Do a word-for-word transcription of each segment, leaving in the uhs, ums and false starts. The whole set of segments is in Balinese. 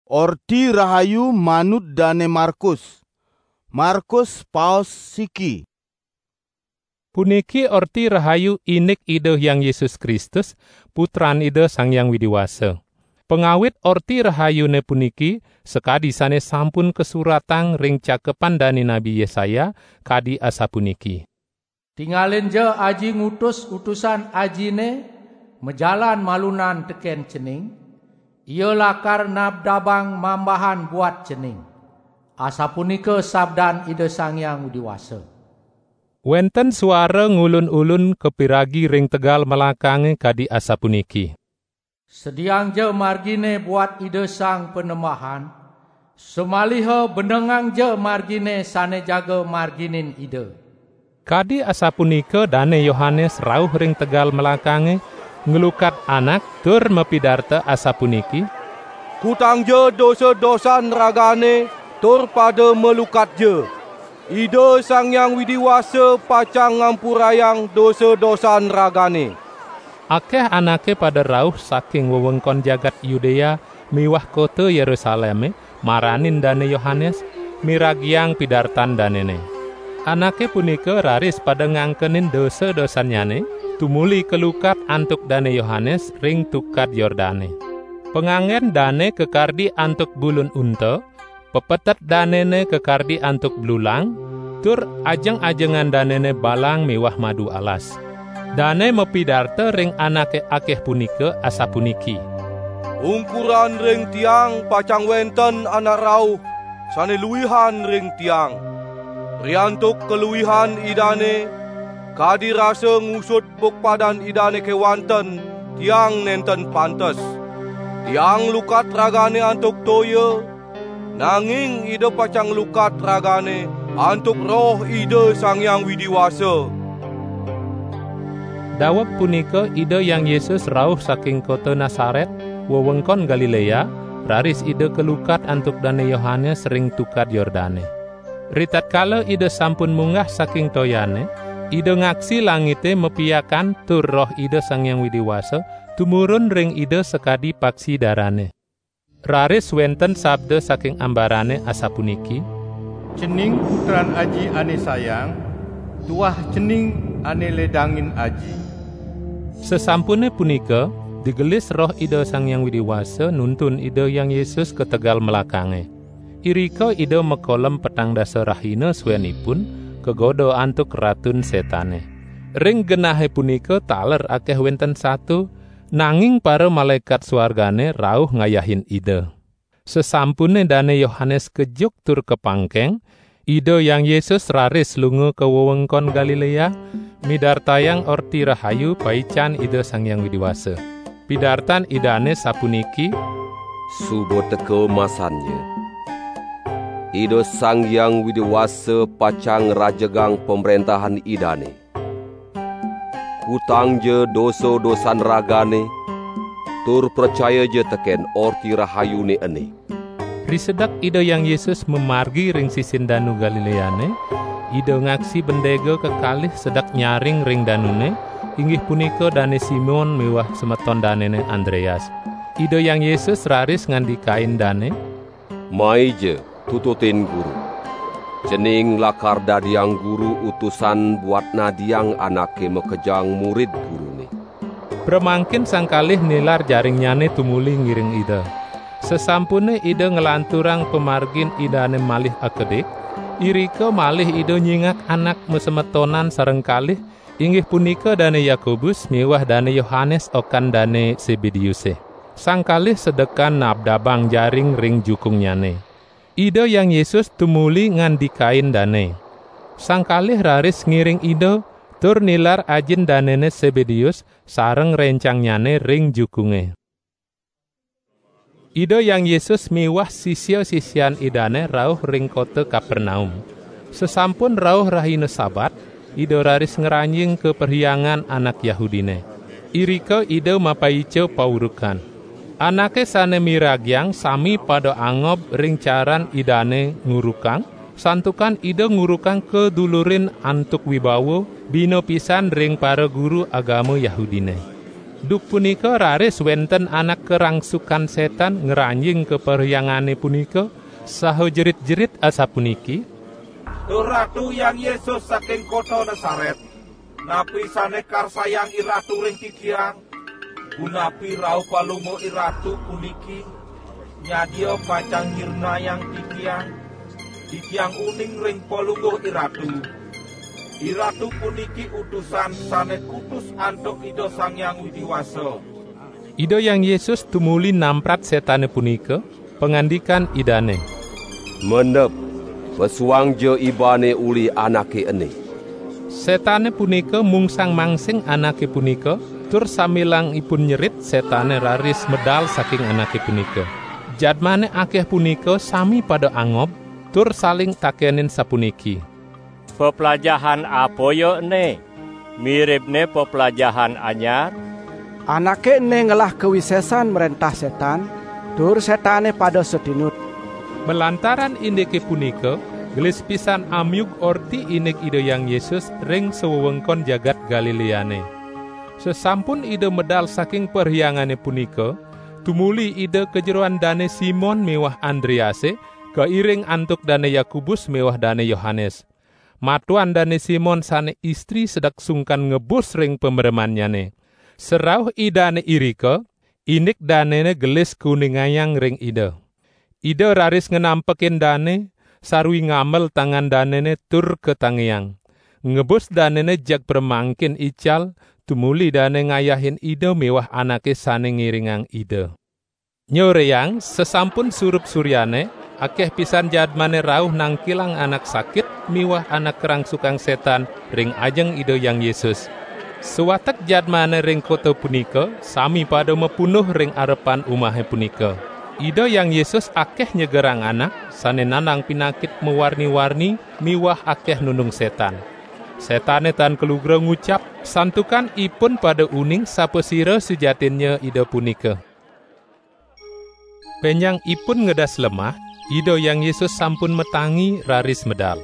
Orti Rahayu manut Dane Markus. Markus paos siki. Puniki Orti Rahayu indik Ida Hyang Yesus Kristus, Putran Ida Sang Hyang Widi Wasa. Pangawit Orti Rahayune puniki sakadi sane sampun kasuratang ring cakepan dane Nabi Yesaya, kadi asapuniki: "Tingalinja aji ngutus utusan ajine majalan malunan teken cening, ia lakar nabdabang mambahan buat cening." Asapunika sabdan Ida Sang Hyang Widi Wasa. Wenten suara ngulun-ulun kapiragi ring tegal melakange kadi asapuniki: "Sediangja margine buat Ida Sang Panembahan, samaliha benengangja margine sane jaga marginin Ida." Kadi asapunika Dane Yohanes rauh ring tegal melakange, nglukat anak tur mapidarta asapuniki: "Kutangja dosa-dosan ragane tur pada malukatja. Ida Sang Hyang Widi Wasa pacang ngampurayang dosa-dosan ragane." Akeh anake pada rauh saking wewengkon jagat Yudea miwah kota Yerusaleme maranin Dane Yohanes, miragiang pidartan danene. Anake punika raris pada ngangkenin dosa-dosannyane, tumuli kalukat antuk Dane Yohanes ring Tukad Yordane. Panganggen dane kakardi antuk bulun unta, pepetet danene kakardi antuk blulang, tur ajeng-ajengan danene balang miwah madu alas. Dane mapidarta ring anake akeh punika asapuniki: "Ungkuran ring tiang pacang wenten anak rauh sane luihan ring tiang. Riantuk kaluihan Idane, kadi rasa ngusud bukpadan Idane kewanten, tiang nenten pantes. Tiang lukat ragane antuk toya, nanging Ida pacang lukat ragane antuk Roh Ida Sang Hyang Widi Wasa." Daweg punika Ida Hyang Yesus rauh saking kota Nasaret, wewengkon Galilea, raris Ida kalukat antuk Dane Yohanes ring Tukad Yordane. Ritatkala Ida sampun munggah saking toyane, Ida ngaksi langite mapiakan tur Roh Ida Sang Hyang Widi Wasa tumurun ring Ida sakadi paksi darane. Raris wenten sabda saking ambarane asapuniki: "Cening Putran Aji ane sayang, tuah cening ane ledangin Aji." Sasampune punika, digelis Roh Ida Sang Hyang Widi Wasa nuntun Ida Hyang Yesus ka tegal melakange. Irika Ida makolem petang dasa rahina suenipun, kagoda antuk Ratun Setane. Ring genahe punika taler akeh wenten sato, nanging para malaekat suargane rauh ngayahin Ida. Sasampune Dane Yohanes kejuk tur kapangkeng, Ida Hyang Yesus raris lunga ka wewengkon Galilea, midartayang Orti Rahayu paican Ida Sang Hyang Widi Wasa. Pidartan Idane sapuniki: "Suba teka masannya. Ida Sang Hyang Widi Wasa pacang ngrajegang pamrentahan Idane. Kutangja dosa-dosan ragane, tur pracayaja teken Orti Rahayune ene." Risedek Ida Hyang Yesus mamargi ring sisin Danu Galileane, Ida ngaksi bendega kekalih sedek nyaring ring danune, inggih punika Dane Simon miwah semeton danene Andreas. Ida Hyang Yesus raris ngandikain dane: "Maija, tututin Guru. Cening lakar dadiang guru utusan buat nadiang anake makejang murid Gurune." Pramangkin sang kalih nilar jaringnyane tumuli ngiring Ida. Sasampune Ida nglanturang pamargin Idane malih akedik, irika malih Ida nyingak anak masemetonan sareng kalih, inggih punika Dane Yakobus miwah Dane Yohanes okan Dane Sebedeuse. Sang kalih sedekan nabdabang jaring ring jukungnyane. Ida Hyang Yesus tumuli ngandikain dane. Sang kalih raris ngiring Ida, tur nilar ajin danene Sebedeus sareng rencangnyane ring jukunge. Ida Hyang Yesus miwah sisia-sisian Idane rauh ring kota Kapernaum. Sasampun rauh rahina Sabat, Ida raris ngranjing ka perhyangan anak Yahudine. Irika Ida mapaica paurukan. Anake sane miragiang sami pada angob ring caran Idane ngurukang, santukan Ida ngurukang kadulurin antuk wibawa, bina pisan ring para guru agama Yahudine. Duk punika raris wenten anak karangsukan setan ngranjing ka perhyangane punika, saha jerit-jerit asapuniki, "Duh Ratu Hyang Yesus saking kota Nasaret, napi sane karsayang IRatu ring titiang? Punapi rauh Palungguh IRatu puniki? Nyadia pacang nyirnayang titiang. Titiang uning ring Palungguh IRatu. IRatu puniki utusan sane kutus antuk Ida Sang Hyang Widi Wasa." Ida Hyang Yesus tumuli namprat setane punika, pangandikan Idane, "Mendep, pesuangja ibane uli anake ene." Setane punika mungsang mangsing anake punika, tur sambilang ipun nyerit, setane raris medal saking anake punika. Jadmane akeh punika sami pada angob, tur saling takenin sapuniki, "Peplajahan apa ya ene? Miribne peplajahan anyar?" "Anake ene ngelah kawisesan mrentah setan, tur setane pada satinut." Malantaran indike punika, gelis pisan amiug orti indik Ida Hyang Yesus ring sawewengkon jagat Galileane. Sasampun Ida medal saking perhyangane punika, tumuli Ida ka jeroan Dane Simon miwah Andrease, kairing antuk Dane Yakobus miwah Dane Yohanes. Matuan Dane Simon sane istri sedek sungkan ngebus ring pamremannyane. Sarauh Idane irika, indik danene gelis kuningayang ring Ida. Ida raris nganampekin dane, sarwi ngamel tangan danene tur katangiang. Ngebus danene jeg pramangkin ical, tumuli dane ngayahin Ida miwah anake sane ngiringang Ida. Nyoreyang, sasampun surup suryane, akeh pisan jadmane rauh nangkilang anak sakit miwah anak karangsukang setan ring ajeng Ida Hyang Yesus. Sawatek jadmane ring kota punika sami pada mapunduh ring arepan umahe punika. Ida Hyang Yesus akeh nyegerang anak sane nandang pinakit mawarni-warni miwah akeh nundung setan. Setane tan kalugra ngucap, santukan ipun pada uning sapasira sujatinnya Ida punika. Benjang ipun ngedas lemah, Ida Hyang Yesus sampun matangi raris medal.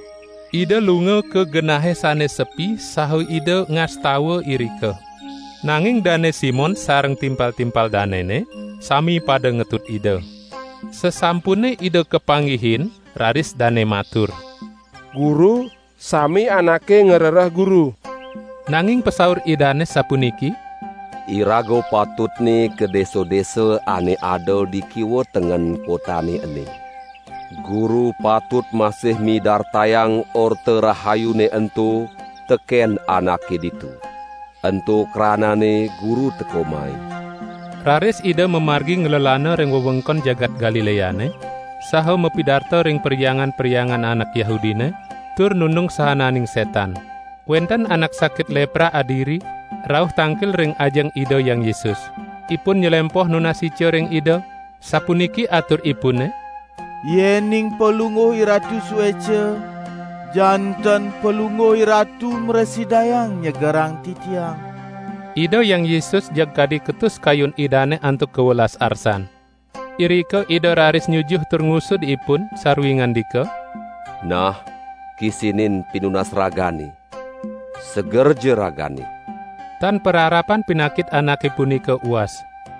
Ida lunga ka genahe sane sepi saha Ida ngastawa irika. Nanging Dane Simon sareng timpal-timpal danene sami pada ngetut Ida. Sasampune Ida kapanggihin, raris dane matur, "Guru, sami anake ngrereh Guru." Nanging pasaur Idane sapuniki, "Iraga patutne ka desa-desa ane ada di kiwa tengen kotane ene. Guru patut masih midartayang Orta Rahayune ento teken anake ditu. Ento kranane Guru teka mai." Raris Ida mamargi nglelana ring wewengkon jagat Galileane, saha mapidarta ring perhyangan-perhyangan anak Yahudine, tur nundung sahananing setan. Wenten anak sakit lepra adiri, rauh tangkil ring ajeng Ida Hyang Yesus. Ipun nyelempoh nunas ica ring Ida, sapuniki aturipune, "Yening Palungguh IRatu sueca, janten Palungguh IRatu mrasidayang nyegerang titiang." Ida Hyang Yesus jeg kadi ketus kayun Idane antuk kawelas arsan. Irika Ida raris nyujuh tur ngusud ipun, sarwi ngandika, "Nah, kisinin pinunas ragane. Segerja ragane." Tan pararapan pinakit anake punika uas.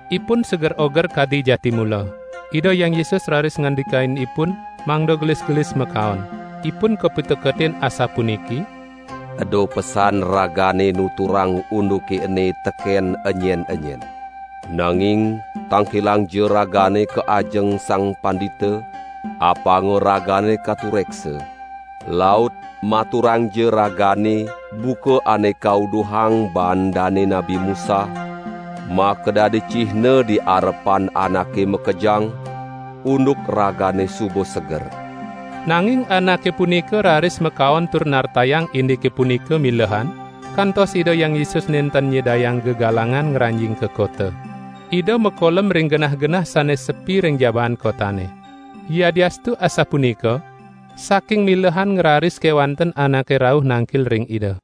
Ipun seger oger kadi jati mula. Ida Hyang Yesus raris ngandikain ipun, mangda gelis-gelis makaon. Ipun kapiteketin asapuniki, "Eda pesan ragane nuturang unduke ene teken enyen-enyen. Nanging tangkilangja ragane ka ajeng Sang Pandita, apanga ragane katureksa, laut maturangja ragane buka ane kauduhang baan dane Nabi Musa, makadadi cihna di arepan anake makejang, unduk ragane suba seger." Nanging anake punika raris makaon tur nartayang indike punika milehan, kantos Ida Hyang Yesus nenten nyidayang gegalangan ngranjing ka kota. Ida makolem ring genah-genah sane sepi ring jabaan kotane. Yadiastu asapunika, saking milehan ngraris kewanten anake rauh nangkil ring Ida.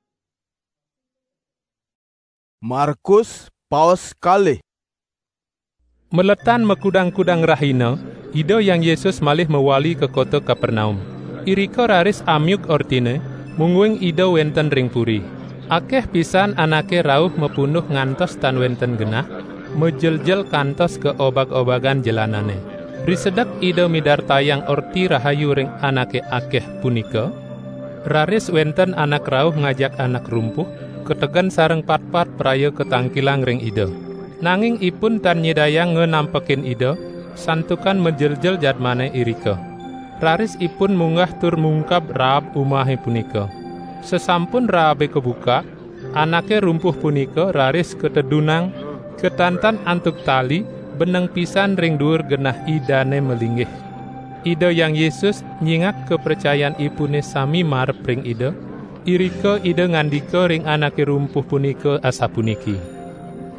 Markus, paos kalih. Maletan makudang-kudang rahina, Ida Hyang Yesus malih mawali ka kota Kapernaum. Irika raris amiug ortine, mungguing Ida wenten ring puri. Akeh pisan anake rauh mapunduh ngantos tan wenten genah, majeljel kantos ka obag-obagan jelanane. Risedek Ida midartayang Orti Rahayu ring anake akeh punika, raris wenten anak rauh ngajak anak rumpuh, kategen sareng patpat praya katangkilang ring Ida. Nanging ipun tan nyidayang nganampekin Ida, santukan majeljel jadmane irika. Raris ipun munggah tur mungkab raab umahe punika. Sasampun raabe kabukak, anake rumpuh punika raris katedunang, katantan antuk tali, beneng pisan ring duur genah Idane malinggih. Ida Hyang Yesus nyingak kapracayanipune sami marep ring Ida, irika Ida ngandika ring anake rumpuh punika asapuniki: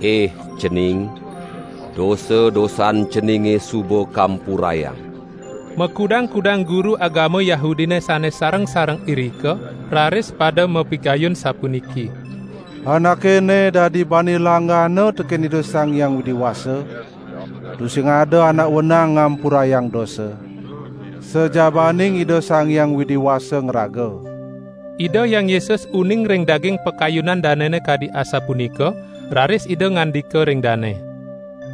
"Eh, cening, dosa-dosan ceninge suba kampurayang." Makudang-kudang guru agama Yahudine sane sareng-sareng irika raris pada mapikayun sapuniki: "Anake ene dadi bani langgana teken Ida Sang Hyang Widi Wasa, tusing ada anak wenang ngampurayang dosa, sajabaning Ida Sang Hyang Widi Wasa ngraga." Ida Hyang Yesus uning ring daging pakayunan danene kadi asapunika, raris Ida ngandika ring dane: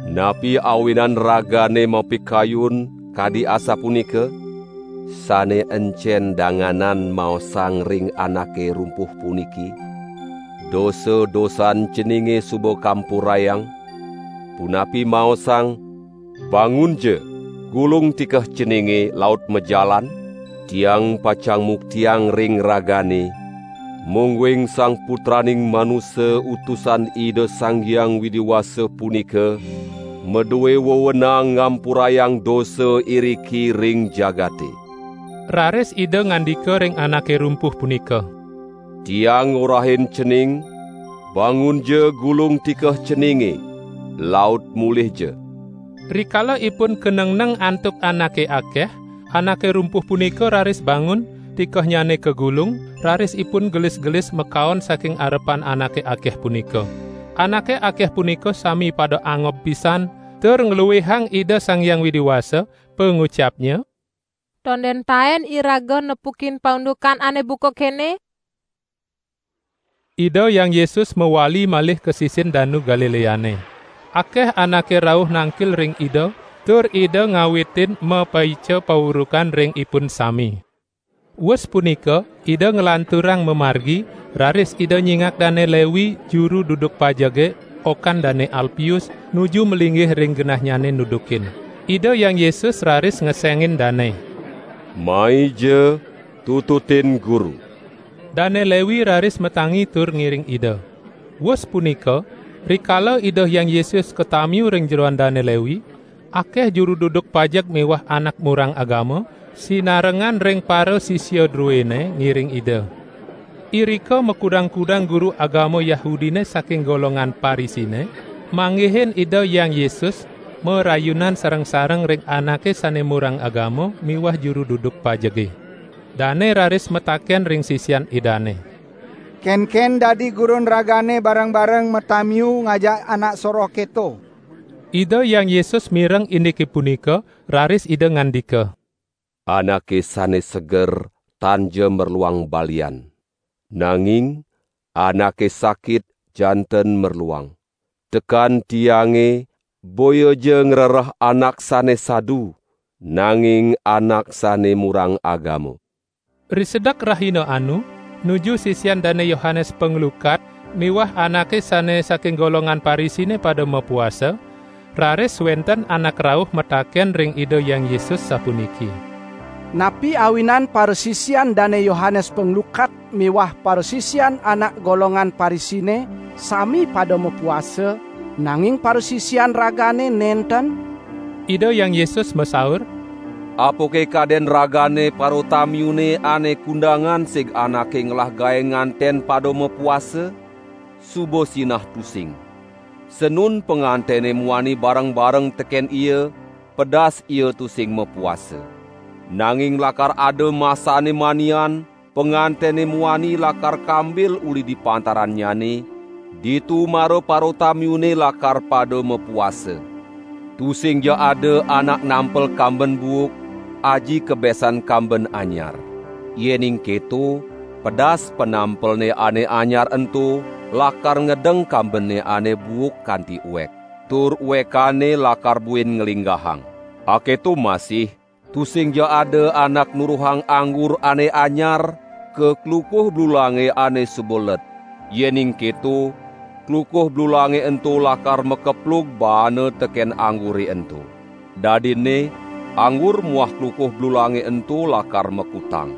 "Napi awinan ragane mapikayun kadi asapunika? Sane encen danganan maosang ring anake rumpuh puniki, 'Dosa-dosan ceninge suba kampurayang'? Punapi maosang, 'Bangunja, gulung tikeh ceninge laut majalan'? Tiang pacang muktiang ring ragane, mungguing Sang Putraning Manusa Utusan Ida Sang Hyang Widi Wasa punika madue wewenang ngampurayang dosa iriki ring jagate." Raris Ida ngandika ring anake rumpuh punika: "Tiang ngorahin cening, bangunja gulung tikeh ceninge, laut mulihja." Rikala ipun kanengneng antuk anake akeh, anake rumpuh punika raris bangun, tikehnyane kagulung, raris ipun gelis-gelis makaon saking arepan anake akeh punika. Anake akeh punika sami pada angob pisan, tur ngluihang Ida Sang Hyang Widi Wasa, pangucapnya: "Tonden taen iraga nepukin paundukan ane buka kene?" Ida Hyang Yesus mawali malih ka sisin Danu Galileane. Akeh anake rauh nangkil ring Ida, tur Ida ngawitin mapaica paurukan ring ipun sami. Wus punika, Ida nglanturang mamargi, raris Ida nyingak Dane Lewi, juru duduk pajege, okan Dane Alpius, nuju malinggih ring genahnyane nudukin. Ida Hyang Yesus raris ngesengin dane. "Maija, tututin Guru." Dane Lewi raris matangi tur ngiring Ida. Wus punika, rikala Ida Hyang Yesus katamiu ring jeroan Dane Lewi, akeh juru duduk pajeg miwah anak murang agama, sinarengan ring parasisia druene ngiring Ida. Irika makudang-kudang guru agama Yahudine saking golongan Parisine, manggihin Ida Hyang Yesus, marayunan sareng-sareng ring anake sane murang agama miwah juru duduk pajege. Dane raris mataken ring sisian Idane: "Kenken dadi gurun ragane bareng-bareng matamiu ngajak anak soroh keto?" Ida Hyang Yesus mireng indike punika, raris Ida ngandika: "Anake sane seger tan ja merluang balian, nanging anake sakit janten merluang. Teken Tiange boya ja ngrereh anak sane sadu, nanging anak sane murang agama." Risedek rahina anu, nuju sisian Dane Yohanes Panglukat miwah anake sane saking golongan Parisine pada mapuasa, raris wenten anak rauh mataken ring Ida Hyang Yesus sapuniki: "Napi awinan parasisian Dane Yohanes Panglukat miwah parasisian anak golongan Parisine sami pada mapuasa, nanging parasisian ragane nenten?" Ida Hyang Yesus masaur: "Apake kaden ragane paratamiune ane kundangan sig anake ngelah gae nganten pada mapuasa? Suba sinah tusing. Sanun pangantene muani bareng-bareng teken ia, pedas ia tusing mapuasa. Nanging lakar ada masane manian, pangantene muani lakar kambil uli di pantarannyane, ditu mara paratamiune lakar pada mapuasa. Tusing ja ada anak nampel kamben buuk, aji kabesan kamben anyar. Yening keto, Pedas penampelne ane anyar ento lakar ngedeng kambenne ane buuk kanti uek, tur uekane lakar buin nglinggahang. Aketo masih, tusingja ada anak nuruhang anggur ane anyar ka klukuh blulange ane suba led. Yening keto, klukuh blulange ento lakar makeplug baana teken anggure ento. Dadinne, anggur muah klukuh blulange ento lakar makutang.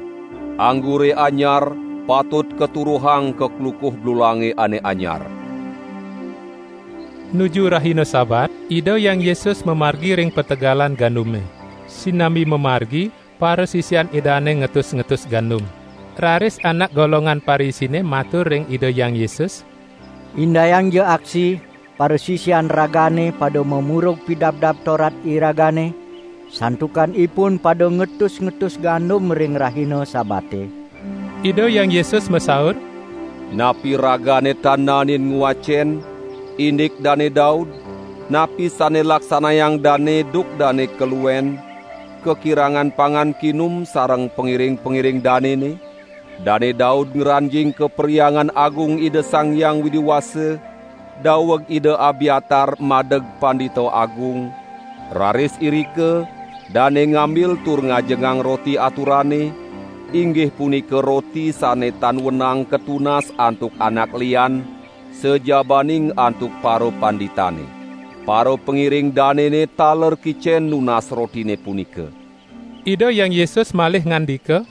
Anggure anyar patut katuruhang ka klukuh blulange ane anyar. Nuju rahina Sabat, Ida Hyang Yesus mamargi ring pategalan gandume. Sinambi mamargi, parasisian Idane ngetus-ngetus gandum. Raris anak golongan Parisine matur ring Ida Hyang Yesus, "Indayangja aksi parasisian Ragane pada mamurug Pidabdab Torat iragane, santukan ipun pada ngetus-ngetus gandum ring rahina Sabate." Ida Hyang Yesus masaur, "Napi ragane tan naenin ngwacen, indik Dane Daud, napi sane laksanayang dane duk dane kaluen, kakirangan pangan kinum sareng pangiring-pangiring danene? Dane Daud ngranjing ka Perhyangan Agung Ida Sang Hyang Widi Wasa, daweg Ida Abiatar madeg Pandita Agung, raris irika dane ngambil tur ngajengang roti aturane, inggih punika roti sane tan wenang katunas antuk anak lian, sajabaning antuk parapanditane. Parapangiring danene taler kicen nunas rotine punika." Ida Hyang Yesus malih ngandika,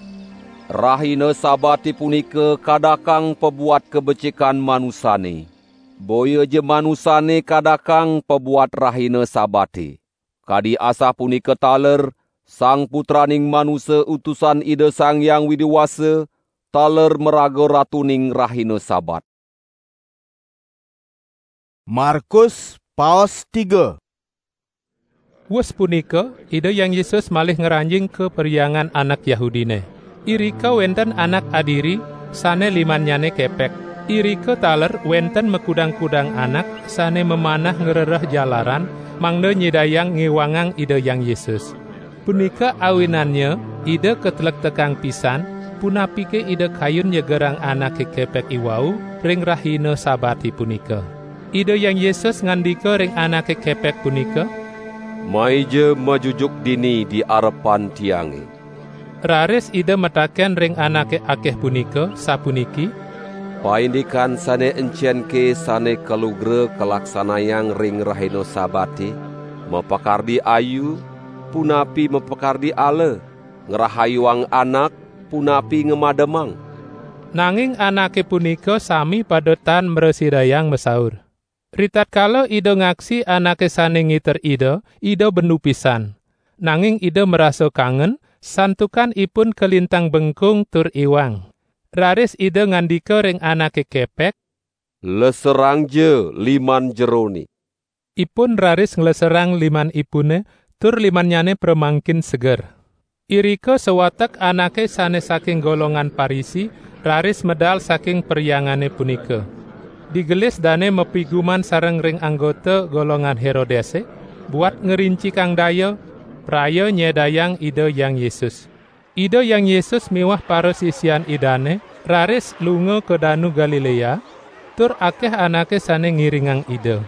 "Rahina Sabate punika kadakang pabuat kabecikan manusane. Boyaja manusane kadakang pabuat rahina Sabate. Kadi asapunika taler Sang Putraning Manusa Utusan Ida Sang Hyang Widi Wasa taler maraga Ratuning rahina Sabat." Markus paos tiga. Wus punika, Ida Hyang Yesus malih ngranjing ka perhyangan anak Yahudine. Irika wenten anak adiri sane limannyane kepek. Irika taler wenten makudang-kudang anak sane mamanah ngrereh jalaran, mangda nyidayang ngiwangang Ida Hyang Yesus. Punika awinannya Ida katlektekang pisan, punapike Ida kayun nyegerang anake kepek iwau ring rahina Sabate punika. Ida Hyang Yesus ngandika ring anake kepek punika, "Maija majujuk dini di arepan Tiange." Raris Ida mataken ring anake akeh punika, sapuniki, "Paindikan sane encenke sane kalugra kalaksanayang ring rahina Sabate? Mapakardi ayu, punapi mapakardi ala? Ngrahayuang anak, punapi ngamademang?" Nanging anake punika sami pada tan mrasidayang masaur. Ritatkala Ida ngaksi anake sane ngiter Ida, Ida bendu pisan. Nanging Ida marasa kangen, santukan ipun kalintang bengkung tur iwang. Raris Ida ngandika ring anake kepek, "Leserangja liman jerone." Ipun raris ngleserang limanipune, tur limannyane pramangkin seger. Irika sawatek anake sane saking golongan Parisi raris medal saking peryangane punika. Digelis dane mapiguman sareng ring anggota golongan Herodese, buat ngrincikang daya, praya nyedayang Ida Hyang Yesus. Ida Hyang Yesus miwah parasisian Idane raris lunga ka Danu Galilea, tur akeh anake sane ngiringang Ida.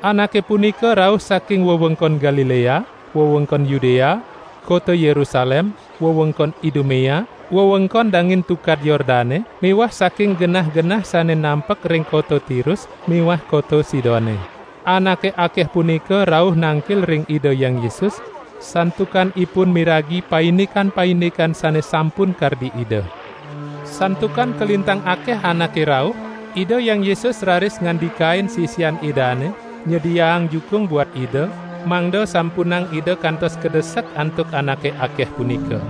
Anake punika rauh saking wewengkon Galilea, wewengkon Yudea, kota Yerusalem, wewengkon Idumea, wewengkon dangin Tukad Yordane, miwah saking genah-genah sane nampek ring kota Tirus miwah kota Sidone. Anake akeh punika rauh nangkil ring Ida Hyang Yesus, santukan ipun miragi paindikan-paindikan sane sampun kardi Ida. Santukan kalintang akeh anake rauh, Ida Hyang Yesus raris ngandikain sisian Idane nyediaang jukung buat Ida, mangda sampunang Ida kantos kadesek antuk anake akeh punika.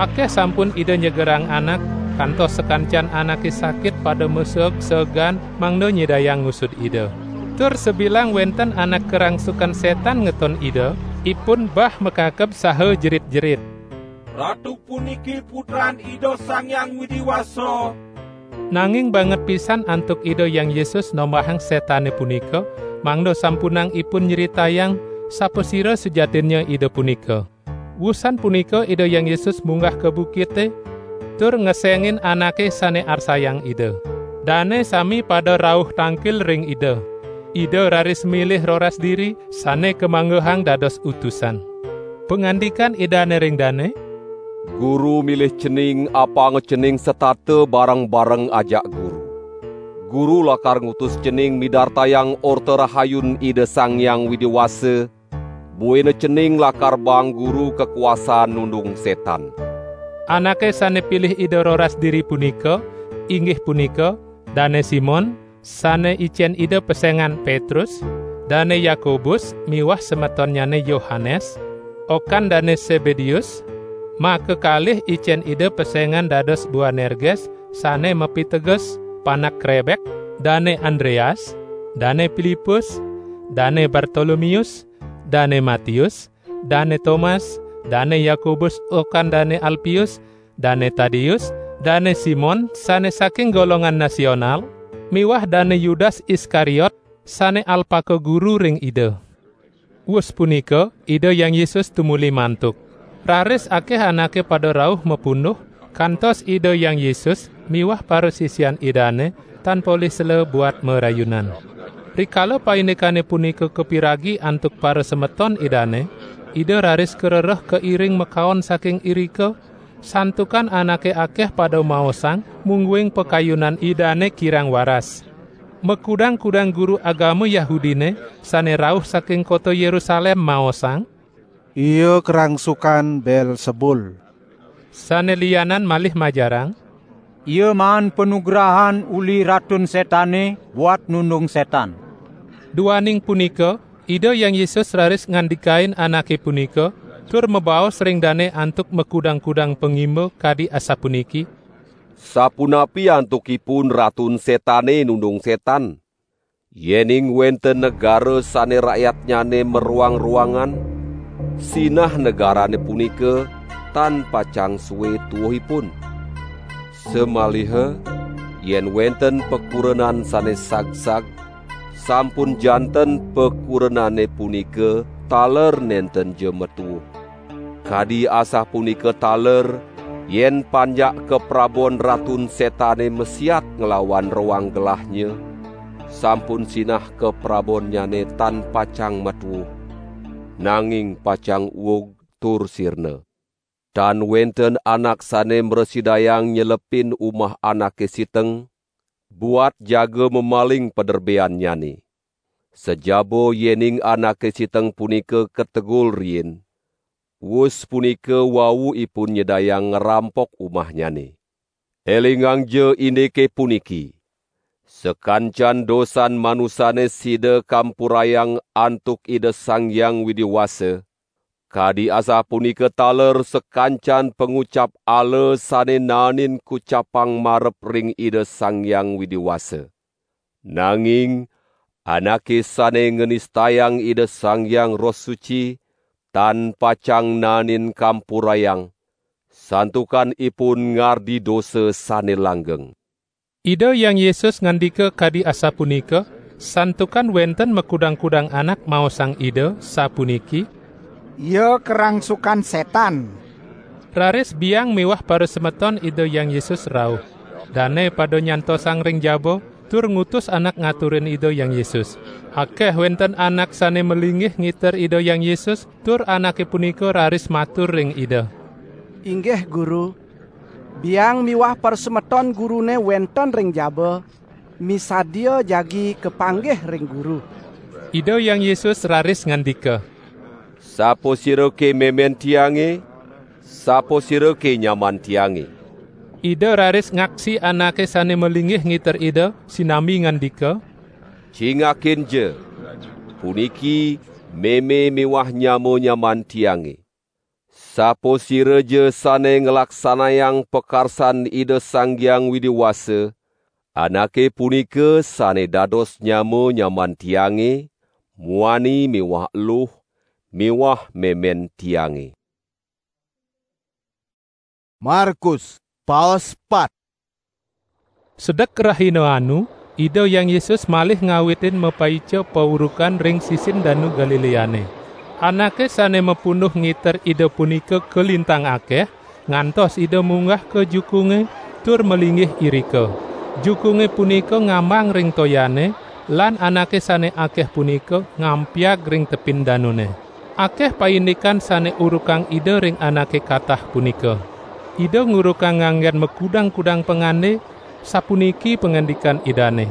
Akeh sampun Ida nyegerang anak, kantos sakancan anake sakit pada maseeg-seegan mangda nyidayang ngusud Ida. Tur sabilang wenten anak karangsukan setan ngeton Ida, ipun bah makakeb saha jerit-jerit, "Ratu puniki Putran Ida Sang Hyang Widi Wasa." Nanging banget pisan antuk Ida Hyang Yesus nombahang setane punika, mangda sampunang ipun nyritayang sapasira sujatinnya Ida punika. Wusan punika Ida Hyang Yesus munggah ka bukite, tur ngesengin anake sane arsayang Ida. Dane sami pada rauh tangkil ring Ida. Ida raris milih roras diri sane kamanggehang dados utusan. Pangandikan Idane ring dane, "Guru milih cening apanga cening setata bareng-bareng ajak Guru. Guru lakar ngutus cening midartayang Orta Rahayun Ida Sang Hyang Widi Wasa, buina cening lakar baang Guru kakuasan nundung setan." Anake sane pilih Ida roras diri punika, inggih punika, Dane Simon, sane icen Ida pesengan Petrus, Dane Yakobus miwah semetonnyane Yohanes, okan Dane Sebedeus, makakalih icen Ida pesengan dados Boanerges, sane mapiteges Panak Krebek, Dane Andreas, Dane Pilipus, Dane Bartolomius, Dane Matius, Dane Tomas, Dane Yakobus okan Dane Alpius, Dane Tadius, Dane Simon sane saking golongan nasional, miwah Dane Yudas Iskariot sane alpaka guru ring Ida. Wus punika, Ida Hyang Yesus tumuli mantuk. Raris akeh anake pada rauh mapunduh, kantos Ida Hyang Yesus miwah parasisian Idane tan polih sela buat marayunan. Rikala paindikane punika kapiragi antuk parasemeton Idane, Ida raris karereh kairing makaon saking irika, santukan anake akeh pada maosang, mungguing pakayunan Idane kirang waras. Makudang-kudang guru agama Yahudine sane rauh saking kota Yerusalem maosang, "Ia karangsukan Beelzebul." Sane lianan malih majarang, "Ia maan panugrahan uli Ratun Setane buat nundung setan." Duaning punika, Ida Hyang Yesus raris ngandikain anake punika, tur mabaos ring dane antuk makudang-kudang pangimba kadi asapuniki: "Sapunapi antuk ipun Ratun Setane nundung setan? Yening wenten negara sane rakyatnyane maruang-ruangan, sinah negarane punika tan pacang sue tuuhipun. Samaliha yen wenten pakurenan sane sagsag, sampun janten pakurenane punika taler nentenja matuuh. Kadi asapunika taler, yen panjak kaprabon Ratun Setane masiat nglawan roang gelahnya, sampun sinah kaprabonnyane tan pacang matuuh, nanging pacang uug tur sirna. Tan wenten anak sane mrasidayang nyelepin umah anake siteng, buat jaga mamaling paderbeannyane. Sajaba yening anake siteng punika kategul riin, wus punika wau ipun nyidayang ngrampok umahnyane. Elingangja indike puniki: Sakancan dosan manusane sida kampurayang antuk Ida Sang Hyang Widi Wasa, kadi asapunika taler sakancan pangucap ala sane naenin kucapang marep ring Ida Sang Hyang Widi Wasa. Nanging anake sane nganistayang Ida Sang Hyang Roh Suci, tan pacang naenin kampurayang, santukan ipun ngardi dosa sane langgeng." Ida Hyang Yesus ngandika kadi asapunika, santukan wenten makudang-kudang anak maosang Ida, sapuniki: "Ia karangsukan setan." Raris biang miwah parasemeton Ida Hyang Yesus rauh. Dane pada nyantosang ring jaba, tur ngutus anak ngaturin Ida Hyang Yesus. Akeh wenten anak sane malinggih ngiter Ida Hyang Yesus, tur anake punika raris matur ring Ida, "Inggih Guru, biang miwah parasemeton Gurune wenten ring jaba, misadia jagi kapanggih ring Guru." Ida Hyang Yesus raris ngandika, "Sapasira ke memen Tiange? Sapasira ke nyaman Tiange?" Ida raris ngaksi anake sane malinggih ngiter Ida, sinambi ngandika, "Cingakinja, puniki meme miwah nyama nyaman Tiange. Sapasiraja sane nglaksanayang pakarsan Ida Sang Hyang Widi Wasa, anake punika sane dados nyama nyaman Tiange, muani miwah eluh, miwah memen Tiange." Markus, paos pat. Sedek rahina anu, Ida Hyang Yesus malih ngawitin mapaica paurukan ring sisin Danu Galileane. Anake sane mapunduh ngiter Ida punika kalintang akeh, ngantos Ida munggah ka jukunge tur malinggih irika. Jukunge punika ngambang ring toyane, lan anake sane akeh punika ngampiag ring tepin danune. Akeh paindikan sane urukang Ida ring anake katah punika. Ida ngurukang nganggen makudang-kudang pangande, sapuniki pangandikan Idane,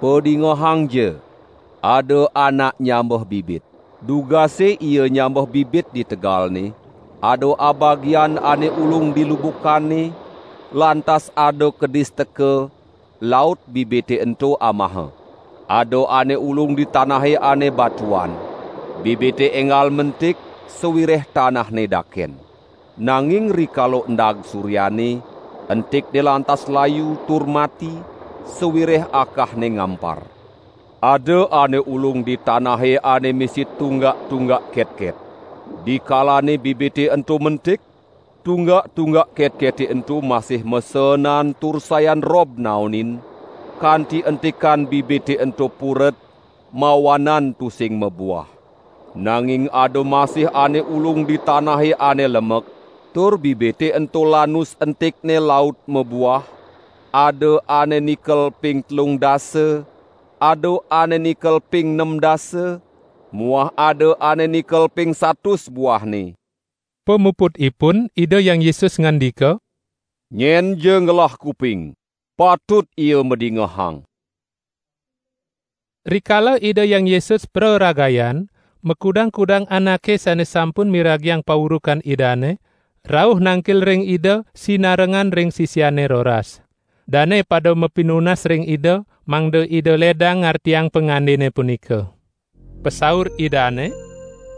"Padingehangja, ada anak nyambeh bibit. Dugase ia nyambeh bibit di tegalne, ada abagian ane ulung di lubukanne, lantas ada kedis teka, laut bibite ento amaha. Ada ane ulung di tanahe ane batuan. Bibite enggal mentik, sawireh tanahne daken. Nanging rikala endag suryane, entikne lantas layu tur mati, sawireh akahne ngampar. Ada ane ulung di tanahe ane misi tunggak-tunggak ketket. Dikalane bibite ento mentik, tunggak-tunggak ketkete ento masih masenan tur sayan rob naonin, kanti entikan bibite ento puret, mawanan tusing mabuah. Nanging ada masih ane ulung di tanahe ane lemek, tur bibite ento lanus entikne laut mabuah, ada ane nikel ping telung dasa, ada ane nikel ping nem dasa, muah ada ane nikel ping satus buahne." Pamuputipun, Ida Hyang Yesus ngandika, "Nyenja ngelah kuping, patut ia madingehang." Rikala Ida Hyang Yesus praragayan, makudang-kudang anake sane sampun miragiang paurukan Idane, rauh nangkil ring Ida sinarengan ring sisiane roras. Dane pada mapinunas ring Ida, mangda Ida ledang ngartiang pangandene punika. Pasaur Idane,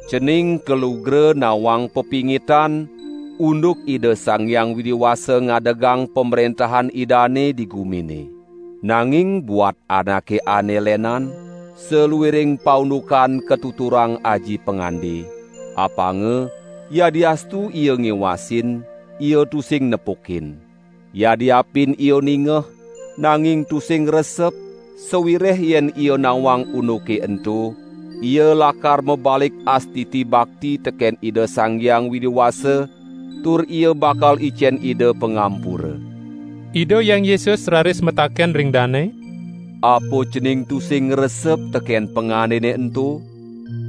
"Cening kalugra nawang pepingitan, unduk Ida Sang Hyang Widi Wasa ngadegang pamrentahan Idane di gumine. Nanging buat anake ane lenan, saluiring paundukan katuturang aji pangande, apanga, yadiastu ia ngiwasin, ia tusing nepukin. Yadiapin ia ningeh, nanging tusing resep, sawireh yen ia nawang unduke ento, ia lakar mabalik astiti bakti teken Ida Sang Hyang Widi Wasa, tur ia bakal icen Ida pangampura." Ida Hyang Yesus raris mataken ring dane, "Apa cening tusing ngresep teken pangandene ento?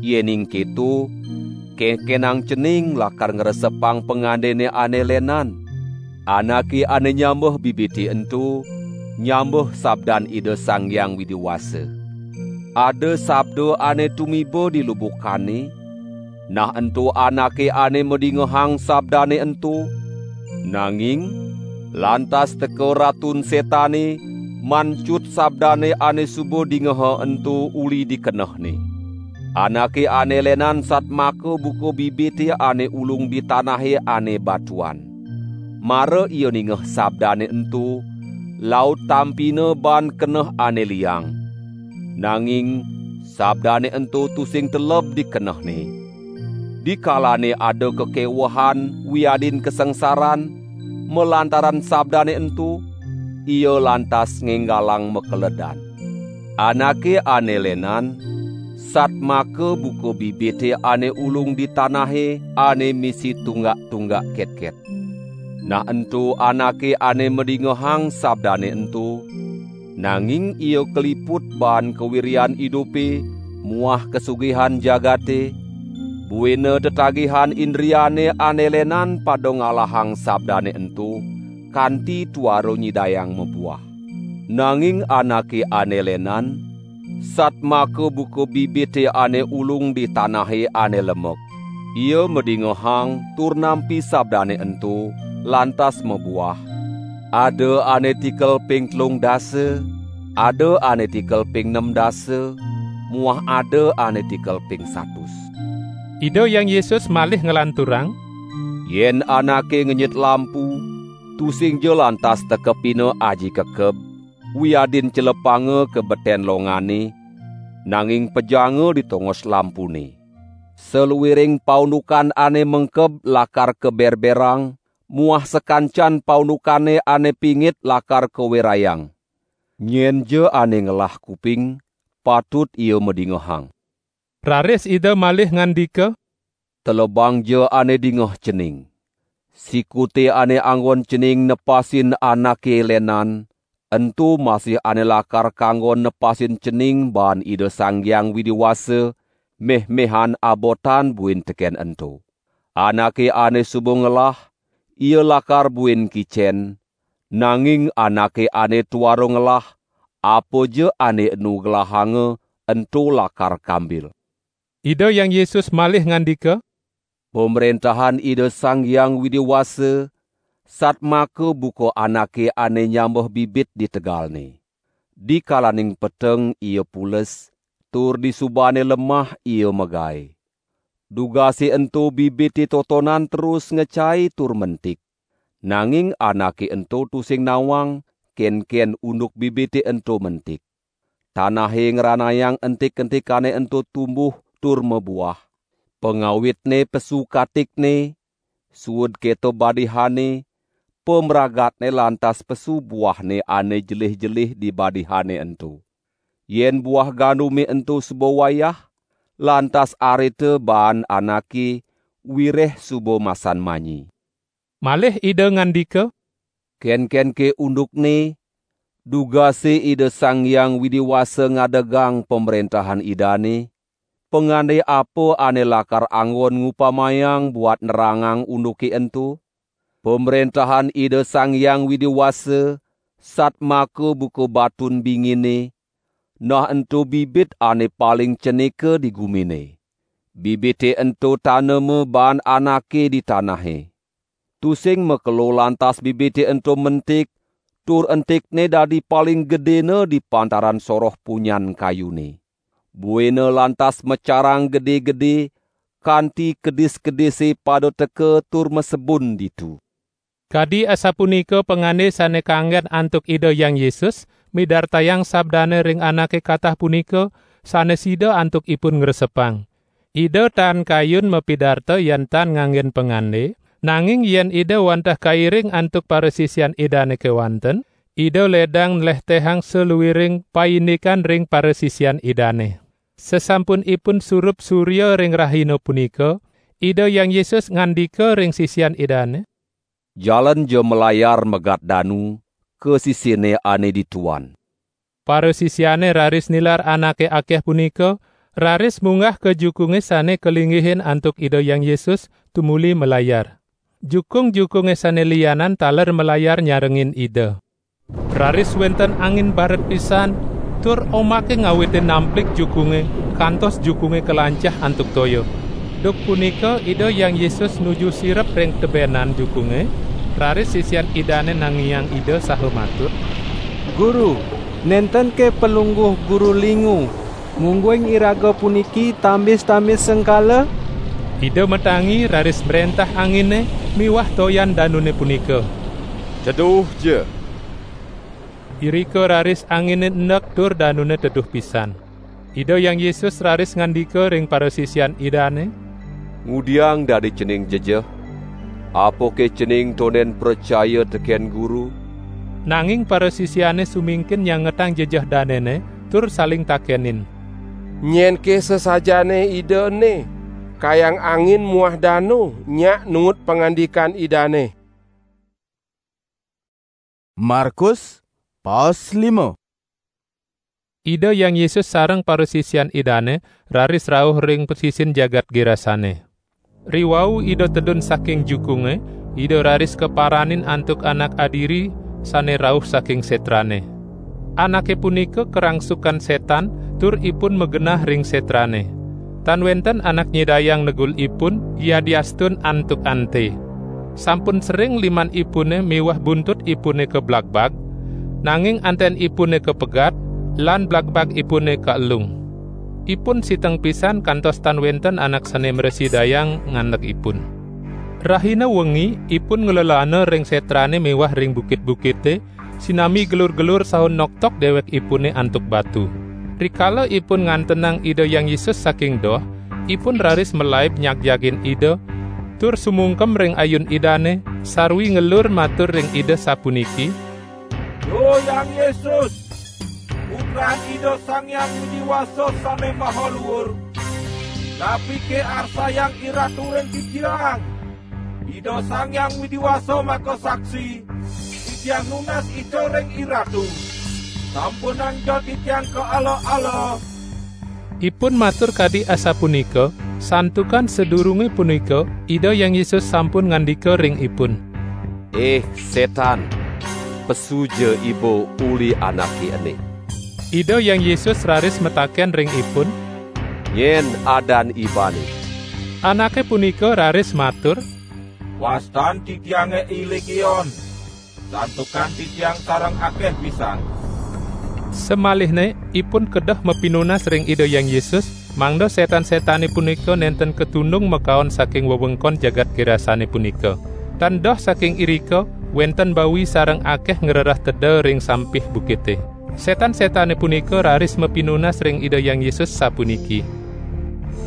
Yening keto, kenkenang cening lakar ngresepang pangandene ane lenan. Anake ane nyambeh bibite ento, nyambeh sabdan Ida Sang Hyang Widi Wasa. Ada sabda ane tumiba di lubukane, nah ento anake ane madingehang sabdane ento. Nanging lantas teka Ratun Setane, mancut sabdane ane suba dingeha ento uli di kenehne. Anake ane lenan satmaka buka bibite ane ulung di tanahe ane batuan. Mara ia ningeh sabdane ento, laut tampina baan keneh ane liang. Nanging sabdane ento tusing teleb di kenehne. Dikalane ada kakewehan wiadin kasangsaran malantaran sabdane ento, ia lantas ngenggalang makeledan. Anake ane lenan, satmaka buka bibite ane ulung di tanahe ane misi tunggak-tunggak ketket. Nah ento anake ane madingehang sabdane ento, nanging ia kaliput baan kawiryan idupe muah kasugihan jagate, buina tetagihan indriane ane lenan pada ngalahang sabdane ento, kanti tuara nyidayang mabuah. Nanging anake ane lenan, satmaka buka bibite ane ulung di tanahe ane lemek. Ia madingehang tur nampi sabdane ento, lantas mabuah. Ada ane tikel ping telung dasa, ada ane tikel ping nem dasa, muah ada ane tikel ping satus. Ida Hyang Yesus malih nglanturang, "Yen anake ngenyit lampu, tusingja lantas tekepina aji kekeb, wiadin celepanga ka beten longane, nanging pejanga di tongos lampune. Saluiring paundukan ane mengkeb lakar kaberberang, muah sakancan paundukane ane pingit lakar kawerayang. Nyenja ane ngelah kuping, patut ia madingehang." Raris Ida malih ngandika, "Telebangja ane dingeh cening. Sikute ane anggon cening nepasin anake lenan, ento masih ane lakar kanggon nepasin cening baan Ida Sang Hyang Widi Wasa, meh-mehan abotan buin teken ento. Anake ane suba ngelah, ia lakar buin kicen, nanging anake ane tuara ngelah, apaja ane enu gelahanga, ento lakar kambil. Ida Hyang Yesus malih ngandika, "Pamrentahan Ida Sang Hyang Widi Wasa satmaka buka anake ane nyambeh bibit di tegalne. Dikalaning peteng ia pules, tur disubane lemah ia magae. Dugase ento bibite totonan terus ngecai tur mentik. Nanging anake ento tusing nawang kenken unduk bibite ento mentik. Tanahe ngranayang entik-entikane ento tumbuh tur mabuah. Pangawitne pesu katikne, suud keto badihane, pamragatne lantas pesu buahne ane jelih-jelih di badihane ento. Yen buah gandume ento suba wayah, lantas arita baan anake wireh suba masan manyi." Malih Ida ngandika, "Kenkenke undukne, dugase Ida Sang Hyang Widi Wasa ngadegang Pamrentahan Idane? Pangande apa ane lakar anggon ngupamayang buat nerangang unduke ento? Pamrentahan Ida Sang Hyang Widi Wasa satmaka buka batun bingine, nah ento bibit ane paling cenika di gumine. Bibite ento tanema baan anake di tanahe. Tusing makelo lantas bibite ento mentik, tur entikne dadi paling gedena di pantaran soroh punyan kayune. Buina lantas macarang gede-gede, kanti kedis-kedise pada teka tur masebun ditu." Kadi asapunika pangande sane kanggen antuk Ida Hyang Yesus, midartayang sabdane ring anake katah punika, sane sida antuk ipun ngresepang. Ida tan kayun mapidarta yen tan nganggen pangande, nanging yen Ida wantah kairing antuk parasisian Idane kewanten, Ida ledang nlehtehang saluiring paindikan ring parasisian Idane. Sasampun ipun surup surya ring rahina punika, Ida Hyang Yesus ngandika ring sisian Idane, "Jalenja malayar megat danu ka sisine ane dituan." Parasisiane raris nilar anake akeh punika, raris munggah ka jukunge sane kalinggihin antuk Ida Hyang Yesus tumuli malayar. Jukung-jukunge sane lianan taler malayar nyarengin Ida. Raris wenten angin baret pisan, tur omake ngawitin namplik jukunge, kantos jukunge kalancah antuk toya. Duk punika Ida Hyang Yesus nuju sirep ring tebenan jukunge, raris sisian Idane nangiang Ida saha matur, "Guru, nentenke Palungguh Guru lingu, mungguing iraga puniki tambis-tambis sengkala?" Ida matangi raris mrentah angine miwah toyan danune punika, "Teduhja!" Irika raris angine endek tur danune teduh pisan. Ida Hyang Yesus raris ngandika ring parasisian Idane, "Ngudiang dadi cening jejeh? Apake cening tonden pracaya teken Guru?" Nanging parasisiane sumingkin nyangetang jejeh danene tur saling takenin, "Nyenke sasajaane Ida ene, kayang angin muah danu nyak nuut pangandikan Idane?" Markus, paos lima. Ida Hyang Yesus sareng parasisian Idane raris rauh ring pasisin jagat Gerasane. Riwau Ida tedun saking jukunge, Ida raris kaparanin antuk anak adiri sane rauh saking setrane. Anake punika karangsukan setan, tur ipun magenah ring setrane. Tan wenten anak nyidayang negul ipun, yadiastun antuk ante. Sampun sering liman ipune miwah buntut ipune kablagbag, nanging anten ipune kapegat, lan blagbag ipune kaelung. Ipun siteng pisan kantos tan wenten anak sane mrasidayang ngandeg ipun. Rahina wengi, ipun nglelana ring setrane miwah ring bukit-bukite, sinami gelur-gelur saha noktok dewekipune antuk batu. Rikala ipun ngantenang Ida Hyang Yesus saking doh, ipun raris malaib nyagjagin Ida, tur sumungkem ring ayun Idane, sarwi ngelur matur ring Ida sapuniki, "Duh Hyang Yesus, Putran Ida Sang Hyang Widi Wasa Sane Maha Luur, napike arsayang IRatu ring titiang?" Ida Sang Hyang Widi Wasa makasaksi, titiang nunas ica ring iratu. Sampunang ja titiang kaala-ala. Ipun matur kadi asapunika, santukan sadurunge punika Ida Hyang Yesus sampun ngandika ring ipun, "Ih, setan, pesuja iba uli anake ene." Ida Hyang Yesus raris mataken ring ipun, "Nyen adan ibane?" Anake punika raris matur, "Wastan titiange I Legion, santukan titiang sareng akeh pisan." Samalihne ipun kedah mapinunas ring Ida Hyang Yesus, mangda setan-setane punika nenten katundung makaon saking wewengkon jagat Gerasane punika. Tan doh saking irika, wenten bawi sareng akeh ngrereh teda ring sampih bukite. Setan-setane punika raris mapinunas ring Ida Hyang Yesus sapuniki,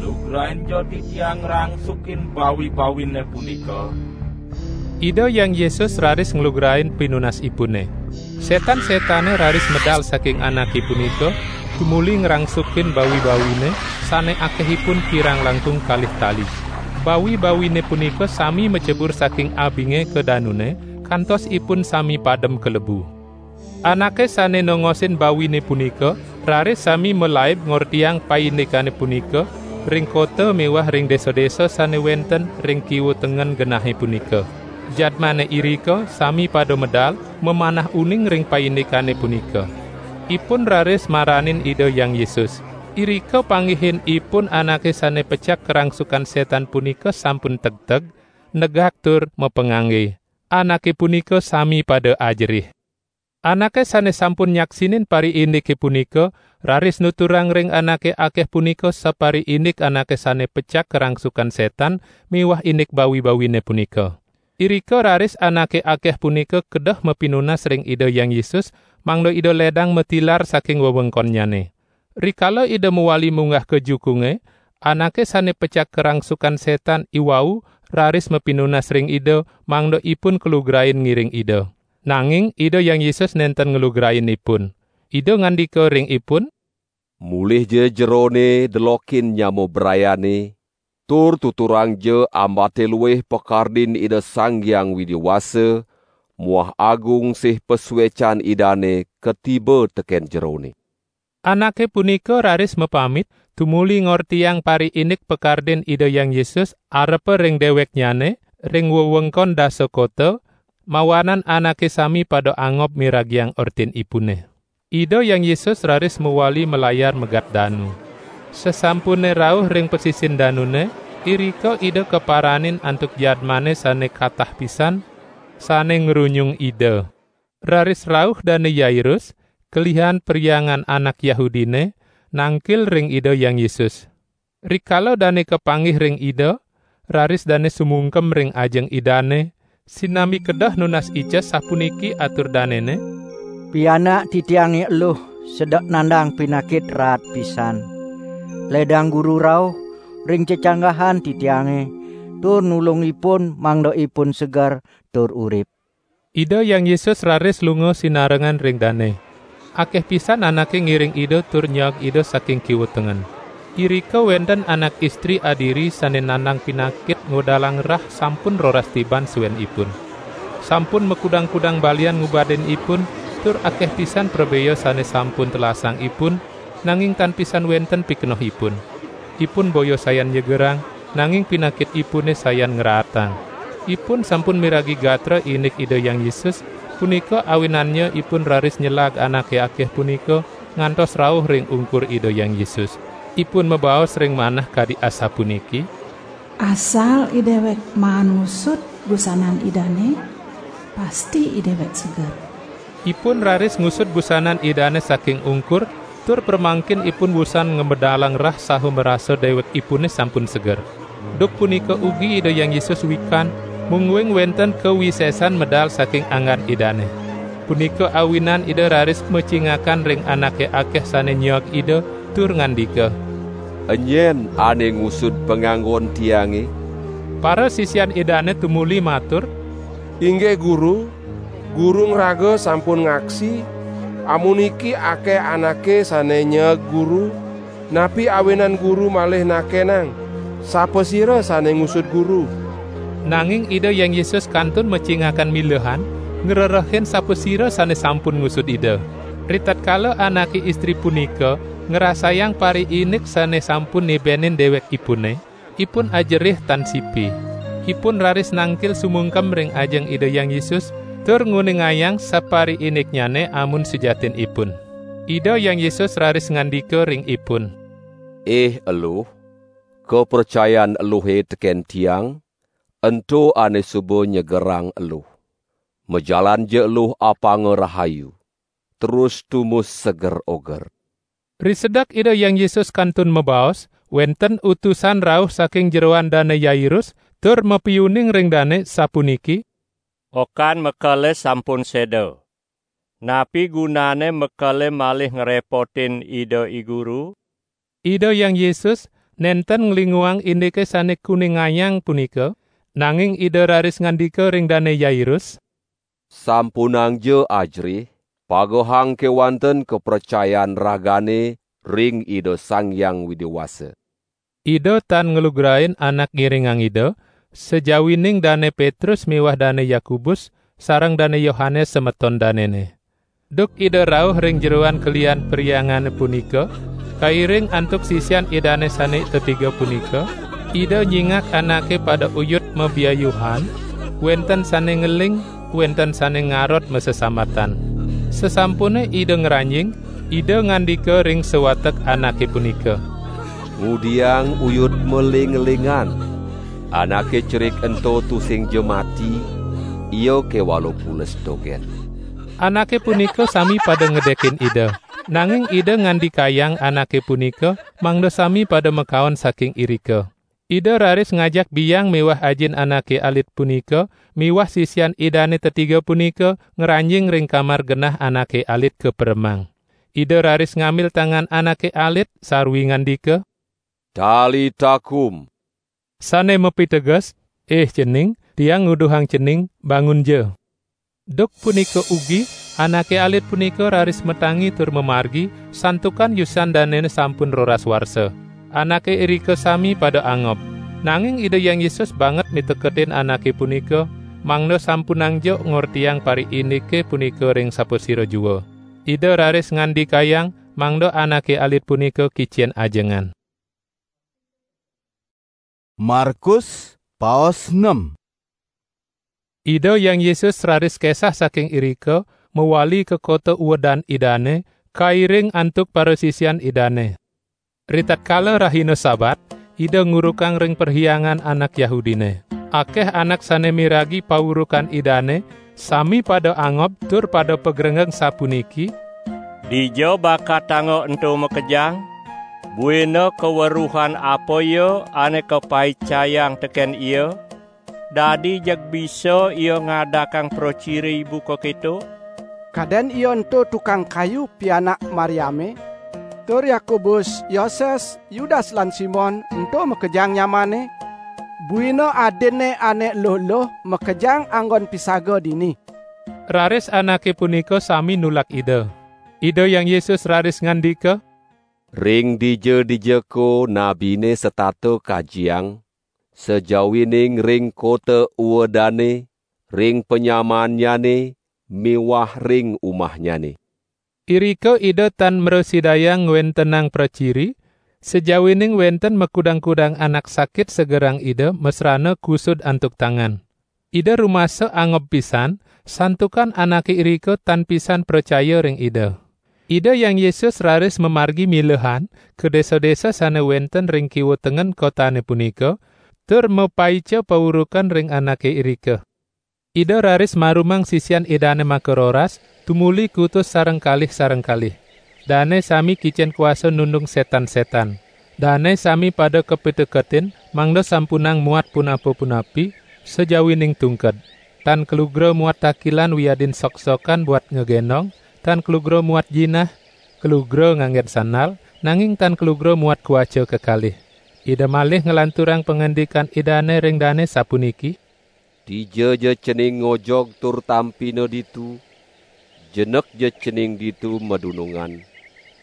"Lugrain ja titiang ngrangsukin bawi-bawine punika." Ida Hyang Yesus raris nglugrain pinunasipune. Setan-setane raris medal saking anake punika, tumuli ngrangsukin bawi-bawine, sane akehipun kirang langkung kalih tali. Bawi-bawine punika sami macebur saking abinge ka danune, kantos ipun sami padem kalebu. Anake sane nongosin bawine punika raris sami malaib ngortiang paindikane punika ring kota miwah ring desa-desa sane wenten ring kiwa tengen genahe punika. Jadmane irika sami pada medal mamanah uning ring paindikane punika. Ipun raris maranin Ida Hyang Yesus. Irika panggihin ipun anake sane pecak karangsukan setan punika sampun tegteg, negak tur mapangangge. Anake punika sami pada ajerih. Anake sane sampun nyaksinin pariindike punika raris nuturang ring anake akeh punika sapariindik anake sane pecak karangsukan setan miwah indik bawi-bawine punika. Irika raris anake akeh punika kedah mapinunas ring Ida Hyang Yesus, mangda Ida ledang matilar saking wewengkonnyane. Rikala Ida mawali munggah ka jukunge, anake sane pecak karangsukan setan iwau raris mapinunas ring Ida, mangda ipun kalugrain ngiring Ida. Nanging Ida Hyang Yesus nenten nglugrain ipun. Ida ngandika ring ipun, "Mulihja jerone delokin nyama brayane, tur tuturangja ambate luih pakardin Ida Sang Hyang Widi Wasa muah agung sih pasuecan Idane katiba teken jerone." Anake punika raris mapamit, tumuli ngortiang pariindik pakardin Ida Hyang Yesus arepa ring deweknyane ring wewengkon dasa kota, mawanan anake sami pada angob miragiang ortinipune. Ida Hyang Yesus raris mawali malayar megat danu. Sasampune rauh ring pasisin danune, irika Ida kaparanin antuk jadmane sane katah pisan, sane ngrunyung Ida. Raris rauh Dane Yairus, kelihan perhyangan anak Yahudine, nangkil ring Ida Hyang Yesus. Rikala dane kapanggih ring Ida, raris dane sumungkem ring ajeng Idane, sinambi kedah nunas ica sapuniki atur danene, "Pianak titiange eluh sedek nandang pinakit raat pisan. Ledang Guru rauh ring cecanggahan titiange, tur nulung ipun mangda ipun seger tur urip." Ida Hyang Yesus raris lunga sinarengan ring dane. Akeh pisan anake ngiring Ida tur nyaag Ida saking kiwa tengen. Irika wenten anak istri adiri sane nandang pinakit ngodalang rah sampun roras tiban suenipun. Sampun makudang-kudang balian ngubadin ipun, tur akeh pisan prabea sane sampun telasang ipun, nanging tan pisan wenten pikenohipun. Ipun boya sayan nyegerang, nanging pinakitipune sayan ngraatang. Ipun sampun miragi gatra indik Ida Hyang Yesus, punika awinannya ipun raris nyelag anake akeh punika ngantos rauh ring ungkur Ida Hyang Yesus. Ipun mabaos ring manah kadi asapuniki, "Asal idewek maan ngusud busanan Idane, pasti idewek seger." Ipun raris ngusud busanan Idane saking ungkur, tur pramangkin ipun wusan ngamedalang rah saha marasa dewekipune sampun seger. Duk punika ugi Ida Hyang Yesus wikan, mungguing wenten kawisesan medal saking anggan Idane. Punika awinan Ida raris macingakan ring anake akeh sane nyaag Ida, tur ngandika, "Enyen ane ngusud panganggon tiange?" Parasisian Idane tumuli matur, "Inggih Guru, Guru ngraga sampun ngaksi, amuniki akeh anake sane nyaag Guru, napi awinan Guru malih nakenang, sapasira sane ngusud Guru?" Nanging Ida Hyang Yesus kantun macingakan milehan, ngrerehin sapasira sane sampun ngusud Ida. Ritatkala anake istri punika ngrasayang pariinik sane sampun nibenin dewekipune, ipun ajerih tan sipi. Ipun raris nangkil sumungkem ring ajeng Ida Hyang Yesus, tur nguningayang sapariiniknyane amun sujatinipun. Ida Hyang Yesus raris ngandika ring ipun, "Ih eluh, kapracayan eluhe teken Tiang, ento ane suba nyegerang eluh. Majalanja eluh apanga rahayu, terus tumus seger oger." Risedek Ida Hyang Yesus kantun mabaos, wenten utusan rauh saking jeroan Dane Yairus, tur mapiuning ring dane, sapuniki: "Okan mekele sampun seda. Napi gunane mekele malih ngrepotin Ida I Guru?" Ida Hyang Yesus nenten nglinguang indike sane kuningayang punika, nanging Ida raris ngandika ring Dane Yairus: "Sampunangja ajerih, pagehang kewanten kapracayan ragane ring Ida Sang Hyang Widi Wasa." Ida tan nglugrain anak ngiringang Ida, sajawining Dane Petrus miwah Dane Yakobus sareng Dane Yohanes semeton danene. Duk Ida rauh ring jeroan kelian perhyangane punika, kairing antuk sisian Idane sane tetiga punika, Ida nyingak anake pada uyut mabiayuhan, wenten sane ngeling, wenten sane ngarot masesambatan. Sasampune Ida ngranjing, Ida ngandika ring sawatek anake punika: "Ngudiang uyut maling-lingan. Anake cerik ento tusingja mati, ia kewala pules dogen." Anake punika sami pada ngedekin Ida, nanging Ida ngandikayang anake punika mangda sami pada makaon saking irika. Ida raris ngajak biang miwah ajin anake alit punika miwah sisian Idane tetiga punika ngranjing ring kamar genah anake alit kaperemang. Ida raris ngambil tangan anake alit sarwi ngandika: "Talita kum," sane mapiteges: "Ih cening, Tiang nguduhang cening, bangunja." Duk punika ugi, anake alit punika raris matangi tur mamargi, santukan yusan danene sampun roras warsa. Anake irika sami pada angob. Nanging Ida Hyang Yesus banget miteketin anake punika, mangda sampunangja ngortiang pariinike punika ring sapasira jua. Ida raris ngandikayang mangda anake alit punika kicen ajengan. Markus, paos nem. Ida Hyang Yesus raris kesah saking irika, mawali ka kota uedan Idane, kairing antuk parasisian Idane. Ritatkala rahina Sabat, Ida ngurukang ring perhyangan anak Yahudine. Akeh anak sane miragi paurukan Idane, sami pada angob tur pada pagrenggeng sapuniki: "Dija bakatanga ento makejang? Buina kaweruhan apa ya ane kapaicayang teken ia? Dadi jeg bisa ia ngadakang praciri buka keto? Kaden ia ento tukang kayu pianak Mariame, tur Yakobus, Yoses, Yudas lan Simon ento makejang nyamane? Buina adinne ane eluh-eluh makejang anggon pisaga dini." Raris anake punika sami nulak Ida. Ida Hyang Yesus raris ngandika: "Ring dija-dija ko nabine setata kajiang, sajawining ring kota uedane, ring panyamannyane, miwah ring umahnyane." Irika Ida tan mrasidayang ngwentenang praciri, sajawining wenten makudang-kudang anak sakit segerang Ida masrana kusud antuk tangan. Ida rumasa angob pisan, santukan anake irika tan pisan pracaya ring Ida. Ida Hyang Yesus raris mamargi milehan ka desa-desa sane wenten ring kiwa tengen kotane punika, tur mapaica paurukan ring anake irika. Ida raris marumang sisian Idane makaroras, tumuli kutus sareng kalih-sareng kalih. Dane sami kicen kuasa nundung setan-setan. Dane sami pada kapiteketin, mangda sampunang muat punapa-punapi, sajawining tungked. Tan kalugra muat takilan wiadin sok-sokan buat ngagendong, tan kalugra muat jinah, kalugra nganggen sandal, nanging tan kalugra muat kuaca kekalih. Ida malih nglanturang pangandikan Idane ring dane sapuniki: "Dija ja cening ngojog tur tampina ditu, jenek ja cening ditu madunungan,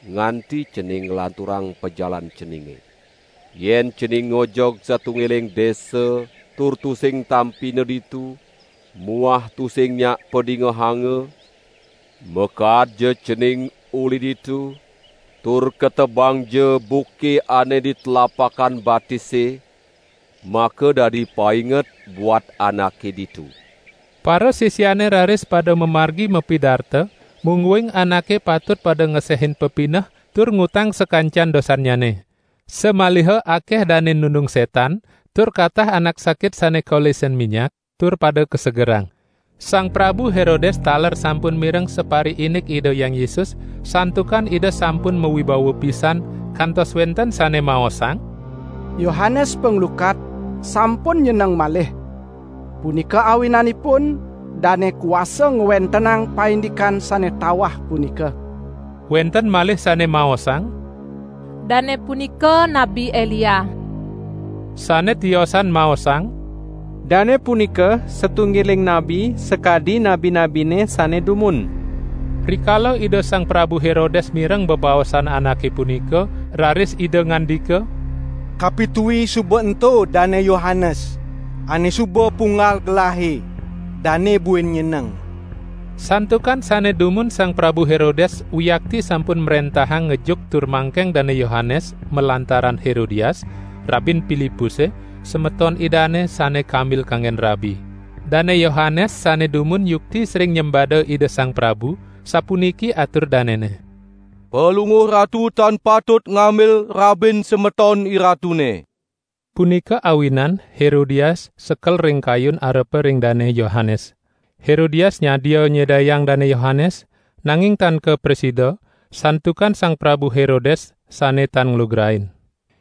nganti cening nglanturang pajalan ceninge. Yen cening ngojog satunggiling desa, tur tusing tampina ditu, muah tusing nyak padingehanga, makaadja cening uli ditu, tur ketebangja buke ane di telapakan batise, maka dadi painget buat anake ditu." Para sisiane raris pada mamargi mapidarta, mungguing anake patut pada ngesehin pepineh tur ngutang sakancan dosannyane. Samaliha akeh dane nundung setan, tur katah anak sakit sane kolisen minyak, tur pada kasegerang. Sang Prabu Herodes taler sampun mireng sapariindik Ida Hyang Yesus, santukan Ida sampun mawibawa pisan, kantos wenten sane maosang, "Yohanes Panglukat sampun nyeneng malih. Punika awinanipun dane kuasa ngwentenang paindikan sane tawah punika." Wenten malih sane maosang, "Dane punika Nabi Elia." Sane tiosan maosang, "Dane punika satunggiling nabi sakadi nabi-nabine sane dumun." Rikala Ida Sang Prabu Herodes mireng bebaosan anake punika, raris Ida ngandika, "Kapitui suba ento Dane Yohanes, ane suba punggal gelahe, dane buin nyeneng." Santukan sane dumun Sang Prabu Herodes wiakti sampun mrentahang ngejuk tur mangkeng Dane Yohanes malantaran Herodias, rabin Pilipuse, semeton idane sane kambil kanggen rabi. Dane Yohanes sane dumun yukti sering nyembada Ida Sang Prabu, sapuniki atur danene, "Palungguh Ratu tan patut ngambil rabin semeton iratune." Punika awinan Herodias sekel ring kayun arepa ring Dane Yohanes. Herodias nyadia nyedayang Dane Yohanes, nanging tan kaprasida, santukan Sang Prabu Herodes sane tan nglugrain.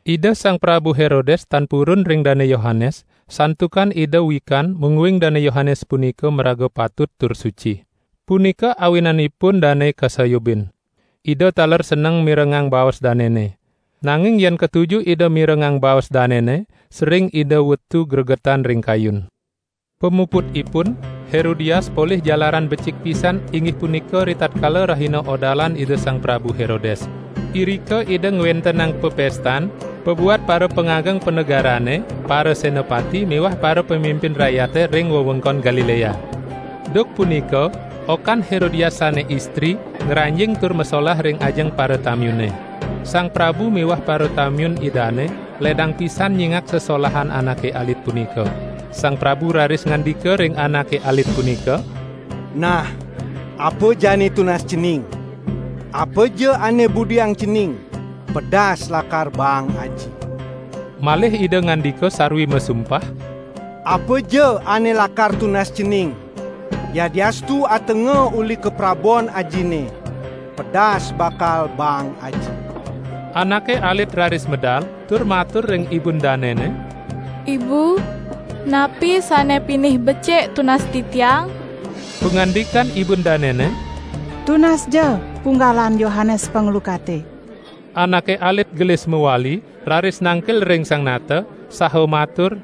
Ida Sang Prabu Herodes tan purun ring Dane Yohanes, santukan Ida wikan mungguing Dane Yohanes punika maraga patut tur suci. Punika awinanipun dane kasayubin. Ida taler seneng mirengang baos danene. Nanging yen katuju Ida mirengang baos danene, sering Ida wetu gregetan ring kayun. Pamuputipun, Herodias polih jalaran becik pisan, inggih punika ritatkala rahina odalan Ida Sang Prabu Herodes. Irika Ida ngwentenang pepestan, pabuat para pangageng panegarane, para senapati miwah para pamimpin rakyate ring wewengkon Galilea. Duk punika, okan Herodias sane istri ngranjing tur masolah ring ajeng para tamyune. Sang Prabu miwah para tamyun Idane ledang pisan nyingak sesolahan anake alit punika. Sang Prabu raris ngandika ring anake alit punika, "Nah, apa jani tunas cening? Apa ja ane budiang cening, pedas lakar baang aji." Malih Ida ngandika sarwi masumpah, "Apa ja ane lakar tunas cening, yadiastu atenga uli kaprabon ajine, pedas bakal baang aji." Anake alit raris medal tur matur ring ibun danene, "Ibu, napi sane pinih becik tunas titiang?" Pangandikan ibun danene, "Tunas ja punggalan Yohanes Panglukate." Anake alit gelis mawali, raris nangkil ring sang nata, saha matur,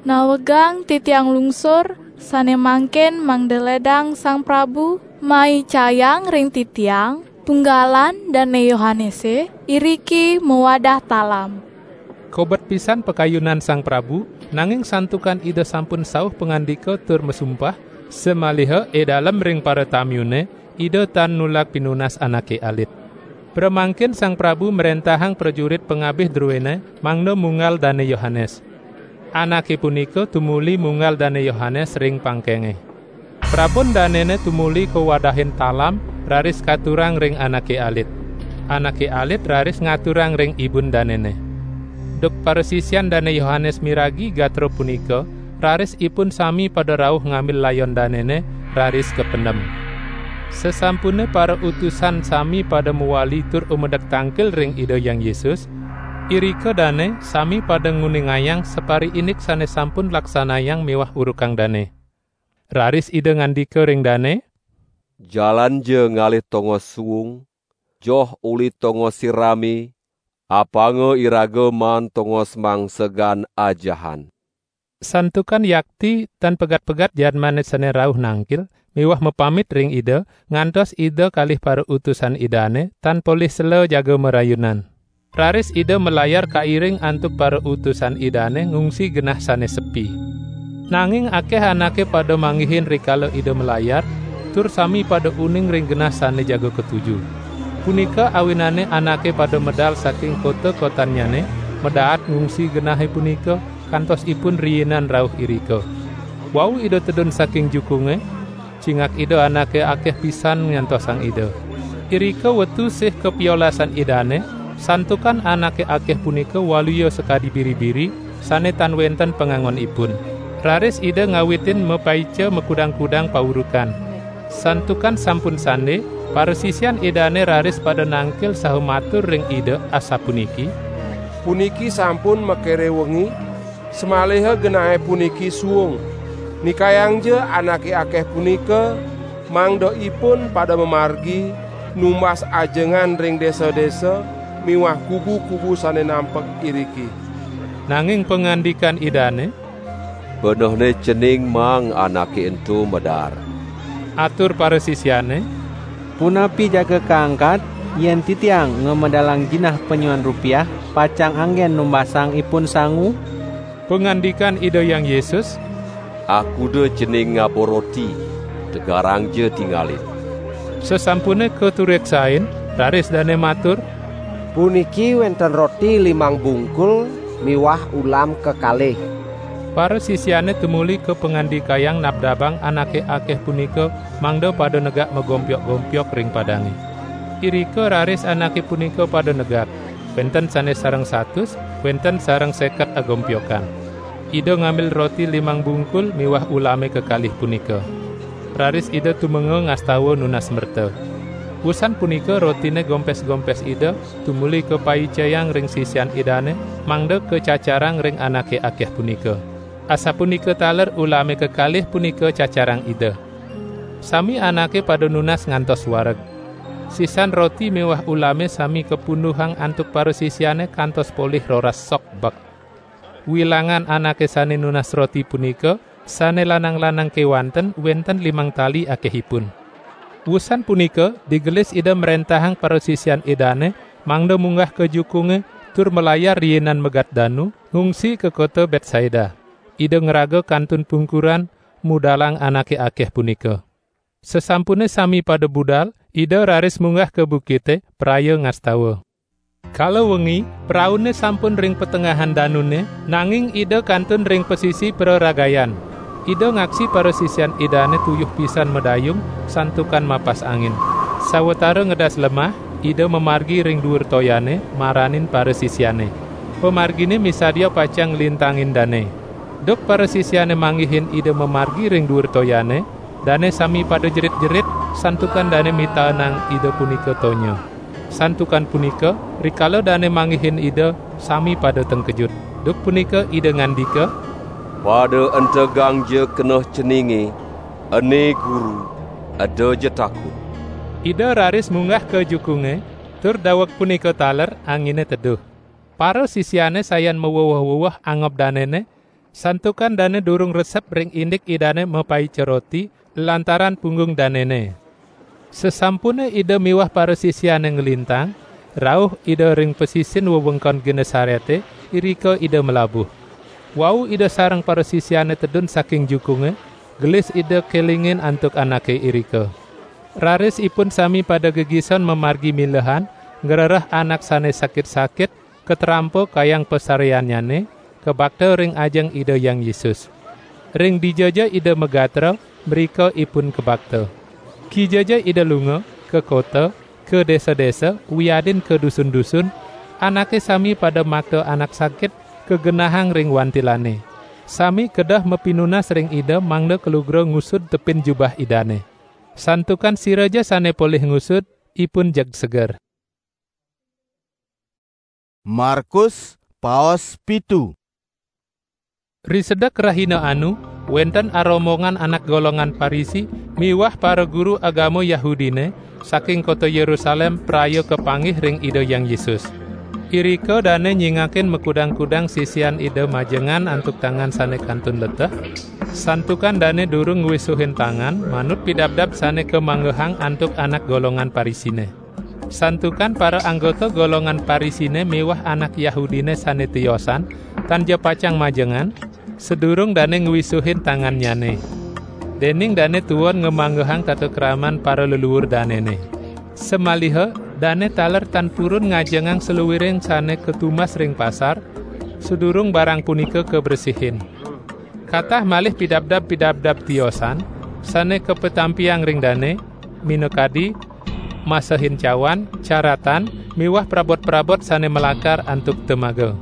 "Nawegang titiang lungsur, sane mangkin mangda ledang Sang Prabu maicayang ring titiang punggalan Dane Yohanese iriki mawadah talam." Kobet pisan pakayunan Sang Prabu, nanging santukan Ida sampun sauh pangandika tur masumpah, samaliha idalem ring paratamyune, Ida tan nulak pinunas anake alit. Pramangkin Sang Prabu mrentahang prajurit pangabih druene mangda munggal Dane Yohanes. Anake punika tumuli munggal Dane Yohanes ring pangkenge. Prabon danene tumuli kawadahin talam, raris katurang ring anake alit. Anake alit raris ngaturang ring ibun danene. Duk parasisian Dane Yohanes miragi gatra punika, raris ipun sami pada rauh ngambil layon danene, raris kapendem. Sasampune parautusan sami pada mawali tur umedek tangkil ring Ida Hyang Yesus, irika dane sami pada nguningayang sapariindik sane sampun laksanayang miwah urukang dane. Raris Ida ngandika ring dane, "Jalanja ngalih tongos suung, joh uli tongos sirami, apanga iraga maan tongos mangsegan ajahan." Santukan yakti tan pegat-pegat jadmane sane rauh nangkil miwah mapamit ring Ida, ngantos Ida kalih parautusan Idane tan polih sela jaga marayunan. Raris Ida malayar kairing antuk parautusan Idane ngungsi genah sane sepi. Nanging akeh anake pada manggihin rikala Ida malayar, tur sami pada uning ring genah sane jaga katuju. Punika awinane anake pada medal saking kota-kotannyane, madaat ngungsi genahe punika, kantos ipun riinan rauh irika. Wau Ida tedun saking jukunge, cingak Ida anake akeh pisan nyantosang Ida. Irika wetu sih kapiolasan Idane, santukan anake akeh punika waluya sakadi biri-biri, sane tan wenten pangangonipun. Raris Ida ngawitin mapaica makudang-kudang paurukan. Santukan sampun sande, parasisian Idane raris pada nangkil saha matur ring Ida asapuniki: "Puniki sampun makere wengi, samaliha genahe puniki suung. Nikayangja anake akeh punika, mangda ipun pada mamargi numbas ajengan ring desa-desa miwah kubu-kubu sane nampek iriki." Nanging pangandikan Idane: "Benehne cening maang anake ento medar." Atur parasisiane: "Punapi jaga kaangkat, yen titiang ngamedalang jinah panyuan rupiah, pacang anggen numbasang ipun sangu?" Pangandikan Ida Hyang Yesus: "Akuda cening ngaba roti, tegarangja tingalin." Sasampune katureksain, raris dane matur: "Puniki wenten roti limang bungkul miwah ulam kekalih." Parasisiane tumuli kapangandikayang nabdabang anake akeh punika, mangda pada negak magompiok-gompiok ring padange. Irika raris anake punika pada negak, wenten sane sareng satus, wenten sareng seket agompiokang. Ida ngambil roti limang bungkul miwah ulame kekalih punika. Raris Ida tumenga ngastawa nunas merta. Wusan punika rotine gompes-gompes Ida tumuli kapaicayang ring sisian Idane, mangda kacacarang ring anake akeh punika. Asapunika taler ulame kekalih punika cacarang Ida. Sami anake pada nunas ngantos wareg. Sisan roti miwah ulame sami kapunduhang antuk parasisiane kantos polih roras sok bek. Wilangan anake sane nunas roti punika, sane lanang-lanang kewanten, wenten limang tali akehipun. Wusan punika, digelis Ida mrentahang parasisian Idane, mangda munggah ka jukunge, tur malayar riinan megat danu, ngungsi ka kota Betsaida. Ida ngraga kantun pungkuran, mudalang anake akeh punika. Sasampune sami pada budal, Ida raris munggah ka bukite, praya ngastawa. Kala wengi, praune sampun ring patengahan danune, nanging Ida kantun ring pasisi praragayan. Ida ngaksi parasisian Idane tuyuh pisan madayung, santukan mapas angin. Sawatara ngedas lemah, Ida mamargi ring duur toyane, maranin parasisiane. Pamargine misadia pacang nglintangin dane. Duk parasisiane manggihin Ida mamargi ring duur toyane, dane sami pada jerit-jerit, santukan dane mitaenang Ida punika tonya. Santukan punika, rikala dane manggihin Ida, sami pada tengkejut. Duk punika Ida ngandika: "Pada entegangja keneh ceninge, ene Guru, edaja takut." Ida raris munggah ka jukunge, tur daweg punika taler angine teduh. Parasisiane sayan maweweh-weweh angob danene, santukan dane durung resep ring indik Idane mapaica roti, lantaran punggung danene. Sasampune Ida miwah parasisiane nglintang, rauh Ida ring pasisin wewengkon Genesarete, irika Ida malabuh. Wau Ida sareng parasisiane tedun saking jukunge, gelis Ida kelingin antuk anake irika. Raris ipun sami pada gegison mamargi milehan, ngrereh anak sane sakit-sakit, katrampa kayang pasareannyane, kabakta ring ajeng Ida Hyang Yesus. Ring dijaja Ida magatra, mrika ipun kabakta. Kijaja Ida lunga, ka kota, ka desa-desa, wiadin ka dusun-dusun, anake sami pada makta anak sakit, kagenahang ring wantilane. Sami kedah mapinunas ring Ida mangda kalugra ngusud tepin jubah Idane. Santukan siraja sane polih ngusud, ipun jeg seger. Markus, paos pitu. Risedek rahina anu, wenten arombongan anak golongan Parisi miwah paraguru agama Yahudine saking kota Yerusalem praya kapanggih ring Ida Hyang Yesus. Irika dane nyingakin makudang-kudang sisian Ida majengan antuk tangan sane kantun leteh, santukan dane durung ngwisuhin tangan manut pidabdab sane kamanggehang antuk anak golongan Parisine. Santukan para anggota golongan Parisine miwah anak Yahudine sane tiosan, tan ja pacang majengan, sadurung dane ngwisuhin tangannyane. Dening dane tuwon ngamanggehang tata kraman para leluur danene. Samaliha dane taler tan purun ngajengang saluiring sane katumas ring pasar, sadurung barang punika kabresihin. Katah malih pidabdab-pidabdab tiosan, sane kapatampiang ring dane, minakadi, masehin cawan, caratan, miwah prabot-prabot sane malakar antuk temaga.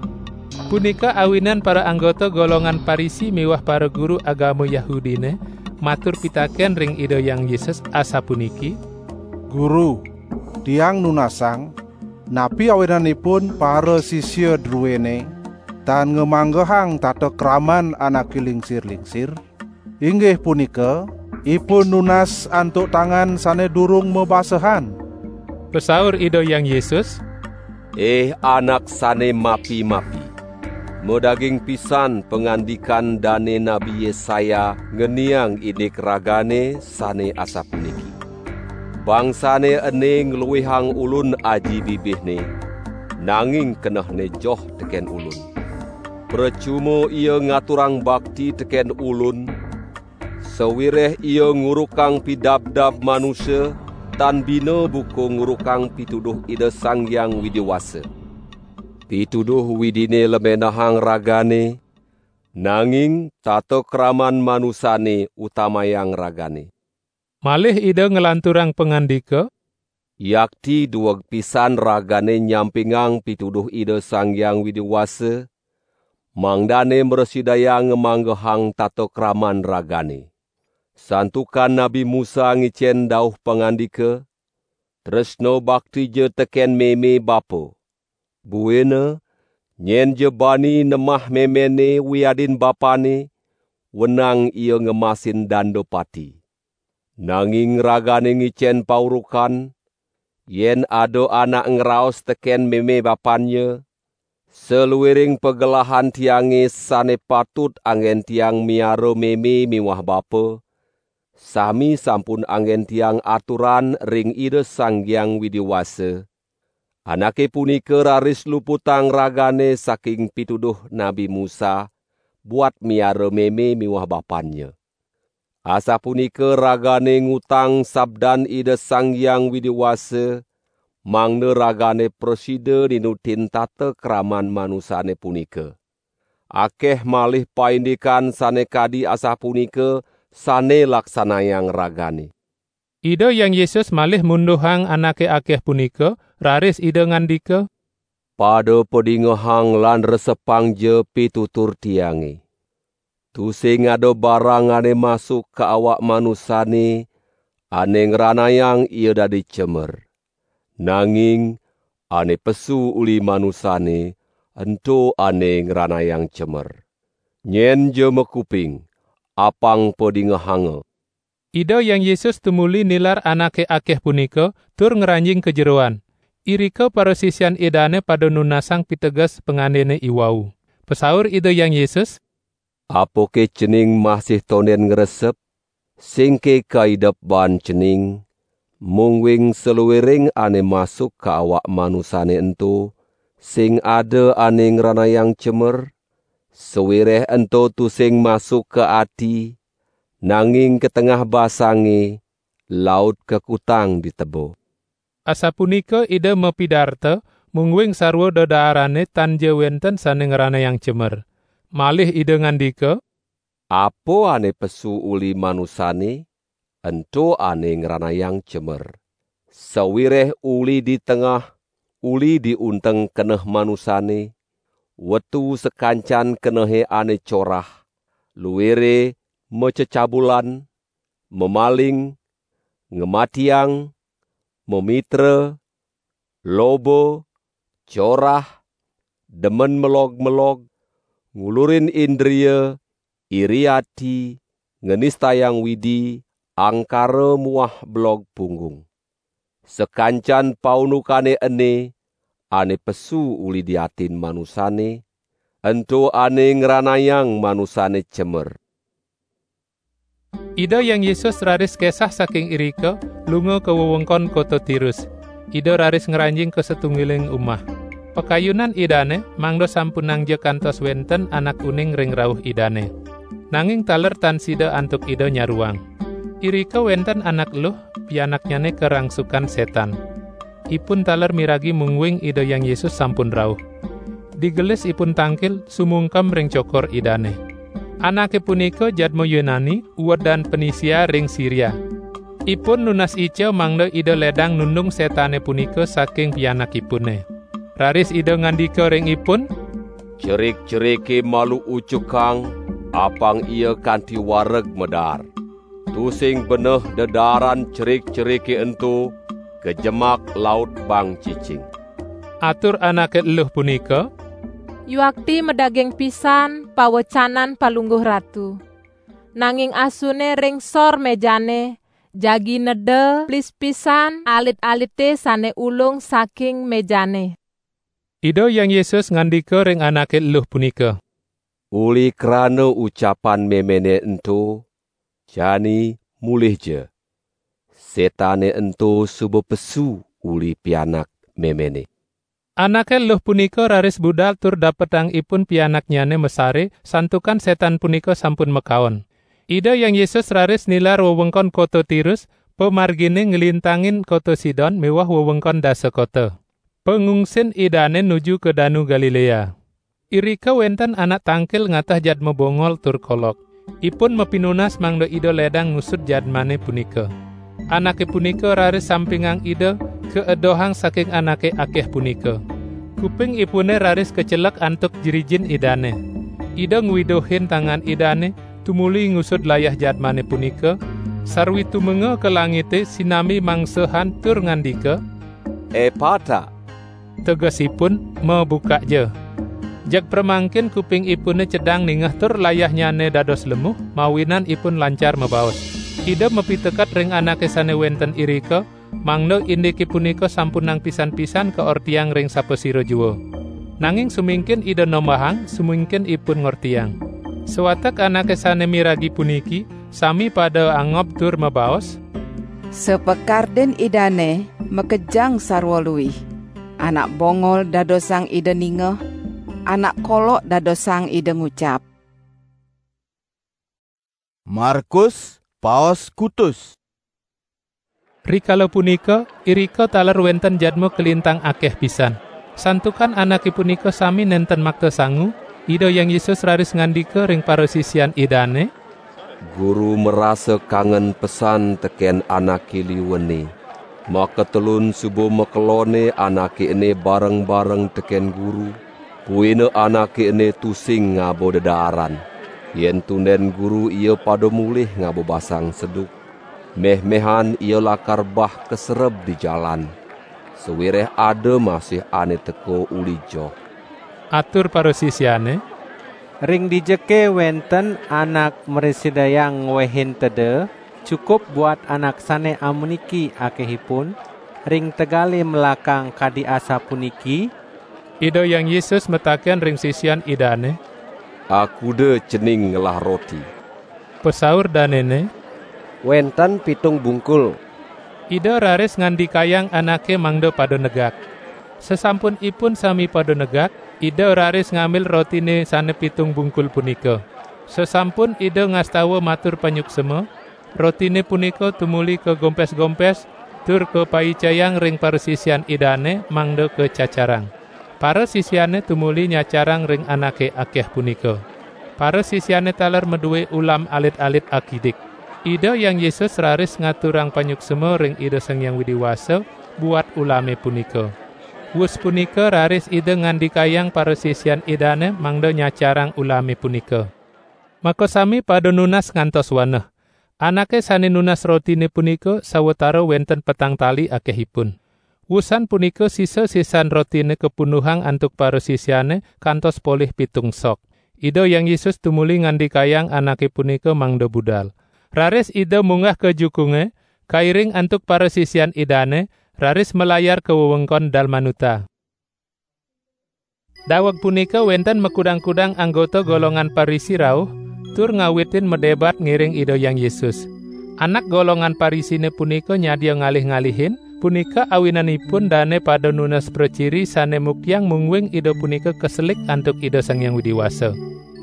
Punika awinan para anggota golongan Parisi miwah para guru agama Yahudine matur pitaken ring Ida Hyang Yesus asapuniki, "Guru, tiang nunasang, napi awinanipun para sisia druene tan ngamanggehang tata kraman anake lingsir-lingsir? Inggih punika, ipun nunas antuk tangan sane durung mabasehan." Pasaur Ida Hyang Yesus, "Ih anak sane mapi-mapi! Madaging pisan pangandikan dane Nabi Yesaya ngeniang indik ragane sane asapuniki: 'Bangsane ene ngluihang Ulun aji bibihne, nanging kenehne joh teken Ulun. Pracuma ia ngaturang bakti teken Ulun, sawireh ia ngurukang pidabdab manusa, tan bina buka ngurukang pituduh Ida Sang Hyang Widi Wasa. Pituduh Widine lemenehang ragane, nanging tata kraman manusane utamayang ragane.'" Malih Ida nglanturang pangandika, "Yakti dueg pisan ragane nyampingang pituduh Ida Sang Hyang Widi Wasa, mangdane mrasidayang ngamanggehang tata kraman ragane. Santukan Nabi Musa ngicen dauh pangandika, 'Tresna baktija teken meme bapa.' Buina, nyen ja bani nemah memene wiadin bapane, wenang ia ngemasin danda pati. Nanging ragane ngicen paurukan, yen ada anak ngraos teken meme bapannya, 'Saluiring pagelahan tiange sane patut anggen tiang miara meme miwah bapa, sami sampun anggen tiang aturan ring Ida Sang Hyang Widi Wasa,' anake punika raris luputang ragane saking pituduh Nabi Musa buat miara meme miwah bapannya. Asapunika ragane ngutang sabdan Ida Sang Hyang Widi Wasa, mangda ragane prasida ninutin tata kraman manusane punika. Akeh malih paindikan sane kadi asapunika sane laksanayang ragane." Ida Hyang Yesus malih munduhang anake akeh punika, raris Ida ngandika, "Pada padingehang lan resepangja pitutur Tiange. Tusing ada barang ane masuk ka awak manusane ane ngranayang ia dadi cemer. Nanging ane pesu uli manusane, ento ane ngranayang cemer. Nyen ja makuping, apang padingehanga." Ida Hyang Yesus tumuli nilar anake akeh punika, tur ngranjing ka jeroan. Irika parasisian Idane pada nunasang piteges pangandene iwau. Pasaur Ida Hyang Yesus, "Apake cening masih tonden ngresep? Singke kaidep baan cening, mungguing saluiring ane masuk ka awak manusane ento, sing ada ane ngranayang cemer, sawireh ento tusing masuk ka ati, nanging ka tengah basange, laut kakutang di teba." Asapunika Ida mapidarta, mungguing sarwa dedaarane tan ja wenten sane ngranayang cemer. Malih Ida ngandika, "Apa ane pesu uli manusane, ento ane ngranayang cemer. Sawireh uli di tengah, uli di unteng keneh manusane, wetu sakancan kenehe ane corah, luire macecabulan, mamaling, ngamatiang, mamitra, loba, corah, demen melog-melog, ngulurin indria, iri ati, nganistayang Widi, angkara muah belog punggung. Sakancan paundukane ene, ane pesu uli di atin manusane, ento ane ngranayang manusane cemer." Ida Hyang Yesus raris kesah saking irika, lunga ka wewengkon kota Tirus. Ida raris ngranjing ka satunggiling umah. Pakayunan Idane mangda sampunangja kantos wenten anak uning ring rauh Idane. Nanging taler tan sida antuk Ida nyaruang. Irika wenten anak eluh, pianaknyane karangsukan setan. Ipun taler miragi mungguing Ida Hyang Yesus sampun rauh. Digelis ipun tangkil sumungkem ring cokor Idane. Anake punika jadma Yunani, uedan Penisia ring Siria. Ipun nunas ica mangda Ida ledang nundung setane punika saking pianakipune. Raris Ida ngandika ring ipun, "Cerik-cerike malu ucukang, apang ia kanti wareg medar. Tusing beneh dedaaran cerik-cerike ento, kajemak laut bang cicing." Atur anake eluh punika, "Yuakti madaging pisan pawecanan Palungguh Ratu. Nanging asune ring sor mejane, jagi neda plis pisan alit-alite sane ulung saking mejane." Ida Hyang Yesus ngandika ring anake eluh punika, "Uli krana ucapan memene ento, jani mulihja. Setane ento suba pesu uli pianak memene." Anake eluh punika raris budal tur dapetang ipun pianaknyane masare, santukan setan punika sampun makaon. Ida Hyang Yesus raris nilar wewengkon kota Tirus, pamargine nglintangin kota Sidon miwah wewengkon dasa kota. Pangungsin Idane nuju ka Danu Galilea. Irika wenten anak tangkil ngatah jadma bongol tur kolok. Ipun mapinunas mangda Ida ledang ngusud jadmane punika. Anake punika raris sampingang Ida, kaedohang saking anake akeh punika. Kupingipune raris kacelek antuk jrijin Idane. Ida ngwiduhin tangan Idane, tumuli ngusud layah jadmane punika, sarwi tumenga ka langite sinambi mangsahan tur ngandika, "Epata!" Tegesipun, "Mabukak ja." Jeg pramangkin kupingipune cedang ningeh tur layahnyane dados lemuh, mawinan ipun lancar mabaos. Ida mapiteket ring anake sane wenten irika, mangda indike punika sampunang pisan-pisan kaortiang ring sapasira jua. Nanging sumingkin Ida nombahang, sumingkin ipun ngortiang. Sawatek anake sane miragi puniki, sami pada angob tur mabaos, "Sapakardin Idane makejang sarwa luih. Anak bongol dadosang Ida ningeh, anak kolok dadosang Ida ngucap." Markus, paos kutus. Rikala punika, irika taler wenten jadma kalintang akeh pisan. Santukan anake punika sami nenten makta sangu, Ida Hyang Yesus raris ngandika ring parasisian Idane, "Guru marasa kangen pesan teken anake liwene. Makatelun suba makelone anake ene bareng-bareng teken Guru, buina anake ene tusing ngaba dedaaran. Yen tunden Guru ia pada mulih ngaba basang seduk. Meh-mehan ia lakar bah kasereb di jalan. Sawireh ada masih ane teka uli joh." Atur parasisiane, "Ring dijake wenten anak mrasidayang ngwehin teda, cukup buat anak sane amuniki akehipun, ring tegale melakang kadi asapuniki?" Ida Hyang Yesus mataken ring sisian Idane, "Akuda cening ngelah roti?" Pasaur danene, "Wenten pitung bungkul." Ida raris ngandikayang anake mangda pada negak. Sasampun ipun sami pada negak, Ida raris ngambil rotine sane pitung bungkul punika. Sasampun Ida ngastawa matur panyuksma, rotine punika tumuli kagompes-gompes tur kapaicayang ring parasisian Idane mangda kacacarang. Parasisiane tumuli nyacarang ring anake akeh punika. Parasisiane taler madue ulam alit-alit akidik. Ida Hyang Yesus raris ngaturang panyuksma ring Ida Sang Hyang Widi Wasa buat ulame punika. Wus punika raris Ida ngandikayang parasisian Idane mangda nyacarang ulame punika. Makasami pada nunas ngantos waneh. Anake sane nunas rotine punika sawatara wenten petang tali akehipun. Wusan punika sisa-sisan rotine kapunduhang antuk parasisiane kantos polih pitung sok. Ida Hyang Yesus tumuli ngandikayang anake punika mangda budal. Raris Ida munggah ka jukunge, kairing antuk parasisian Idane, raris malayar ka wewengkon Dalmanuta. Daweg punika wenten makudang-kudang anggota golongan Parisi rauh, tur ngawitin madebat ngiring Ida Hyang Yesus. Anak golongan Parisine punika nyadia ngalih-ngalihin, Punika awinanipun dane pada nunas praciri sane muktiang mungguing Ida punika kaselik antuk Ida Sang Hyang Widi Wasa.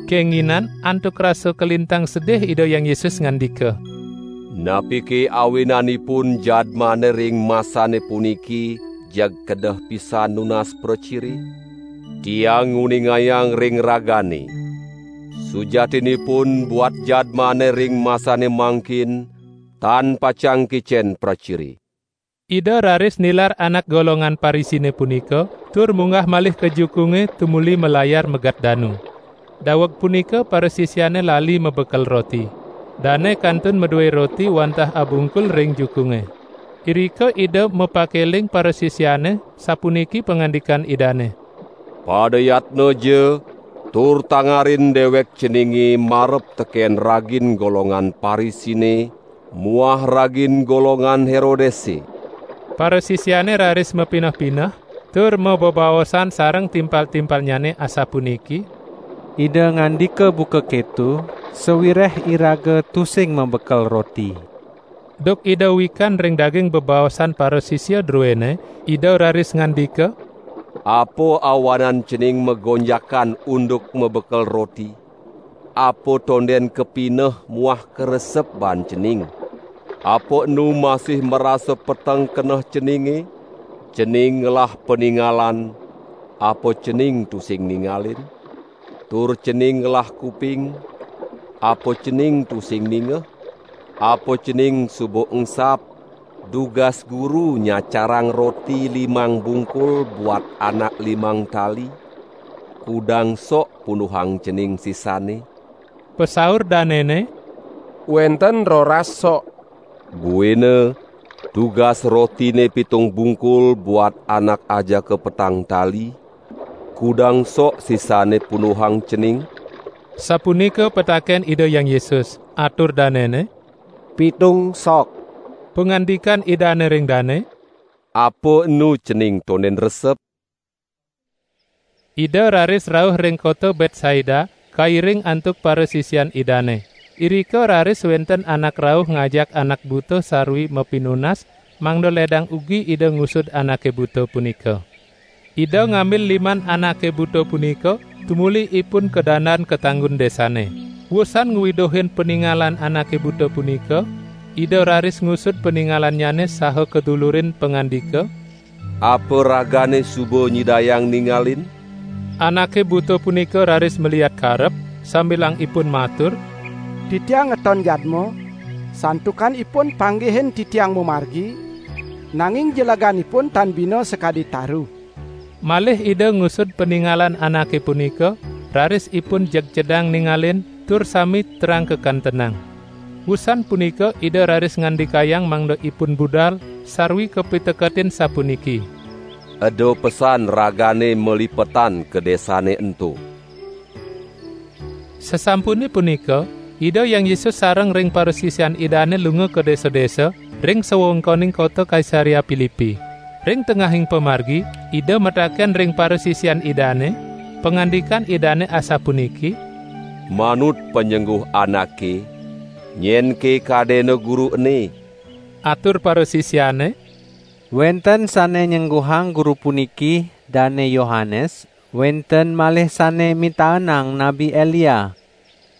Kenginan antuk rasa kalintang sedih Ida Hyang Yesus ngandika, "Napike awinanipun jadmane ring masane puniki jeg kedeh pisan nunas praciri? Tiang nguningayang ring ragane, sujatinipun buat jadmane ring masane mangkin tan pacang kicen praciri." Ida raris nilar anak golongan Parisine punika, tur munggah malih ka jukunge tumuli malayar megat danu. Daweg punika parasisiane lali mabekel roti. Dane kantun madue roti wantah abungkul ring jukunge. Irika Ida mapakeling parasisiane, sapuniki pangandikan Idane, "Pada yatna ja, tur tangarin dewek ceninge marep teken ragin golongan Parisine muah ragin golongan Herodese." Parasisiane raris mapineh-pineh, tur mabebaosan sareng timpal-timpalnyane asapuniki, "Ida ngandika buka keto, sawireh iraga tusing mabekel roti." Duk Ida wikan ring daging bebaosan parasisia druene, Ida raris ngandika, "Apa awanan cening magonjakan unduk mabekel roti? Apa tonden kapineh muah karesep baan cening? Apa enu masih marasa peteng keneh ceninge? Cening ngelah paningalan, apa cening tusing ningalin? Tur cening ngelah kuping, apa cening tusing ningeh? Apa cening suba engsap, dugas Guru nyacarang roti limang bungkul buat anak limang tali? Kudang sok punduhang cening sisane?" Pasaur danene, "Wenten roras sok." "Buina, dugas rotine pitung bungkul buat anak ajaka petang tali, kudang sok sisane punduhang cening?" Sapunika pataken Ida Hyang Yesus, atur danene, "Pitung sok." Pangandikan Idane ring dane, "Apa enu cening tonden resep?" Ida raris rauh ring kota Betsaida, kairing antuk parasisian Idane. Irika raris wenten anak rauh ngajak anak buta sarwi mapinunas, mangda ledang ugi Ida ngusud anake buta punika. Ida ngambil liman anake buta punika, tumuli ipun kadandan ka tanggun desane. Wusan ngwiduhin paningalan anake buta punika, Ida raris ngusud paningalannyane saha kadulurin pangandika, "Apa ragane suba nyidayang ningalin?" Anake buta punika raris maliat karep, sambilang ipun matur, "Titiang ngeton jadma, santukan ipun panggihin titiang mamargi, nanging jeleganipun tan bina sakadi taru." Malih Ida ngusud paningalan anake punika, raris ipun jeg cedang ningalin, tur sami terang kakantenang. Wusan punika Ida raris ngandikayang mangda ipun budal, sarwi kapiteketin sapuniki, "Eda pesan ragane malipetan ka desane ento." Sasampune punika, Ida Hyang Yesus sareng ring parasisian Idane lunga ka desa-desa ring sawewengkoning kota Kaisarea Pilipi. Ring tengahing pamargi, Ida mataken ring parasisian Idane, pangandikan Idane asapuniki, "Manut panyengguh anake, nyenke kadena Guru ene?" Atur parasisiane, "Wenten sane nyengguhang Guru puniki Dane Yohanes, wenten malih sane mitaenang Nabi Elia.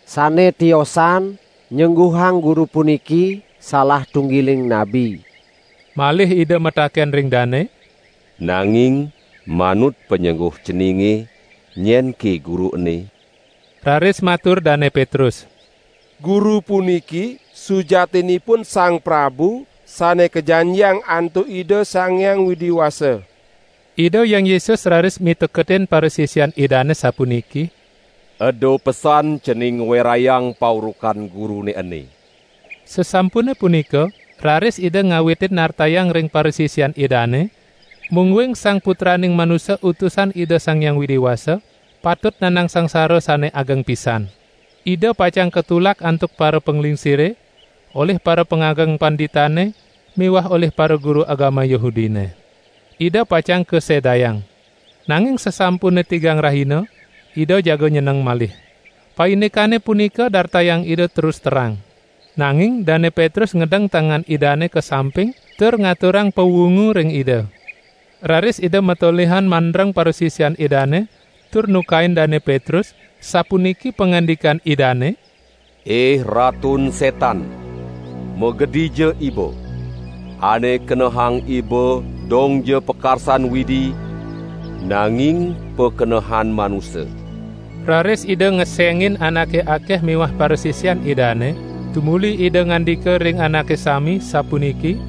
Sane tiosan nyengguhang Guru puniki salah tunggiling nabi." Malih Ida mataken ring dane, "Nanging manut panyengguh ceninge, nyenke Guru ene?" Raris matur Dane Petrus, "Guru puniki sujatinipun Sang Prabu sane kajanjiang antuk Ida Sang Hyang Widi Wasa." Ida Hyang Yesus raris miteketin parasisian Idane sapuniki, "Eda pesan cening ngwerayang paurukan Gurune ene." Sasampune punika, raris Ida ngawitin nartayang ring parasisian Idane, mungguing Sang Putraning Manusa Utusan Ida Sang Hyang Widi Wasa, patut nandang sangsara sane ageng pisan. Ida pacang katulak antuk para panglingsire, olih para pangageng panditane, miwah olih para guru agama Yahudine. Ida pacang kasedayang. Nanging sasampune tigang rahina, Ida jaga nyeneng malih. Paindikane punika dartayang Ida terus terang. Nanging Dane Petrus ngedeng tangan Idane ka samping, tur ngaturang pawungu ring Ida. Raris Ida matolihan mandreng parasisian Idane, tur nukain Dane Petrus, sapuniki pangandikan Idane: "Ih Ratun Setan, magedija iba! Ane kenehang iba dongja pakarsan Widi, nanging pakenehan manusa." Raris Ida ngesengin anake akeh miwah parasisian Idane, tumuli Ida ngandika ring anake sami, sapuniki: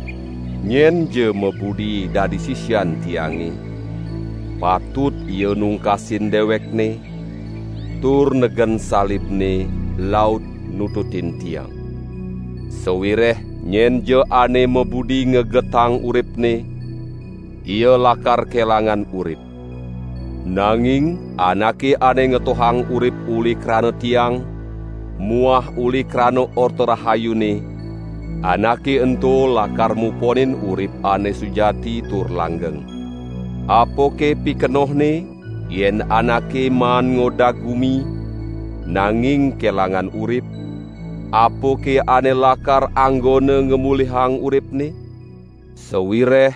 "Nyenja mabudi dadi sisian Tiange, patut ia nungkasin dewekne, tur negen salibne, laut nututin Tiang. Sawireh nyenja ane mabudi ngegetang uripne, ia lakar kelangan urip. Nanging anake ane ngetohang urip uli krana Tiang muah uli krana Orta Rahayune, anake ento lakar muponin urip ane sujati tur langgeng. Apake pikenohne, yen anake maan ngodag gumi, nanging kelangan urip? Apake ane lakar anggona ngamulihang uripne? Sawireh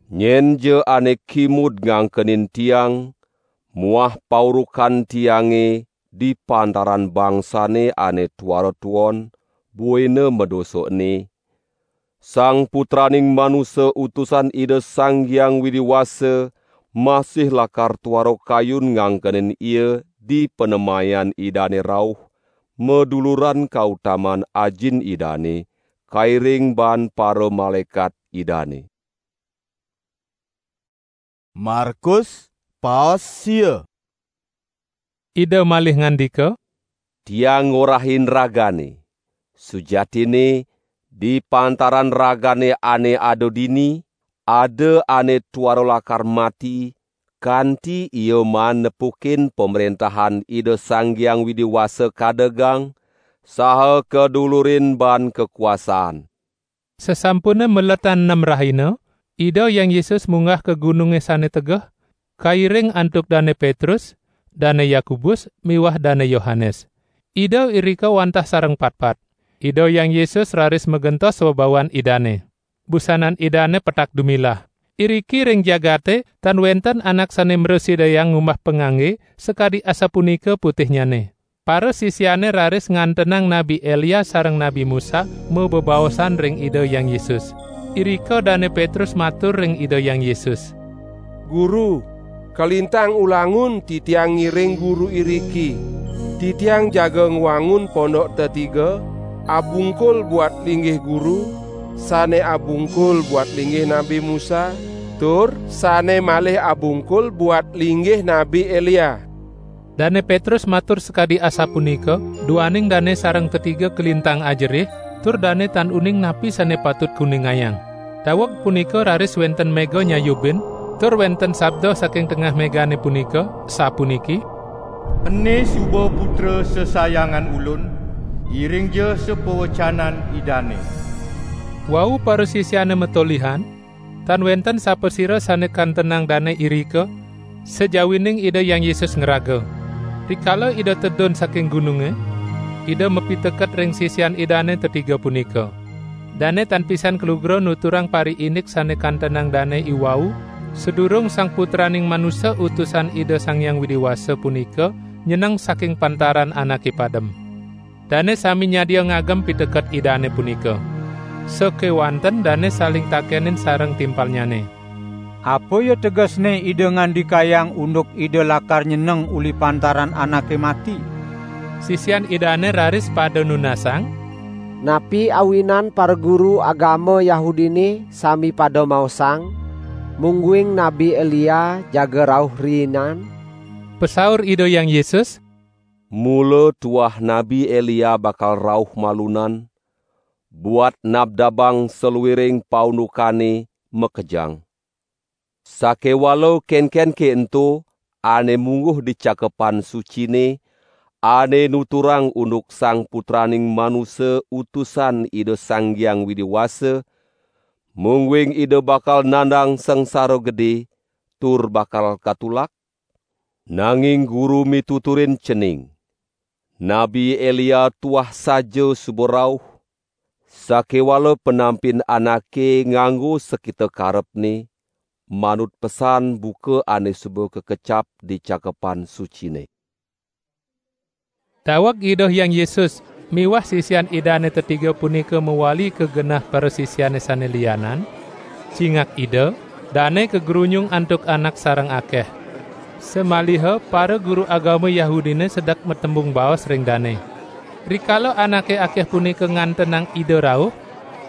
nyenja ane kimud ngangkenin Tiang muah paurukan Tiange di pantaran bangsane ane tuara tuon, buina madosa ene, Sang Putraning Manusa Utusan Ida Sang Hyang Widi Wasa masih lakar tuara kayun ngangkenin ia di panemayan Idane rauh, maduluran kautaman Ajin Idane, kairing baan paramalaekat Idane." Markus, paos sia. Ida malih ngandika: "Tiang ngorahin ragane, sujatine, di pantaran ragane ane ada dini, ada ane tuara lakar mati, kanti ia maan nepukin Pamrentahan Ida Sang Hyang Widi Wasa kadegang, saha kadulurin baan kakuasaan." Sasampune maletan nem rahina, Ida Hyang Yesus munggah ka gununge sane tegeh, kairing antuk Dane Petrus, Dane Yakobus, miwah Dane Yohanes. Ida irika wantah sareng patpat. Ida Hyang Yesus raris magentos webawan Idane. Busanan Idane petak dumilah. Iriki ring jagate tan wenten anak sane mrasidayang ngumbah pangangge sakadi asapunika putihnyane. Parasisiane raris ngantenang Nabi Elia sareng Nabi Musa mabebaosan ring Ida Hyang Yesus. Irika Dane Petrus matur ring Ida Hyang Yesus: "Guru, kalintang ulangun titiang ngiring Guru iriki. Titiang jaga ngwangun pondok tetiga, abungkul buat linggih Guru, sane abungkul buat linggih Nabi Musa, tur sane malih abungkul buat linggih Nabi Elia." Dane Petrus matur sakadi asapunika, duaning dane sareng tetiga kalintang ajerih, tur dane tan uning napi sane patut kuningayang. Daweg punika raris wenten mega nyayubin, tur wenten sabda saking tengah megane punika, sapuniki: "Ene suba Putra sesayangan Ulun, iringja sapawecanan Idane." Wau parasisiane matolihan, tan wenten sapasira sane kantenang dane irika, sajawining Ida Hyang Yesus ngraga. Rikala Ida tedun saking gununge, Ida mapiteket ring sisian Idane tetiga punika. Dane tan pisan kalugra nuturang pariindik sane kantenang dane iwau, sadurung Sang Putraning Manusa Utusan Ida Sang Hyang Widi Wasa punika nyeneng saking pantaran anake padem. Dane sami nyadia ngagem piteket Idane punika. Sakewanten dane saling takenin sareng timpalnyane: "Apa ya tegesne Ida ngandikayang unduk Ida lakar nyeneng uli pantaran anake mati?" Sisian Idane raris pada nunasang: "Napi awinan paraguru agama Yahudine sami pada maosang, mungguing Nabi Elia jaga rauh riinan?" Pasaur Ida Hyang Yesus: "Mula tuah Nabi Elia bakal rauh malunan, buat nabdabang saluiring paundukane makejang. Sakewala kenkenke ento ane mungguh di Cakepan Sucine, ane nuturang unduk Sang Putraning Manusa Utusan Ida Sang Hyang Widi Wasa, mungguing Ida bakal nandang sangsara gede tur bakal katulak? Nanging Guru mituturin cening, Nabi Elia tuah saja suba rauh, Sakéwala penampin anaké nganggo sakita karepné, manut pesan buka ané suba kakecap di Cakepan Suciné. Daweg Ida Hyang Yesus miwah sisian Idané tetiga punika mawali ka genah parasisiané sané lianan, cingak Ida, dané kagrunyung antuk anak sareng akéh. Samaliha para guru agama Yahudiné sedek matembung baos ring dané. Rikala anaké akéh punika ngantenang Ida rauh,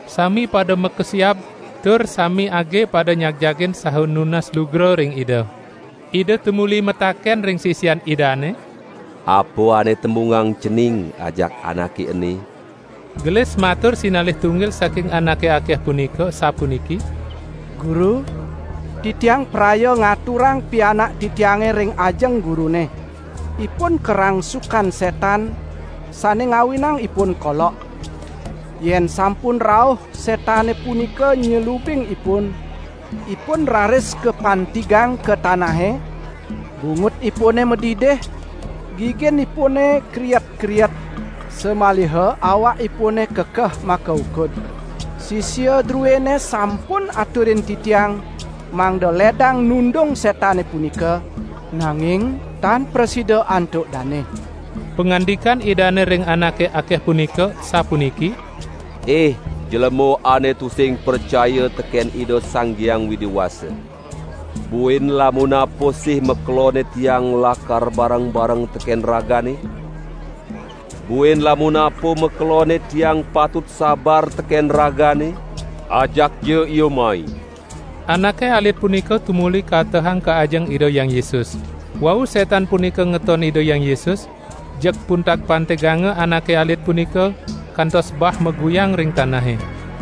sami pada makesiab tur sami agé pada nyagjagin saha nunas lugra ring Ida. Ida tumuli mataken ring sisian Idané, "Apa ané tembungang cening ajak anaké ené?" Gelis matur sinalih tunggil saking anaké akéh punika, sapuniki: "Guru, titiang praya ngaturang pianak titiangé ring ajeng guruné. Ipun karangsukan sétan, sané ngawinang ipun kolok. Yén sampun rauh sétané punika nyelubing ipun, ipun raris kapantigang ka tanahé, bungut ipuné madidih, gigin ipuné kriet-kriet, samaliha awak ipuné kekeh makaukud. Sisia druéné sampun aturin titiang, mangda ledang nundung sétané punika, nanging tan prasida antuk dané." Pangandikan Idané ring anaké akéh punika sapuniki: "Ih, jelema ané tusing pracaya tekén Ida Sang Hyang Widi Wasa! Buin lamun apa sih makeloné tiang lakar bareng-bareng tekén ragané? Buin lamun apa makeloné tiang patut sabar tekén ragané? Ajak ja ia mai." Anaké alit punika tumuli katehang ka ajeng Ida Hyang Yesus. Wau sétan punika ngeton Ida Hyang Yesus, jeg puntag pantiganga anaké alit punika, kantos bah maguyang ring tanahé.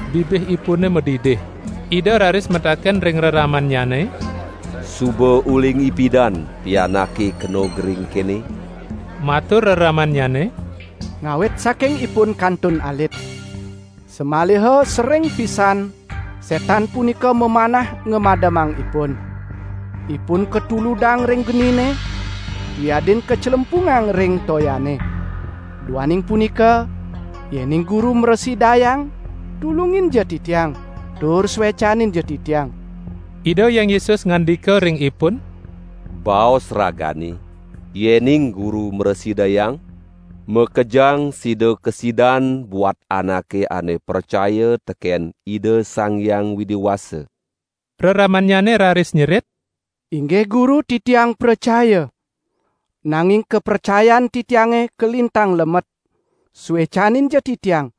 Bibih ipuné madidih. Ida raris mataken ring reramannyané: "Suba uling ipidan pianaké kena gering kéné?" Matur reramannyané: "Ngawit saking ipun kantun alit. Samaliha sering pisan sétan punika mamanah ngamademang ipun. Ipun katuludang ring geniné, wiadin kaclempungang ring toyané. Duaning punika, yéning Guru mrasidayang, tulungin ja titiang, tur suécanin ja titiang." Ida Hyang Yesus ngandika ring ipun: "Baos ragané, yéning Guru mrasidayang, makejang sida kasidan buat anaké ané pracaya tekén Ida Sang Hyang Widi Wasa." Reramannyané raris nyerit: "Inggih Guru, titiang pracaya. Nanging kapracayan titiangé kalintang lemet. Suécanin ja titiang.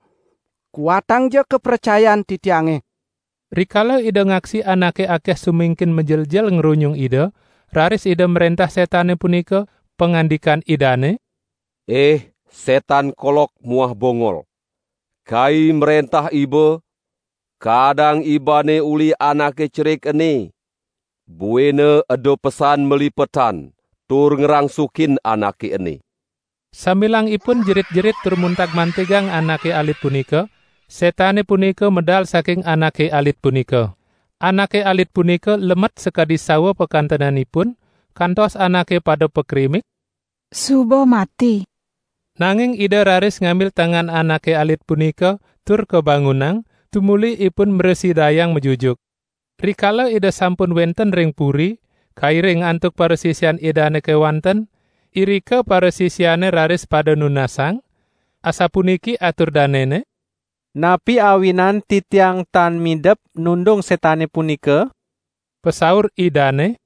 Kuatang ja kapracayan titiangé." Rikala Ida ngaksi anaké akéh sumingkin majeljel ngrunyung Ida, raris Ida mréntah sétané punika, pangandikan Idané: "Ih, sétan kolok muah bongol! Kai mréntah iba, kaadang ibané uli anaké cerik ené, buina eda pesan malipetan tur ngrangsukin anaké ené." Sambilangipun jerit-jerit tur muntag-mantigang anaké alit punika, sétané punika medal saking anaké alit punika. Anaké alit punika lemet sakadi sawa pakantenanipun, kantos anaké pada pakrimik, "Suba mati." Nanging Ida raris ngambil tangan anaké alit punika tur kabangunang, tumuli ipun mrasidayang majujuk. Rikala Ida sampun wénten ring puri, kairing antuk parasisian Idané kéwanten, irika parasisiané raris pada nunasang, asapuniki atur danéné: "Napi awinan titiang tan midep nundung sétané punika?" Pasaur Idané: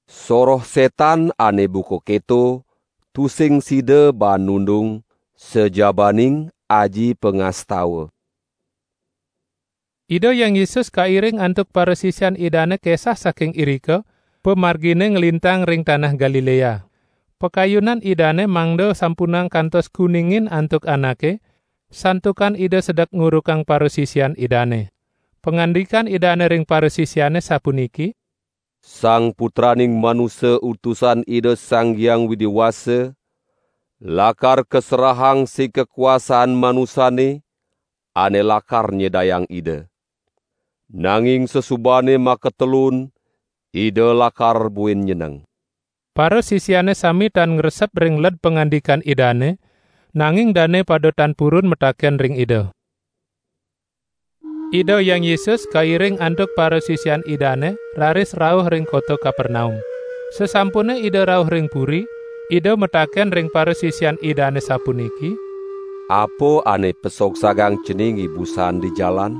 "Soroh sétan ané buka kéto, tusing sida baan nundung, sajabaning aji pangastawa." Ida Hyang Yesus kairing antuk parasisian Idané kesah saking irika, pamarginé nglintang ring tanah Galiléa. Pakayunan Idané mangda sampunang kantos kuningin antuk anaké, santukan Ida sedek ngurukang parasisian Idané. Pangandikan Idané ring parasisiané sapuniki: "Sang Putraning Manusa Utusan Ida Sang Hyang Widi Wasa lakar kaserahang sing kakuasaan manusané ané lakar nyidayang Ida. Nanging sasubané makatelun, Ida lakar buin nyeneng." Parasisiané sami tan ngresep ring led pangandikan Idané, nanging dané pada tan purun mataken ring Ida. Ida Hyang Yesus kairing antuk parasisian Idane raris rauh ring kota Kapernaum. Sasampune Ida rauh ring puri, Ida mataken ring parasisian Idane sapuniki, "Apa ane pesogsagang cening ibusan di jalan?"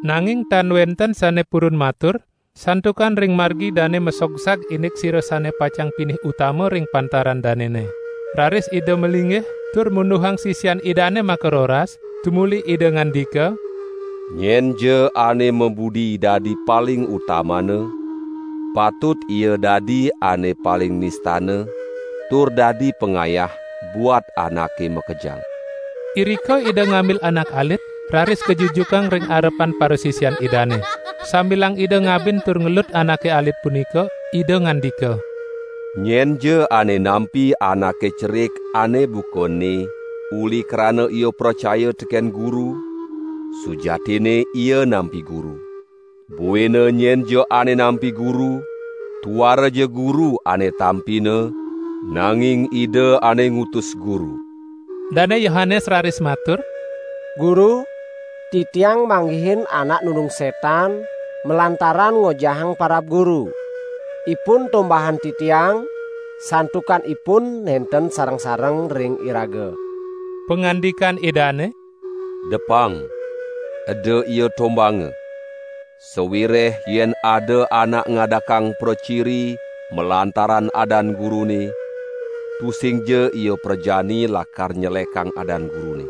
Nanging tan wenten sane purun matur, santukan ring margi dane masogsag indik sira sane pacang pinih utama ring pantaran danene. Raris Ida malinggih, tur munduhang sisian Idane makaroras, tumuli Ida ngandika, "Nyenja ane mabudi dadi paling utamana, patut ia dadi ane paling nistana, tur dadi pangayah buat anake makejang." Irika Ida ngambil anak alit, raris kajujukang ring arepan parasisian Idane. Sambilang Ida ngabin tur ngelut anake alit punika, Ida ngandika, "Nyenja ane nampi anake cerik ane buka ene uli krana ia pracaya teken Guru, sujatinne ia nampi Guru. Buina nyenja ane nampi Guru, tuara ja Guru ane tampina, nanging Ida ane ngutus Guru." Dane Yohanes raris matur, "Guru, titiang manggihin anak nundung setan malantaran ngojahang parab Guru. Ipun tombahan titiang, santukan ipun nenten sareng-sareng ring iraga." Pangandikan Idane, "Depang, eda ia tombanga. Sawireh yen ada anak ngadakang praciri malantaran adan Gurune, tusingja ia prajani lakar nyelekang adan Gurune.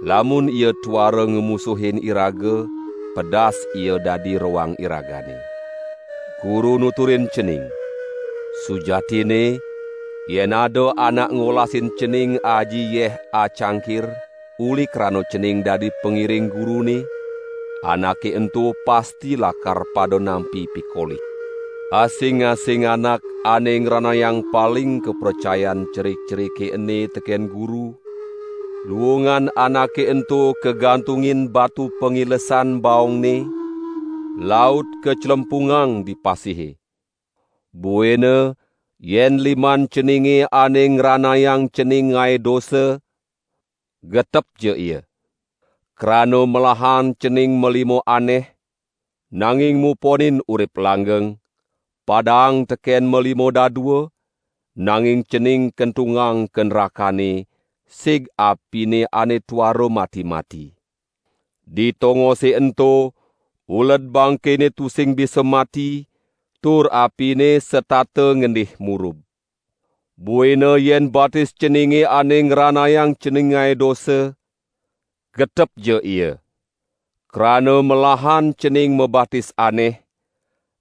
Lamun ia tuara ngamusuhin iraga, pedas ia dadi roang iragane. Guru nuturin cening, sujatinne, yen ada anak ngolasin cening aji yeh acangkir, uli krana cening dadi pangiring Gurune, anake ento pasti lakar pada nampi pikoli. Asing-asing anak ane ngranayang paling kapracayan cerik-cerike ene teken Guru, luungan anake ento kagantungin batu pangilesan baongne, laut kaclempungang di pasihe. Buina yen liman ceninge ane ngranayang cening ngae dosa, getepja ia. Krana melahan cening malima aneh, nanging muponin urip langgeng, padaang teken malima dadua, nanging cening kentungang ka nrakane, sig apine ane tuara mati-mati. Di tongose ento, uled bangkene tusing bisa mati, tur apine setata ngendih murub. Buina yen batis ceninge ane ngranayang cening ngae dosa, getepja ia. Krana melahan cening mabatis aneh,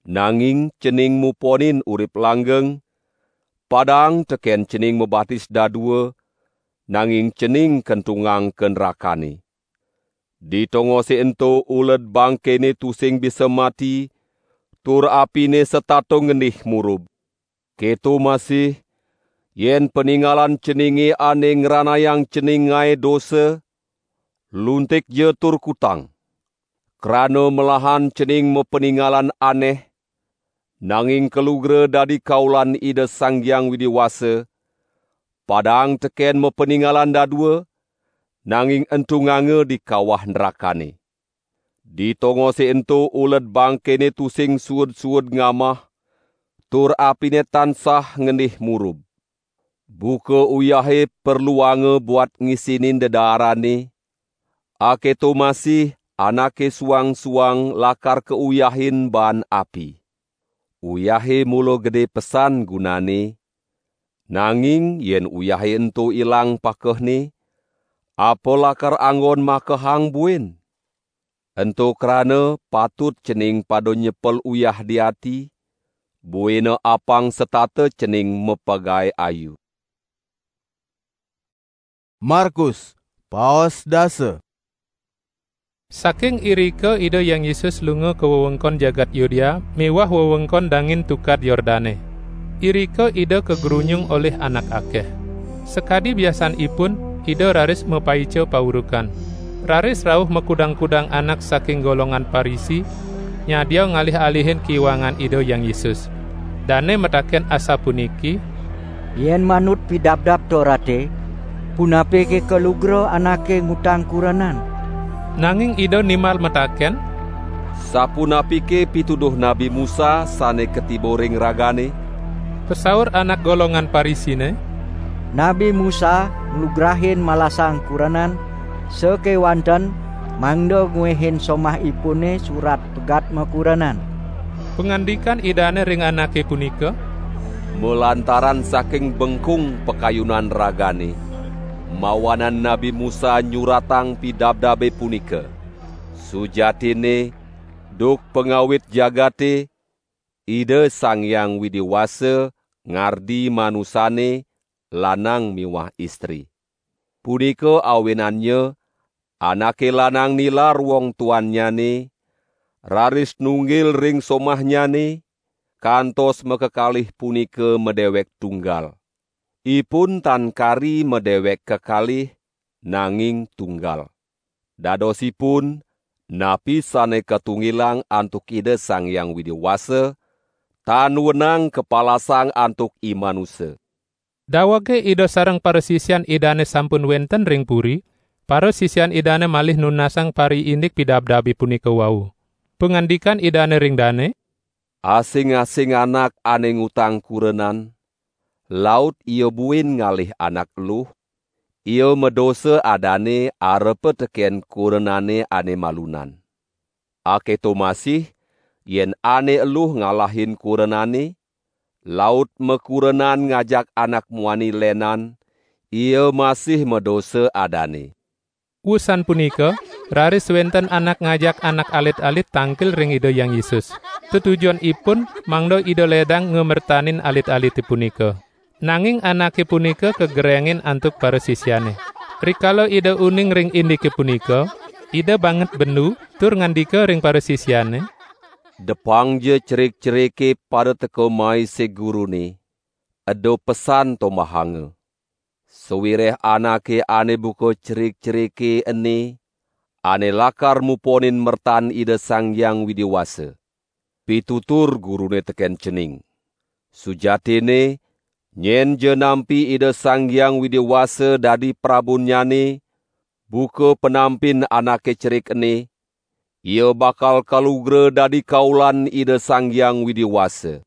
nanging cening muponin urip langgeng, padaang teken cening mabatis dadua, nanging cening kentungang ka nrakane. Di tongose ento uled bangkene tusing bisa mati, tur apine setata ngendih murub. Keto masih, yen paningalan ceninge ane ngranayang cening ngae dosa, luntikja tur kutang. Krana melahan cening mapaningalan aneh, nanging kalugra dadi kaulan Ida Sang Hyang Widi Wasa, padaang teken mapaningalan dadua, nanging entunganga di kawah nrakane. Di tongose ento uled bangkene tusing suud-suud ngamah, tur apine tansah ngendih murub. Buka uyahe perluanga buat ngisinin dedaarane, aketo masih anake suang-suang lakar kauyahin baan api. Uyahe mula gede pesan gunane, nanging yen uyahe ento ilang pakehne, apa lakar anggon makehang buin? Ento krana patut cening pada nyepel uyah di ati, buina apang setata cening mapagae ayu. Markus, paos dasa. Saking irika Ida Hyang Yesus lunga ka wewengkon jagat Yudea miwah wewengkon dangin Tukad Yordane. Irika Ida kagrunyung olih anak akeh. Sakadi biasanipun, Ida raris mapaica paurukan. Raris rauh makudang-kudang anak saking golongan Parisi, nyadia ngalih-alihin kiwangan Ida Hyang Yesus. Dane mataken asapuniki, "Yen manut Pidabdab Torate, punapike kalugra anake ngutang kurenan?" Nanging Ida nimbal mataken, "Sapunapike pituduh Nabi Musa sane katiba ring ragane?" Pasaur anak golongan Parisine, "Nabi Musa nglugrahin malasang kurenan sakewanten mangda nguehin somahipune surat pegat makurenan." Pangandikan Idane ring anake punika, "Malantaran saking bengkung pakayunan ragane, mawanan Nabi Musa nyuratang pidabdabe punika. Sujatinne, duk pangawit jagate, Ida Sang Hyang Widi Wasa ngardi manusane lanang miwah istri. Punika awinannya anake lanang nilar wong tuannyane, raris nunggil ring somahnyane, kantos makakalih punika madewek tunggal. Ipun tan kari madewek kekalih, nanging tunggal. Dadosipun, napi sane katunggilang antuk Ida Sang Hyang Widi Wasa, tan wenang kapalasang antuk i manusa." Dawege Ida sareng parasisian Idane sampun wenten ring puri, parasisian Idane malih nunasang pariindik pidabdabe punika wau. Pangandikan Idane ring dane, "Asing-asing anak ane ngutang kurenan, laut ia buin ngalih anak eluh, ia madosa adane arepa teken kurenane ane malunan. Aketo masih, yen ane eluh ngalahin kurenane, laut makurenan ngajak anak muani lenan, ia masih madosa adane." Wusan punika, raris wenten anak ngajak anak alit-alit tangkil ring Ida Hyang Yesus. Tetujonipun mangda Ida ledang ngamertanin alit-alite punika. Nanging anake punika kagerengin antuk parasisiane. Rikala Ida uning ring indike punika, Ida banget bendu tur ngandika ring parasisiane, "Depangja cerik-cerike pada teka mai sig Gurune, eda pesan tombahanga. Sawireh anake ane buka cerik-cerike ene, ane lakar muponin mertan Ida Sang Hyang Widi Wasa. Pitutur Gurune teken cening. Sujatinne, nyenja nampi Ida Sang Hyang Widi Wasa dadi prabunnyane, buka panampin anake cerik ene, ia bakal kalugra dadi kaulan Ida Sang Hyang Widi Wasa."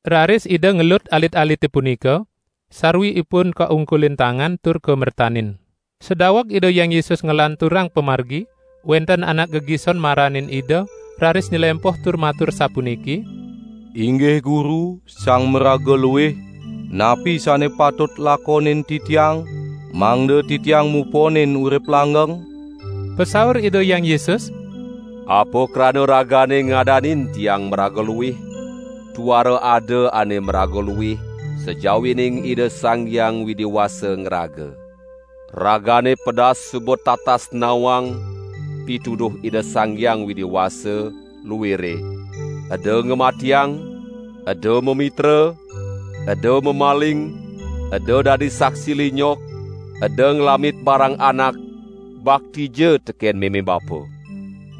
Raris Ida ngelut alit-alite punika, sarwi ipun kaungkulin tangan tur kamertanin. Sadaweg Ida Hyang Yesus nglanturang pamargi, wenten anak gegison maranin Ida, raris nylempoh tur matur sapuniki, "Inggih Guru, sang maraga luih, napi sane patut lakonin titiang, mangda titiang muponin urip langgeng?" Pasaur Ida Hyang Yesus, "Apa krana ragane ngadanin Tiang maraga luih? Tuara ada ane maraga luih, sajawining Ida Sang Hyang Widi Wasa ngraga. Ragane pedas suba tatas nawang pituduh Ida Sang Hyang Widi Wasa, luire, eda ngamatiang, eda mamitra, eda mamaling, eda dadi saksi linyok, eda nglamit barang anak, baktija teken meme bapa."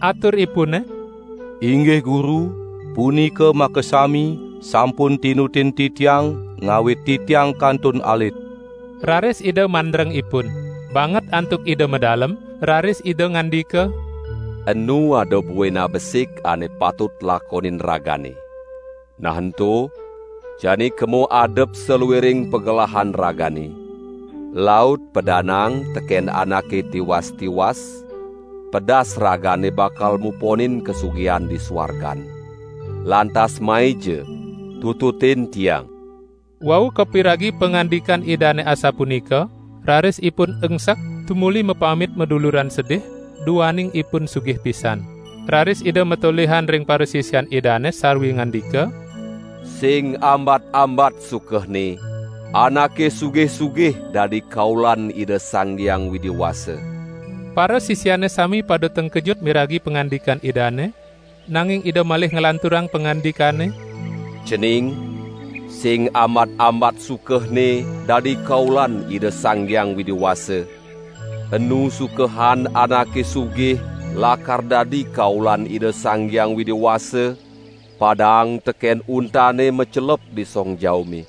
Aturipune, "Inggih Guru, punika makasami sampun tinutin titiang ngawit titiang kantun alit." Raris Ida mandreng ipun. Banget antuk Ida madalem, raris Ida ngandika, "Enu ada buin abesik ane patut lakonin ragane. Nah ento, jani kema adep saluiring pagelahan ragane. Laut pedanang teken anake tiwas-tiwas, pedas ragane bakal muponin kasugihan di suargan. Lantas maija, tututin Tiang." Wau kapiragi pangandikan Idane asapunika, raris ipun engsek tumuli mapamit maduluran sedih, duaning ipun sugih pisan. Raris Ida matolihan ring parasisian Idane sarwi ngandika, "Sing ambat-ambat sukehne, anake sugih-sugih dadi kaulan Ida Sang Hyang Widi Wasa." Parasisiane sami pada tengkejut miragi pangandikan Idane, nanging Ida malih nglanturang pangandikane, "Cening, sing ambat-ambat sukehne dadi kaulan Ida Sang Hyang Widi Wasa. Enu sukehan anake sugih lakar dadi kaulan Ida Sang Hyang Widi Wasa, padang teken untane macelep di song jaume."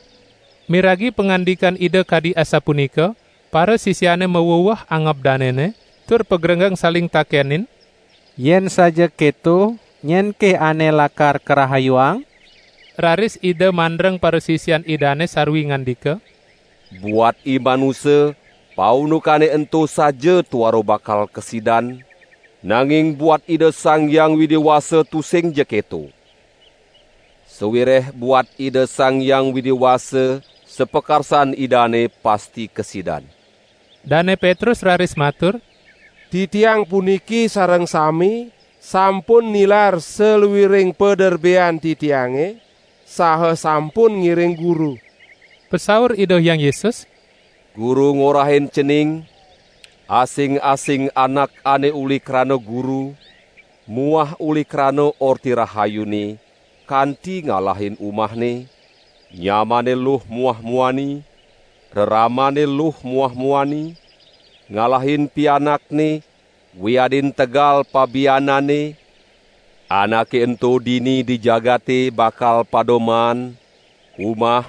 Miragi pangandikan Ida kadi asapunika, parasisiane maweweh angob danene, tur pagrenggeng saling takenin, "Yen saja keto, nyenke ane lakar karahayuang?" Raris Ida mandreng parasisian Idane sarwi ngandika, "Buat i manusa, paundukane ento saja tuara bakal kasidan, nanging buat Ida Sang Hyang Widi Wasa tusing ja keto. Sawireh buat Ida Sang Hyang Widi Wasa, sapakarsan Idane pasti kasidan." Dane Petrus raris matur, "Titiang puniki sareng sami sampun nilar saluiring paderbean titiange, saha sampun ngiring Guru." Pasaur Ida Hyang Yesus, "Guru ngorahin cening, asing-asing anak ane uli krana Guru muah uli krana Orti Rahayune kanti ngalahin umahne, nyamane luh muah muani, reramane luh muah muani, ngalahin pianakne, wiadin tegal pabianane, anake ento dini di jagate bakal pada maan umah,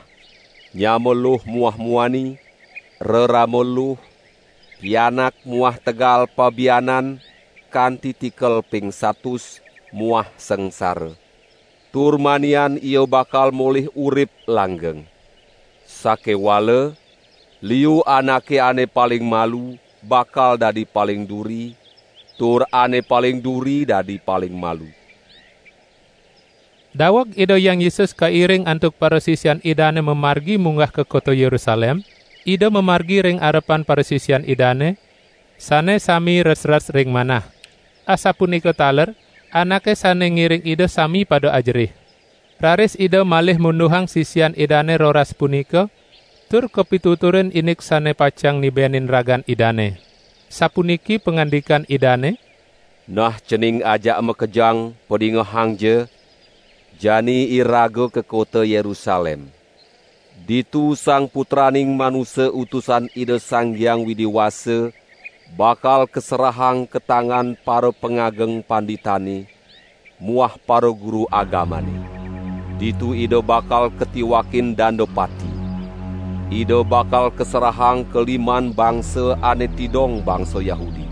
nyama luh muah muani, rerama luh, pianak muah tegal pabianan kanti tikel ping satus muah sangsara. Tur manian ia bakal molih urip langgeng. Sakewala, liu anake ane paling malu bakal dadi paling duri, tur ane paling duri dadi paling malu." Daweg Ida Hyang Yesus kairing antuk parasisian Idane mamargi munggah ka kota Yerusalem, Ida mamargi ring arepan parasisian Idane, sane sami resres ring manah. Asapunika taler, anake sane ngiring Ida sami pada ajerih. Raris Ida malih munduhang sisian Idane roras punika, tur kapituturin indik sane pacang nibenin ragan Idane. Sapuniki pangandikan Idane, "Nah cening ajak makejang, padingehangja, jani iraga ka kota Yerusalem. Ditu Sang Putraning Manusa Utusan Ida Sang Hyang Widi Wasa bakal kaserahang ka tangan para pangageng panditane muah para guru agamane. Ditu Ida bakal katiwakin danda pati. Ida bakal kaserahang ka liman bangsa ane tidong bangsa Yahudi.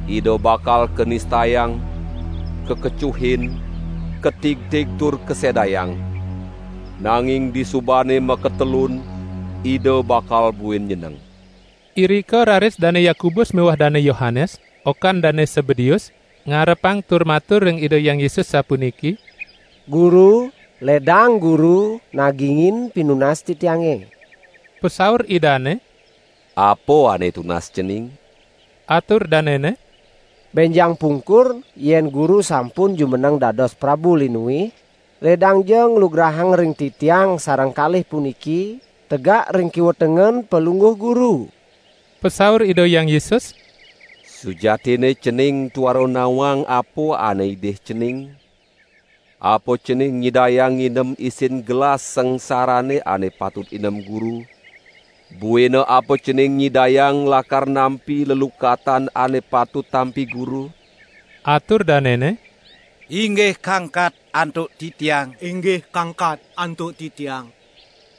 Ida bakal kanistayang, kakecuhin, katigtig tur kasedayang. Nanging disubane makatelun, Ida bakal buin nyeneng." Irika raris Dane Yakobus miwah Dane Yohanes, okan Dane Sebedeus, ngarepang tur matur ring Ida Hyang Yesus sapuniki, "Guru, ledang Guru nagingin pinunas titiange." Pasaur Idane, "Apa ane tunas cening?" Atur danene, "Benjang pungkur, yen Guru sampun jumeneng dados Prabu Linuih, ledangja nglugrahang ring titiang sareng kalih puniki, tegak ring kiwa tengen Palungguh Guru." Pasaur Ida Hyang Yesus, "Sujatinne cening tuara nawang apa ane idih cening. Apa cening nyidayang nginem isin gelas sangsarane ane patut inem Guru? Buina apa cening nyidayang lakar nampi lelukatan ane patut tampi Guru?" Atur danene, "Inggih kangkat antuk titiang." "Inggih kangkat antuk titiang."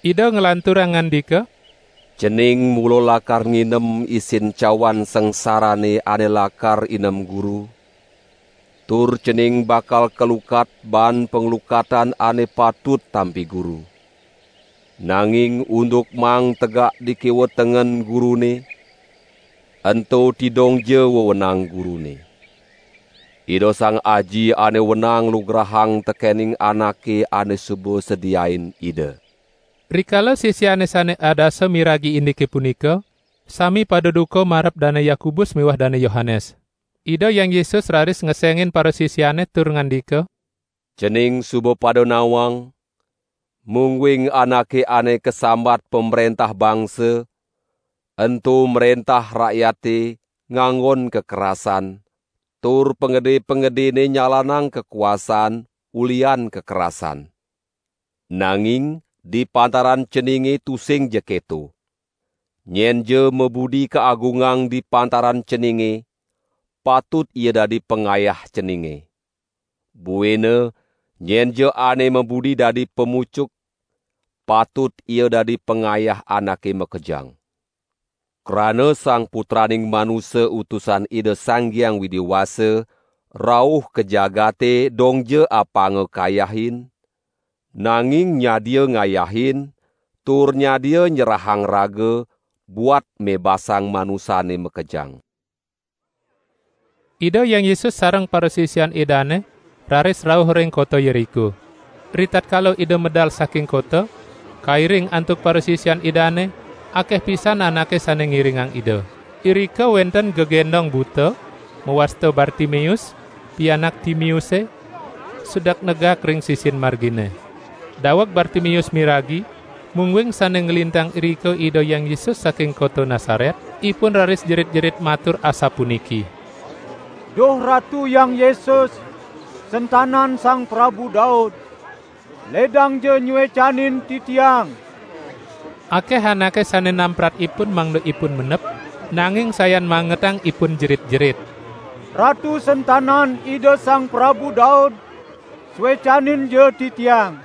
Ida nglanturang ngandika, "Cening mula lakar nginem isin cawan sangsarane ane lakar inem Guru, tur cening bakal kalukat baan panglukatan ane patut tampi Guru. Nanging unduk maang tegak di kiwa tengen Gurune, ento tidongja wewenang Gurune. Ida Sang Aji ane wenang lugrahang tekening anake ane suba sediain Ida." Rikala sisiane sane adasa miragi indike punika, sami pada duka marep Dane Yakobus miwah Dane Yohanes. Ida Hyang Yesus raris ngesengin parasisiane tur ngandika, "Cening suba pada nawang, mungguing anake ane kasambat pamrentah bangsa, ento mrentah rakyate nganggon kekerasan, tur pangede-pangedene nyalanang kakuasan ulian kekerasan. Nanging di pantaran ceninge tusing ja keto. Nyenja mabudi kaagungang di pantaran ceninge, patut ia dadi pangayah ceninge. Buina, nyenja ane mabudi dadi pamucuk, patut ia dadi pangayah anake makejang. Krana Sang Putraning Manusa Utusan Ida Sang Hyang Widi Wasa rauh ka jagate dongja apanga kayahin, nanging nyadia ngayahin tur nyadia nyerahang raga buat mebasang manusane makejang. Ida Hyang Yesus sareng parasisian Idane raris rauh ring kota Yeriko. Ritatkala Ida medal saking kota, kairing antuk parasisian Idane, akeh pisan anake sane ngiringang Ida. Irika wenten gegendong buta, mawasta Bartimeus, pianak Timeuse, sedek negak ring sisin margine. Daweg Bartimeus miragi, mungguing sane nglintang irika Ida Hyang Yesus saking kota Nasaret, ipun raris jerit-jerit matur asapuniki: "Duh Ratu Hyang Yesus, sentanan Sang Prabu Daud, ledangja nyuecanin titiang!" Akeh anake sane namprat ipun mangda ipun mendep, nanging sayan mangetang ipun jerit-jerit: "Ratu sentanan Ida Sang Prabu Daud, suecaninja titiang!"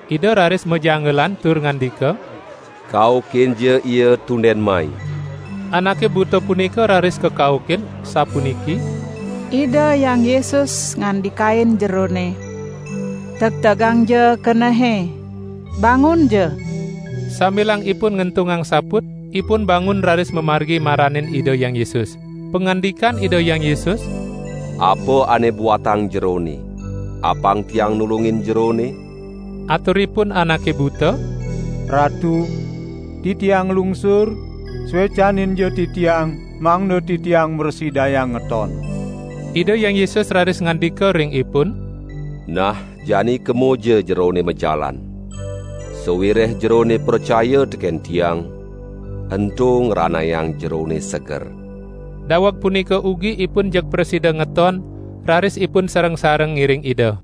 Ida raris majanggelan tur ngandika: "Kaukinja ia tunden mai." Anake buta punika raris kakaukin, sapuniki: "Ida Hyang Yesus ngandikain jerone, 'Tegtegangja kenehe, bangunja!'" Sambilang ipun ngentungang saput, ipun bangun raris mamargi maranin Ida Hyang Yesus. Pangandikan Ida Hyang Yesus: "Apa ane buatang jerone? Apang tiang nulungin jerone?" Aturipun anake buta: "Ratu, titiang lungsur, suecaninja titiang, mangda titiang mrasidayang ngeton." Ida Hyang Yesus raris ngandika ring ipun: "Nah, jani kemaja jerone majalan. Sawireh jerone pracaya teken tiang, ento ngranayang jerone seger." Daweg punika ugi ipun jeg prasida ngeton, raris ipun sareng-sareng ngiring Ida.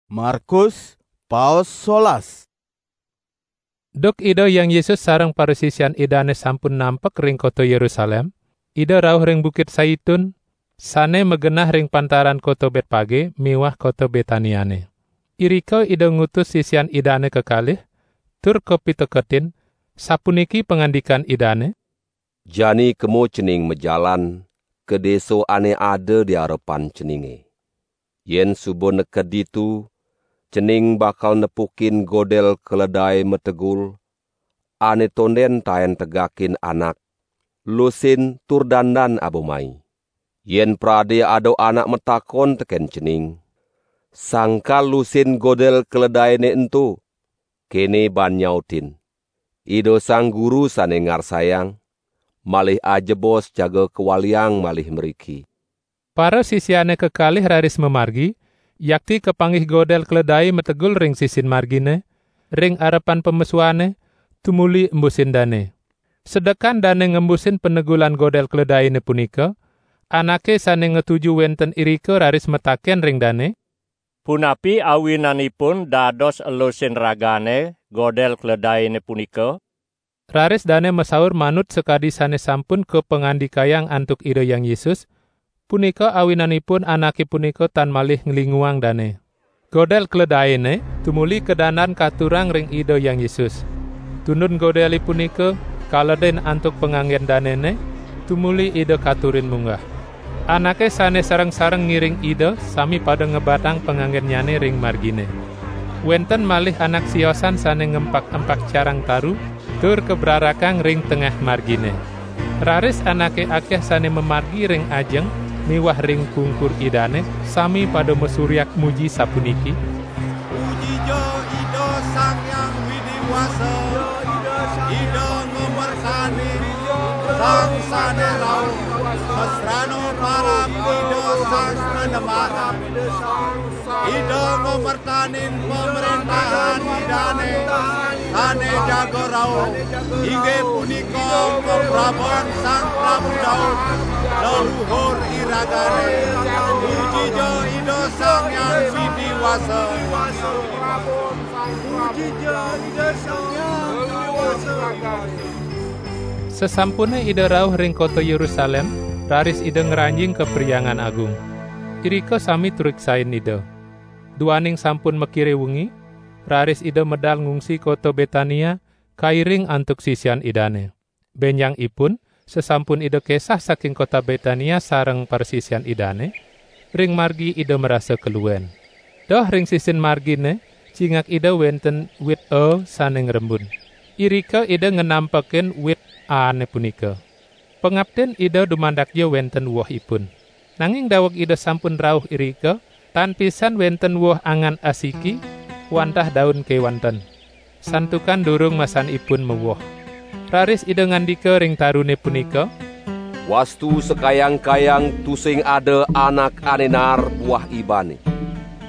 Markus, paos solas. Duk Ida Hyang Yesus sareng parasisian Idane sampun nampek ring kota Yerusalem, Ida rauh ring Bukit Saitun, sane magenah ring pantaran kota Betpage miwah kota Betaniane. Irika Ida ngutus sisian Idane kekalih, tur kapiteketin, sapuniki pangandikan Idane: "Jani kema cening majalan ka desa ane ada di arepan ceninge. Yen suba neked ditu, cening bakal nepukin godel keledai mategul, ane tonden taen tegakin anak, lusin tur dandan aba mai. Yen prade ada anak matakon teken cening, 'Sangkal lusin godel keledaine ento?' kene ban nyautin: 'Ida Sang Guru sane ngarsayang, malih ajebos jaga kawaliang malih mriki.'" Parasisiane kekalih raris mamargi, yakti kapanggih godel keledai mategul ring sisin margine, ring arepan pamesuane, tumuli embusin dane. Sedekan dane ngembusin panegulan godel keledaine punika, anake sane ngatuju wenten irika raris mataken ring dane: "Punapi awinanipun dados elusin ragane godel keledaine punika?" Raris dane masaur manut sakadi sane sampun kapangandikayang antuk Ida Hyang Yesus, punika awinanipun anake punika tan malih nglinguang dane. Godel keledaine tumuli kadandan katurang ring Ida Hyang Yesus. Tundun godele punika kaledin antuk panganggen danene, tumuli Ida katurin munggah. Anake sane sareng-sareng ngiring Ida sami pada ngebatang panganggennyane ring margine. Wenten malih anak siosan sane ngempak-empak carang taru, tur kabrarakang ring tengah margine. Raris anake akeh sane mamargi ring ajeng miwah ring pungkur Idane sami pada masuryak muji sapuniki: "Pujija Ida Sang Hyang Widi Wasa, Ida ngamertanin Sang Sane Rauh, sasrana parab Ida Sang Panembahan. Ida ngamertanin pamrentahan Idane sane jaga rauh, inggih punika kapraban Sang Prabu Daud, leluhur iragane. Pujija Ida Sang Hyang Widi Wasa." Pujija Ida Sang Hyang Widi Wasa. Sasampune Ida rauh ring kota Yerusalem, raris Ida ngranjing ka Perhyangan Agung. Irika sami turiksain Ida. Duaning sampun makire wengi, raris Ida medal ngungsi kota Betania, kairing antuk sisian Idane. Benjang ipun, sesampun Ida kesah saking kota Betania sareng parasisian Idane, ring margi Ida marasa kaluen. Doh ring sisin margine, cingak Ida wenten wit a sane ngrembun. Irika Ida ngenampekin wit ane punika. Pangaptin Ida dumandakja wenten wohipun. Nanging daweg Ida sampun rauh irika, tan pisan wenten woh angan asiki, wantah daun kewanten. Santukan durung masanipun mawoh. Raris Ida ngandika ring tarune punika, "Wastu sakayang-kayang tusing ada anak ane naar buah ibane."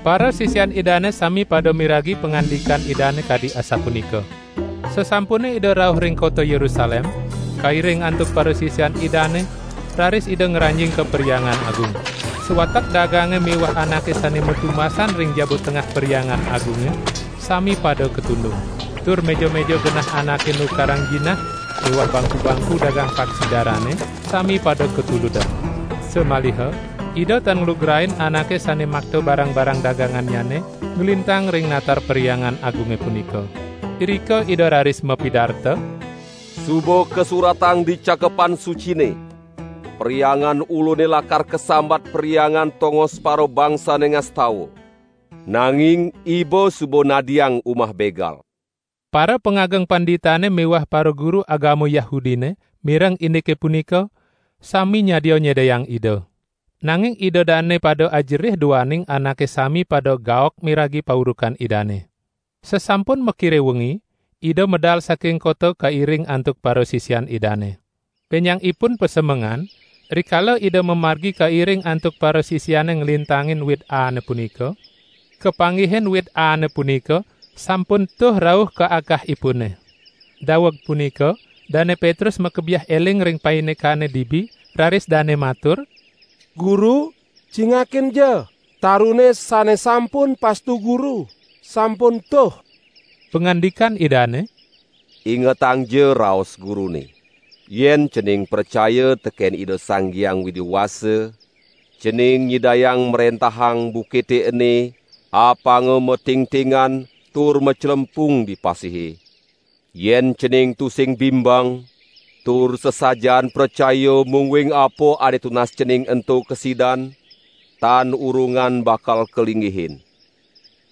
Parasisian Idane sami pada miragi pangandikan Idane kadi asapunika. Sasampune Ida rauh ring kota Yerusalem, kairing antuk parasisian Idane, raris Ida ngranjing ka Perhyangan Agung. Sawatek dagange miwah anake sane matumasan ring jaba tengah Perhyangan Agunge sami pada katundung. Tur meja-meja genah anake nukarang jinah miwah bangku-bangku dagang paksi darane sami pada katuludang. Samaliha Ida tan nglugrain anake sane makta barang-barang dagangannyane nglintang ring natar Perhyangan Agunge punika. Irika Ida raris mapidarta, "Suba kasuratang di Cakepan Sucine, 'Perhyangan Ulune lakar kasambat perhyangan tongos parabangsane ngastawa.' Nanging iba suba nadiang umah begal." Para pangageng panditane miwah para guru agama Yahudine mireng indike punika, sami nyadia nyedayang Ida. Nanging Ida dane pada ajerih duaning anake sami pada gaok miragi paurukan Idane. Sasampun makire wengi, Ida medal saking kota kairing antuk parasisian Idane. Benjang ipun pasemengan, rikala Ida mamargi kairing antuk parasisiane nglintangin wit ane punika, kapanggihin wit ane punika sampun tuh rauh ka akahipune. Daweg punika, Dane Petrus makebiah eling ring paindikane dibi, raris dane matur, "Guru, cingakinja, tarune sane sampun pastu Guru, sampun tuh." Pangandikan Idane, "Ingetangja raos Gurune. Yen cening pracaya teken Ida Sang Hyang Widi Wasa, cening nyidayang mrentahang bukite ene apanga matingtingan tur maclempung di pasihe. Yen cening tusing bimbang, tur sasajan pracaya mungguing apa ane tunas cening ento kasidan, tan urungan bakal kalinggihin.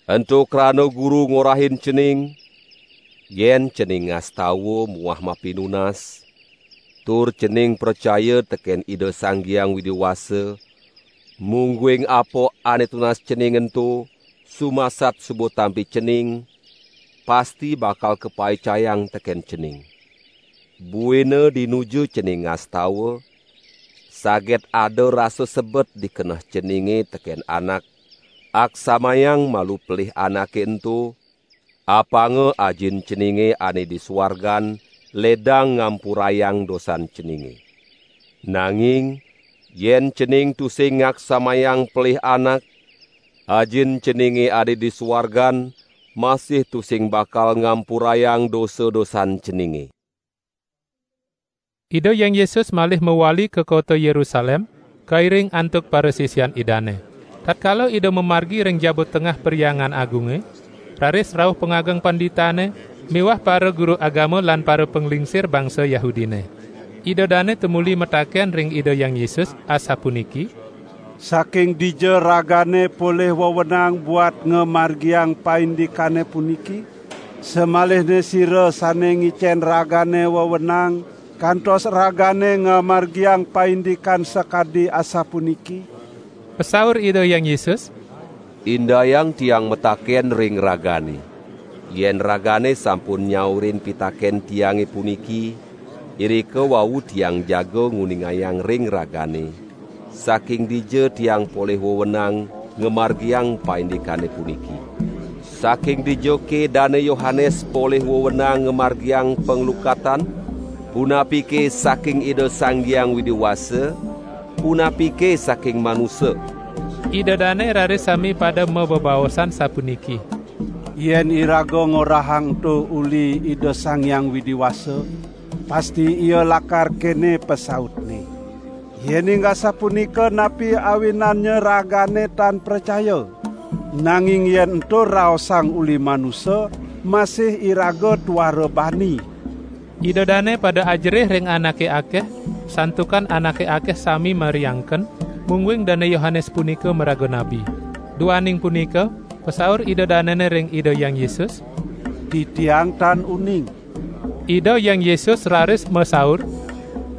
Ento krana Guru ngorahin cening, yen cening ngastawa muah mapinunas, tur cening pracaya teken Ida Sang Hyang Widi Wasa, mungguing apa ane tunas cening ento, sumasat suba tampi cening, pasti bakal kapaicayang teken cening. Buina dinuju cening ngastawa, saget ada rasa sebet di keneh ceninge teken anak, aksamayang malu pelih anake ento, apanga Ajin ceninge ane di suargan ledang ngampurayang dosan ceninge. Nanging, yen cening tusing ngaksamayang pelih anak, Ajin ceninge ane di suargan masih tusing bakal ngampurayang dosa-dosan ceninge." Ida Hyang Yesus malih mawali ka kota Yerusalem, kairing antuk parasisian Idane. Tatkala Ida mamargi ring jaba tengah Perhyangan Agunge, raris rauh pangageng panditane miwah para guru agama lan para panglingsir bangsa Yahudine. Ida dane tumuli mataken ring Ida Hyang Yesus, asapuniki, "Saking dija ragane polih wewenang buat ngamargiang paindikane puniki? Samalihne sira sane ngicen ragane wewenang, kantos ragane ngamargiang paindikan sakadi asapuniki?" Pasaur Ida Hyang Yesus, "Indayang Tiang mataken ring ragane. Yen ragane sampun nyaurin pitaken Tiange puniki, irika wau Tiang jaga nguningayang ring ragane, saking dija Tiang polih wewenang ngamargiang paindikane puniki. Saking dija ke Dane Yohanes polih wewenang ngamargiang panglukatan? Punapike saking Ida Sang Hyang Widi Wasa, punapike saking manusa?" Ida dane raris sami pada mabebaosan sapuniki, "Yen iraga ngorahang ento uli Ida Sang Hyang Widi Wasa, pasti Ia lakar kene pasautne. Yening asapunika, napi awinannya ragane tan pracaya? Nanging yen ento raosang uli manusa, Masih iraga tuara bani. Ida dane pada ajerih ring anake akeh, santukan anake akeh sami mariangken, mungguing Dane Yohanes punika maraga nabi. Duaning punika, pasaur Ida danene ring Ida Hyang Yesus, "Titiang tan uning." Ida Hyang Yesus raris masaur,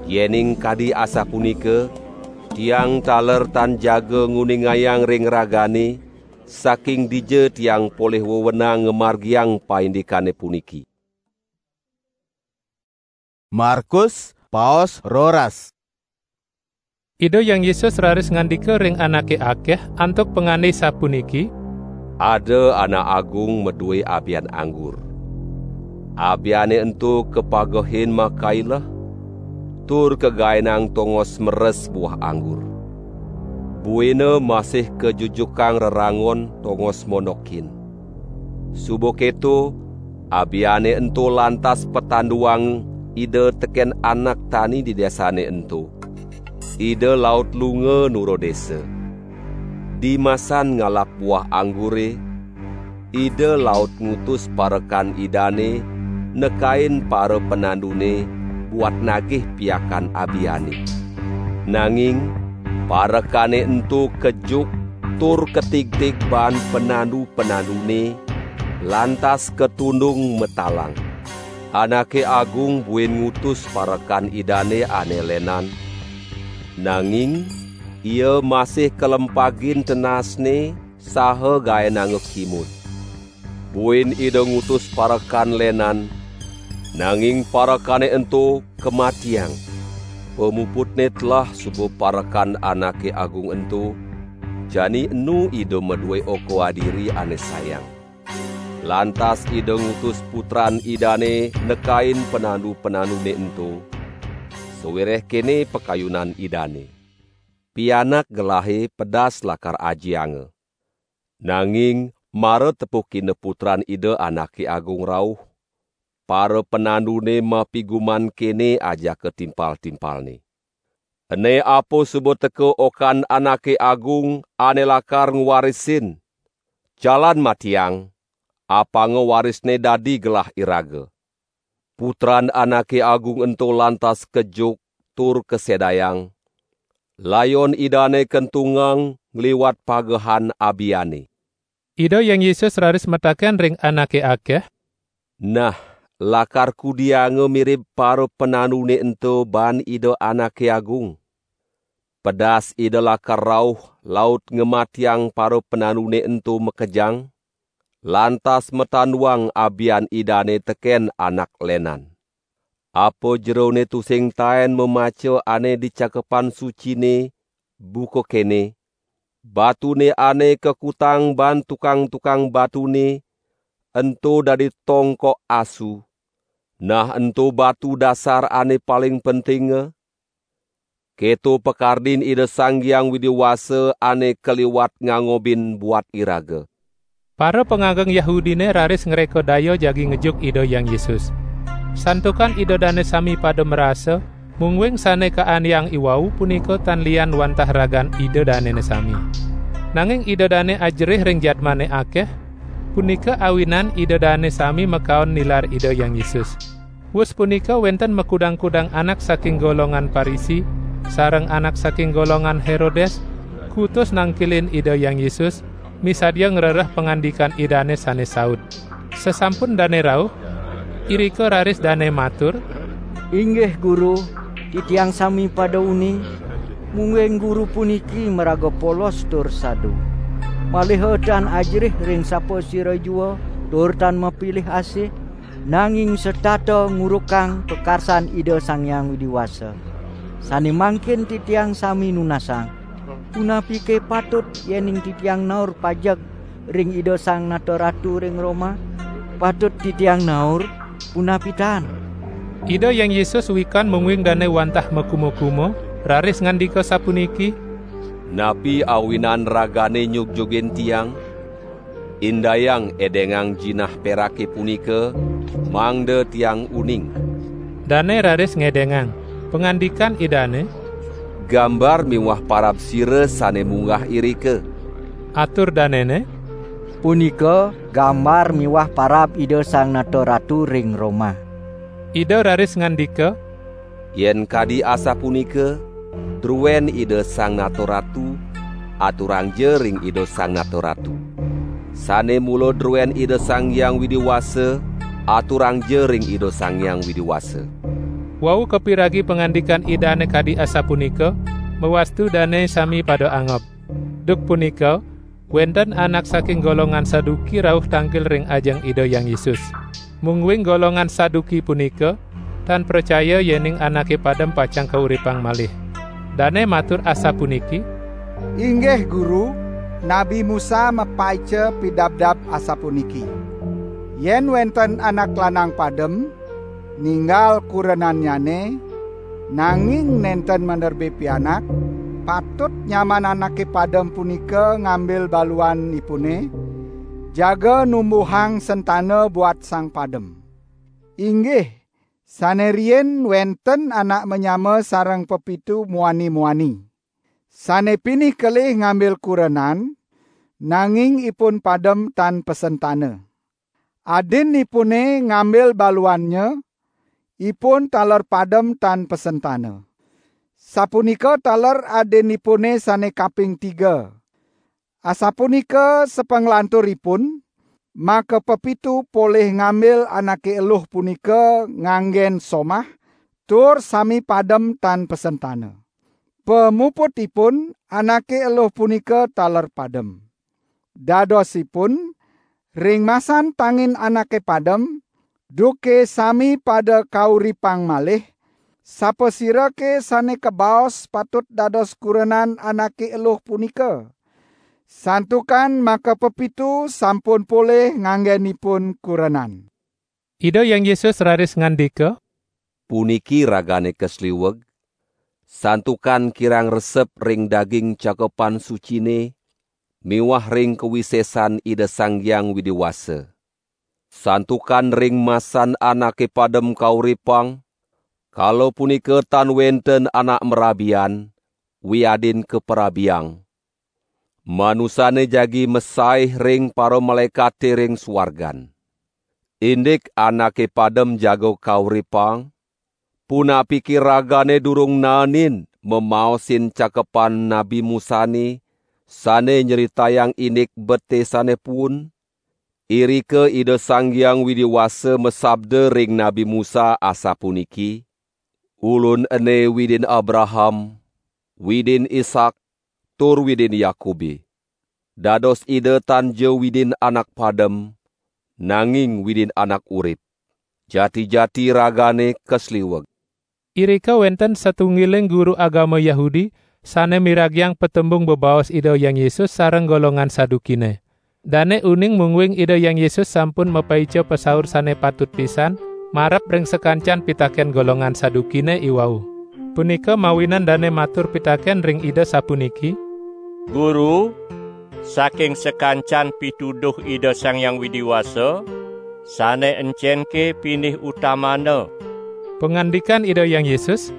"Yening kadi asapunika, Tiang taler tan jaga nguningayang ring ragane, saking dija Tiang polih wewenang ngamargiang paindikane puniki." Markus, paos roras. Ida Hyang Yesus raris ngandika ring anake akeh antuk pangande sapuniki, "Ada anak agung madue abian anggur. Abiane ento kapagehin makaileh, tur kagaenang tongos meres buah anggur. Buina masih kajujukang rerangon tongos mondokin. Suba keto, abiane ento lantas patanduang Ida teken anak tani di desane ento. Ida laut lunga nura desa. Dimasan ngalap buah anggure, Ida laut ngutus parekan Idane nekain para panandune buat nagih piakan abiane. Nanging parekane ento kejuk tur katigtig baan panandu-panandune, lantas katundung matalang. Anake agung buin ngutus parekan Idane ane lenan, nanging ia masih kalempagin tenasne saha gaenanga kimud. Buin Ida ngutus parekan lenan, nanging parekane ento kamatiang. Pamuputne telah suba parekan anake agung ento, jani enu Ida madue oka adiri ane sayang. Lantas Ida ngutus putran Idane nekain panandu-panandune ento, sawireh kene pakayunan Idane, 'Pianak gelahe pedas lakar ajianga.' Nanging mara tepukina putran Ida anake agung rauh, para panandune mapiguman kene ajaka timpal-timpalne, 'Ene apa suba teka okan anake agung ane lakar ngwarisin? Jalan matiang, apanga warisne dadi gelah iraga.' Putran anake agung ento lantas kejuk tur kasedayang, layon Idane kentungang ngliwat pagehan abiane." Ida Hyang Yesus raris mataken ring anake akeh, "Nah, lakar kudianga mirib para panandune ento baan Ida anake agung? Pedas Ida lakar rauh laut ngamatiang para panandune ento makejang, lantas matanduang abian Idane teken anak lenan. Apa jerone tusing taen mamaca ane di Cakepan Sucine buka kene, 'Batune ane kakutang baan tukang-tukang batune ento dadi tongkok asu.' Nah, ento batu dasar ane paling pentinga. Keto pakardin Ida Sang Hyang Widi Wasa ane kaliwat ngangobin buat iraga." Para pangageng Yahudine raris ngreka daya jagi ngejuk Ida Hyang Yesus. Santukan Ida dane sami pada marasa, mungguing sane kaaniang iwau punika tan lian wantah ragan Ida danene sami. Nanging Ida dane ajerih ring jadmane akeh, punika awinan Ida dane sami makaon nilar Ida Hyang Yesus. Wus punika wenten makudang-kudang anak saking golongan Parisi, sareng anak saking golongan Herodes, kutus nangkilin Ida Hyang Yesus, misadia ngrereh pangandikan Idane sane saut. Sasampun dane rauh, irika raris dane matur, "Inggih Guru, titiang sami pada uning, mungguing Guru puniki maraga polos tur sadu. Malih tan ajerih ring sapasira jua tur tan mapilih asih, nanging setata ngurukang pakarsan Ida Sang Hyang Widi Wasa. Sane mangkin titiang sami nunasang, punapike patut yening titiang naur pajeg ring Ida Sang Nata Ratu ring Roma? Patut titiang naur, punapi tan?" Ida Hyang Yesus wikan mungguing dane wantah makuma-kuma, raris ngandika sapuniki, "Napi awinan ragane nyugjugin Tiang? Indayang edengang jinah perake punika, mangda Tiang uning." Dane raris ngedengang. Pangandikan Idane, "Gambar miwah parab sira sane munggah irika." Atur danene, Punika gambar miwah parab Ida Sang Nata Ratu ring Roma. Ida raris ngandika, "Yen kadi asapunika, druen Ida Sang Nata Ratu, aturangja ring Ida Sang Nata Ratu. Sane mula druen Ida Sang Hyang Widi Wasa, aturangja ring Ida Sang Hyang Widi Wasa." Wau kapiragi pangandikan Idane kadi asapunika, mawastu dane sami pada angob. Duk punika, wenten anak saking golongan Saduki rauh tangkil ring ajeng Ida Hyang Yesus. Mungguing golongan Saduki punika tan pracaya yening anake padem pacang kauripang malih. Dane matur asapuniki, "Inggih Guru, Nabi Musa mapaica pidabdab asapuniki: Yen wenten anak lanang padem, ninggal kurenannyane, nanging nenten manerbe pianak, patut nyaman anake padem punika ngambil baluanipune, jaga numbuhang sentana buat sang padem. Inggih, sane riin wenten anak manyama sareng pepitu muani-muani. Sane pinih kelih ngambil kurenan, nanging ipun padem tan pasentana. Adinipune ngambil baluannya, ipun taler padem tan pasentana. Sapunika taler adinipune sane kaping tiga. Asapunika sapanglanturipun, maka pepitu polih ngambil anake eluh punika nganggen somah, tur sami padem tan pasentana. Pamuputipun, anake eluh punika taler padem. Dadosipun, ring masan tangin anake padem, duke sami pada kauripang malih, sapasirake sane kabaos patut dados kurenan anake eluh punika? Santukan maka pepitu sampun polih nganggenipun kurenan." Ida Hyang Yesus raris ngandika, "Puniki ragane kasliweg, santukan kirang resep ring daging Cakepan Sucine miwah ring kawisesan Ida Sang Hyang Widi Wasa. Santukan ring masan anake padem kauripang, kala punika tan wenten anak marabian, wiadin kaparabiang. Manusane jagi masaih ring paramalaekate ring suargan. Indik anake padem jaga kauripang, punapike ragane durung naenin mamaosin cakepan Nabi Musane sane nyritayang indik betesane puun?" Irika Ida Sang Hyang Widi Wasa masabda ring Nabi Musa asapuniki, "Ulun ene Widin Abraham, Widin Ishak, tur Widin Yakube." Dados Ida tan ja Widin anak padem, nanging Widin anak urip. Jati-jati ragane kasliweg. Irika wenten satunggiling guru agama Yahudi sane miragiang patembung bebaos Ida Hyang Yesus sareng golongan Sadukine. Dane uning mungguing Ida Hyang Yesus sampun mapaica pasaur sane patut pisan marep ring sakancan pitaken golongan Sadukine iwau. Punika mawinan dane matur pitaken ring Ida sapuniki, "Guru, saking sakancan pituduh Ida Sang Hyang Widi Wasa, sane encenke pinih utamana?" Pangandikan Ida Hyang Yesus,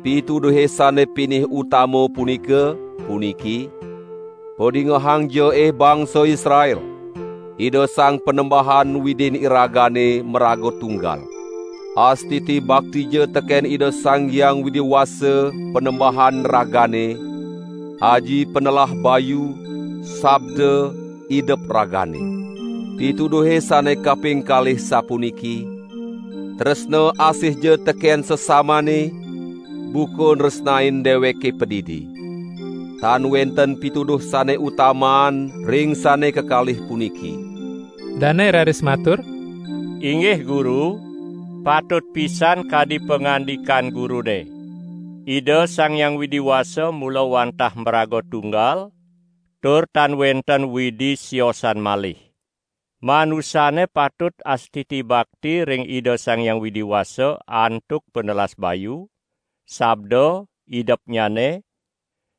"Pituduhe sane pinih utama punika puniki: Padingehangja, eh bangsa Israel! Ida Sang Panembahan Widin iragane maraga tunggal. Astiti baktija teken Ida Sang Hyang Widi Wasa Panembahan ragane, Aji Panelah Bayu, Sabda, Idep ragane. Pituduhe sane kaping kalih sapuniki: Tresna asihja teken sesamane, buka nresnain deweke padidi." Tan wenten pituduh sane utamaan ring sane kekalih puniki. Dane raris matur, "Inggih Guru, patut pisan kadi pangandikan Gurune. Ida Sang Hyang Widi Wasa mula wantah maraga tunggal, tur tan wenten widi siosan malih. Manusane patut astiti bakti ring Ida Sang Hyang Widi Wasa antuk panelas bayu, sabda, idepnyane,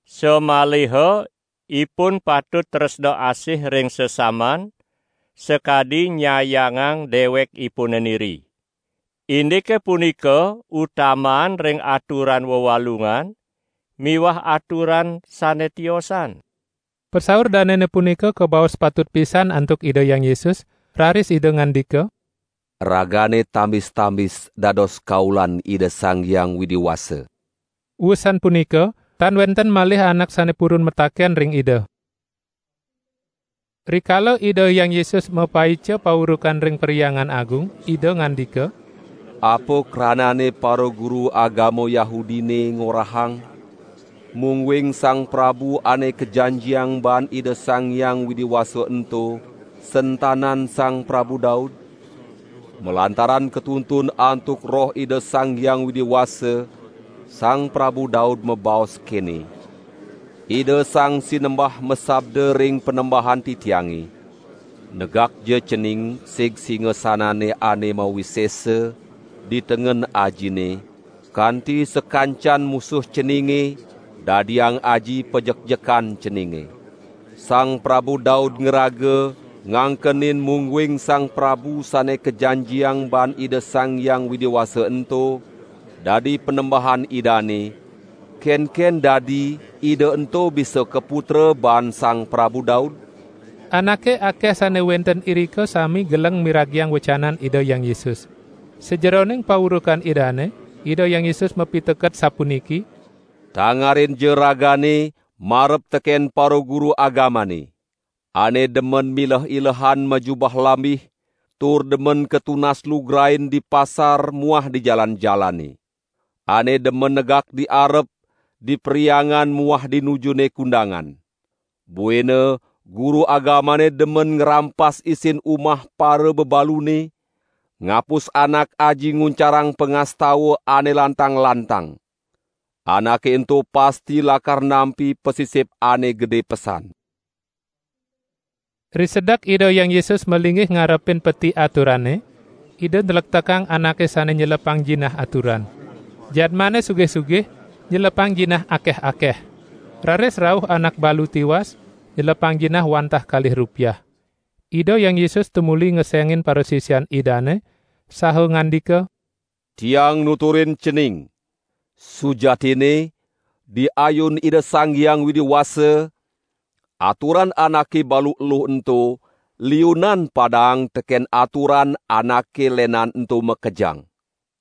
samaliha ipun patut tresna asih ring sesaman, sakadi nyayangang dewekipune niri. Indike punika utamaan ring aturan wewalungan miwah aturan sane tiosan." Pasaur danene punika kabaos patut pisan antuk Ida Hyang Yesus, raris Ida ngandika, "Ragane tambis-tambis dados kaulan Ida Sang Hyang Widi Wasa." Wusan punika, tan wenten malih anak sane purun mataken ring Ida. Rikala Ida Hyang Yesus mapaica paurukan ring Perhyangan Agung, Ida ngandika, "Apa kranane paraguru agama Yahudine ngorahang, mungguing Sang Prabu ane kajanjiang baan Ida Sang Hyang Widi Wasa ento sentanan Sang Prabu Daud? Malantaran katuntun antuk Roh Ida Sang Hyang Widi Wasa, Sang Prabu Daud mabaos kene, 'Ida Sang Sinembah masabda ring Panembahan titiange, Negakja cening sig singasanane ane mawisesa di tengen ajine, kanti sakancan musuh ceninge dadiang aji pajekjekan ceninge.' Sang Prabu Daud ngraga ngangkenin mungguing Sang Prabu sane kajanjiang baan Ida Sang Hyang Widi Wasa ento dadi Panembahan Idane, kenken dadi Ida ento bisa kaputra baan Sang Prabu Daud?" Anake akeh sane wenten irika sami geleng miragiang wecanan Ida Hyang Yesus. Sajeroning paurukan Idane, Ida Hyang Yesus mapiteket sapuniki, "Tangarinja ragane marep teken paraguru agamane, ane demen mileh-ilehan majubah lambih, tur demen katunas lugrain di pasar muah di jalan-jalane, ane demen negak di arep di Perhyangan muah di nujune kundangan. Buina guru agamane demen ngrampas isin umah para bebalune, ngapus anak aji nguncarang pangastawa ane lantang-lantang. Anake ento pasti lakar nampi pasisip ane gede pesan." Risedek Ida Hyang Yesus malinggih ngarepin peti aturane, Ida nlektekang anake sane nyelepang jinah aturan. Jadmane sugih-sugih nyelepang jinah akeh-akeh. Raris rauh anak balu tiwas, nyelepang jinah wantah kalih rupiah. Ida Hyang Yesus tumuli ngesengin parasisian Idane, saha ngandika, "Tiang nuturin cening, sujatine, di ayun Ida Sang Hyang Widi Wasa, aturan anake balu eluh ento liunan padaang teken aturan anake lenan ento makejang.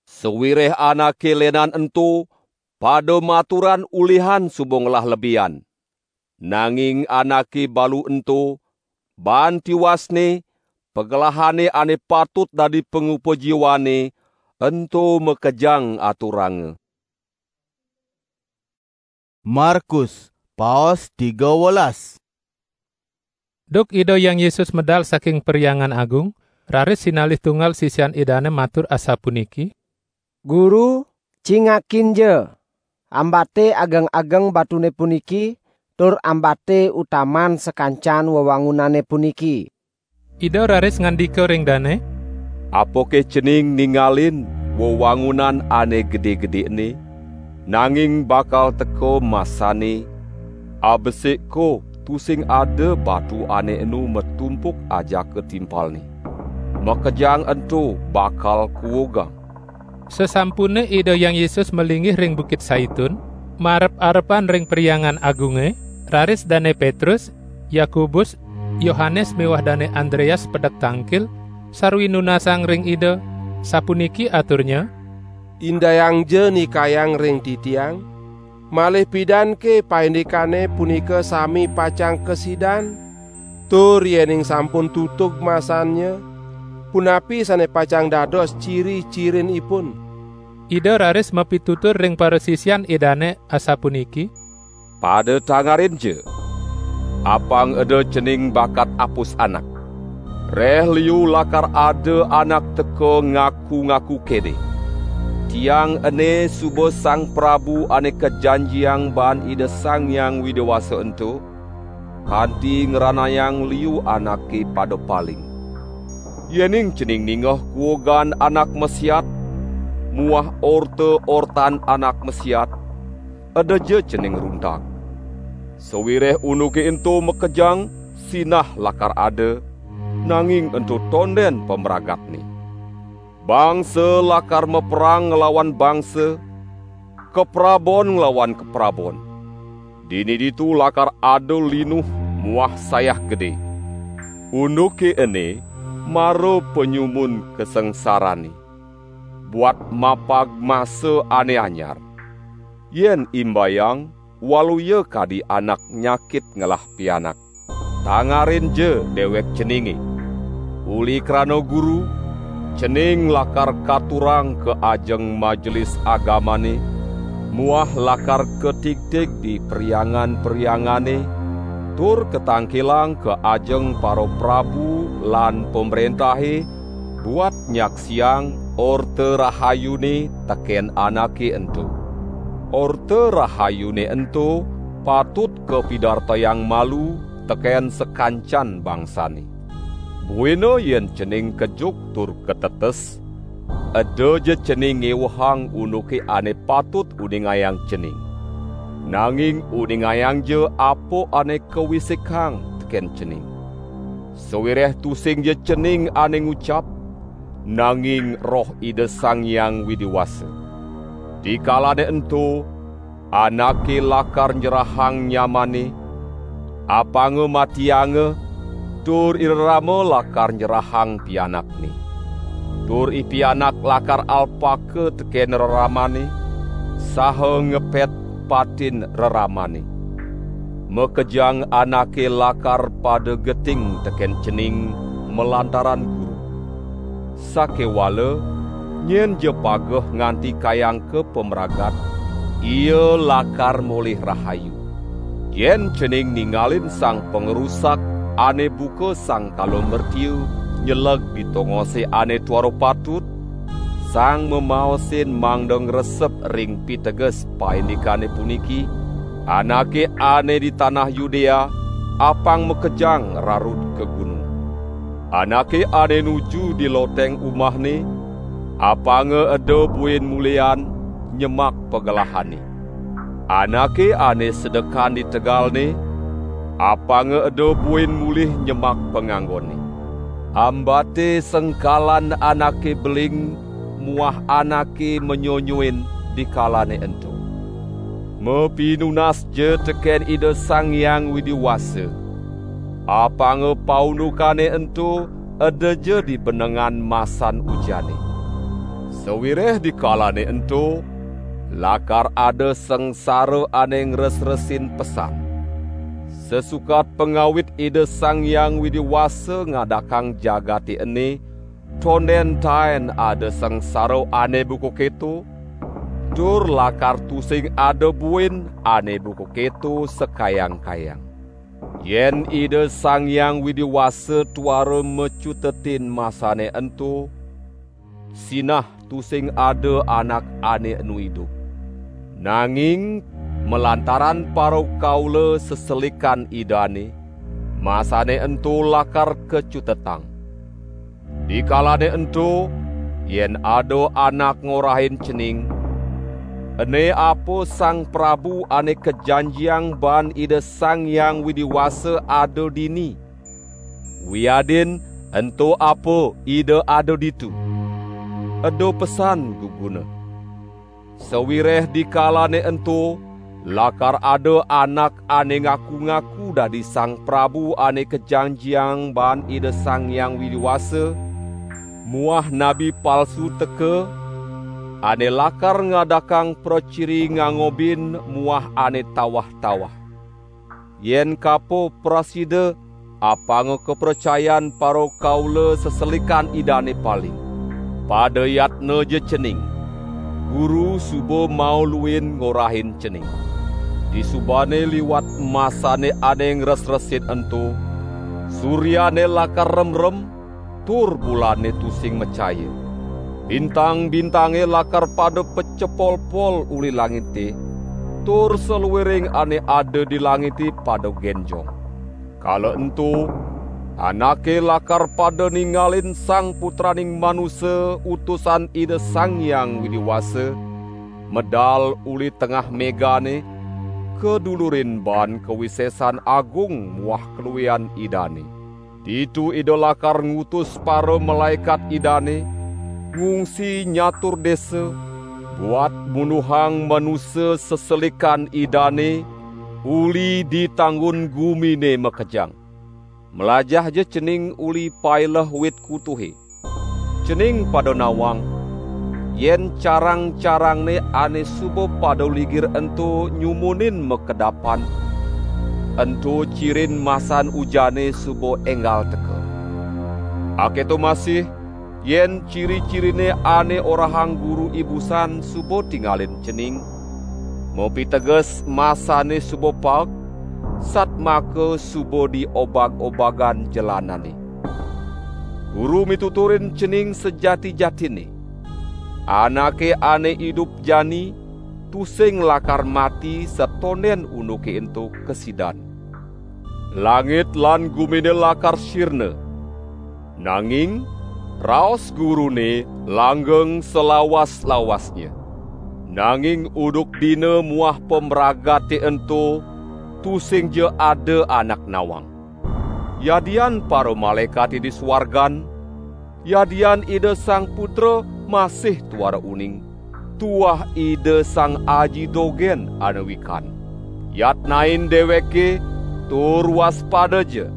Sawireh anake lenan ento pada maturan ulihan suba ngelah lebihan. Nanging anake balu ento, baan tiwasne, pagelahane ane patut dadi pangupa jiwane, ento makejang aturanga." Markus, paos tiga welas. Duk Ida Hyang Yesus medal saking Perhyangan Agung, raris sinalih tunggal sisian Idane matur asapuniki, "Guru, cingakinja ambate ageng-ageng batune puniki, tur ambate utaman sakancan wewangunane puniki." Ida raris ngandika ring dane, "Apake cening ningalin wewangunan ane gede-gedene, nanging bakal teka masane, abesik ko tusing ada batu ane enu matumpuk ajaka timpalne. Makejang ento bakal kuugang." Sasampune Ida Hyang Yesus malinggih ring Bukit Saitun, marep-arepan ring Perhyangan Agunge, raris Dane Petrus, Yakobus, Yohanes miwah Dane Andreas pedek tangkil, sarwi nunasang ring Ida, sapuniki aturnya, "Indayangja nikayang ring titiang, malih pidanke paindikane punika sami pacang kasidan? Tur yening sampun tutug masannya, punapi sane pacang dados ciri-cirinipun?" Ida raris mapitutur ring parasisian Idane asapuniki, "Pada tangarinja, apang eda cening bakat apus anak. Reh liu lakar ada anak teka ngaku-ngaku kene, 'Tiang ene suba Sang Prabu ane kajanjiang baan Ida Sang Hyang Widi Wasa ento,' kanti ngranayang liu anake pada paling. Yening cening ningeh kuugan anak masiat muah orta-ortan anak masiat, edaja cening runtag. Sawireh unduke ento makejang, sinah lakar ada, nanging ento tonden pamragatne. Bangsa lakar maperang nglawan bangsa, kaprabon nglawan kaprabon. Dini ditu lakar ada linuh muah sayah gedé. Unduké ené mara panyumun kasangsarané, buat mapag masa ané anyar. Yén imbayang, waluya kadi anak nyakit ngelah pianak. Tangarin ja déwék ceningé. Uli krana guru, cening lakar katurang ka ajeng majelis agamané, muah lakar katigtig di perhyangan-perhyangané, tur katangkilang ka ajeng para prabu lan pamréntahé, buat nyaksiang Orta Rahayuné tekén anaké ento. Orta Rahayuné ento patut kapidartayang malu tekén sakancan bangsané. Buina yén cening kejuk tur katetes, eda ja cening ngéwehang unduké ané patut uningayang cening. Nanging uningayang ja apa ané kawisikang tekén cening. Sawiréh tusing ja cening ané ngucap, nanging Roh Ida Sang Hyang Widi Wasa. Dikalané ento, anaké lakar nyerahang nyamané, apanga matianga, tur i rerama lakar nyerahang pianakné. Tur i pianak lakar alpaka tekén reramané, saha ngepét patin reramané. Makejang anaké lakar pada geting tekén cening malantaran guru. Sakéwala, nyén ja pageh nganti kayang ka pamragat, ia lakar molih rahayu. Yén cening ningalin sang pangrusak ané buka sangkala mertia nyeleg di tongosé ané tuara patut, sang mamaosin mangda ngresep ring piteges paindikané puniki, anaké ané di tanah Yudéa apang makejang rarud ka gunung. Anaké ané nuju di loteng umahné, apanga eda buin mulian nyemak pagelahané. Anaké ané sedekan di tegalné, apanga eda buin mulih nyemak panganggonné. Ambaté sengkalan anaké beling muah anaké manyonyuin dikalané ento. Mapinunas ja tekén Ida Sang Hyang Widi Wasa. Apanga paundukané ento eda ja di benengan masan ujané. Sawiréh dikalané ento, lakar ada sangsara ané ngresresin pesan. Sasukat pangawit Ida Sang Hyang Widi Wasa ngadakang jagaté ené, tondén taén ada sangsara ané buka kéto, tur lakar tusing ada buin ané buka kéto sakayang-kayang. Yén Ida Sang Hyang Widi Wasa tuara macutetin masané ento, sinah tusing ada anak ané enu idup. Nanging malantaran parakaula seselikan Idané, masané ento lakar kacutetang. Dikalané ento, yén ada anak ngorahin cening, ené apa Sang Prabu ané kajanjiang baan Ida Sang Hyang Widi Wasa ada dini, wiadin ento apa Ida ada ditu, eda pesan guguna. Sawiréh dikalané ento, lakar ada anak ané ngaku-ngaku dadi Sang Prabu ané kajanjiang baan Ida Sang Hyang Widi Wasa, muah nabi palsu teka, ané lakar ngadakang praciri ngangobin muah ané tawah-tawah. Yén kapa prasida, apanga kapracayan parakaula seselikan Idané paling. Pada yatna ja cening. Guru suba mauluin ngorahin cening. Disubané liwat masané ané ngresresin ento, suryané lakar remrem, tur bulané tusing macaya. Bintang-bintangé lakar pada pacepolpol uli langité, tur saluiring ané ada di langité pada génjong. Kala ento, anaké lakar pada ningalin Sang Putraning Manusa, Utusan Ida Sang Hyang Widi Wasa, medal uli tengah mégané, kadulurin baan kawisésan agung muah kaluihan Idané. Ditu Ida lakar ngutus para malaékat Idané, ngungsi nyatur désa, buat munduhang manusa seselikan Idané, Uli di tanggun gumine makejang, mlajahja cening uli paileh wit kutuhe. Cening pada nawang, yen carang-carangne ane suba pada ligir ento nyumunin makedapan, ento cirin masan ujane suba enggal teka. Aketo masih, yen ciri-cirine ane orahang Guru ibusan suba tingalin cening, mapiteges masane suba paek, satmaka suba di obag-obagan jelanane. Guru mituturin cening sajati-jatine. Anake ane idup jani tusing lakar mati satonden unduke ento kasidan. Langit lan gumine lakar sirna, nanging raos Gurune langgeng salawas-lawasnya. Nanging unduk dina muah pamragate ento tusingja ada anak nawang. Yadian paramalaekate di suargan, yadian Ida Sang Putra masih tuara uning, tuah Ida Sang Aji dogen ane wikan. Yatnain deweke tur waspadaja.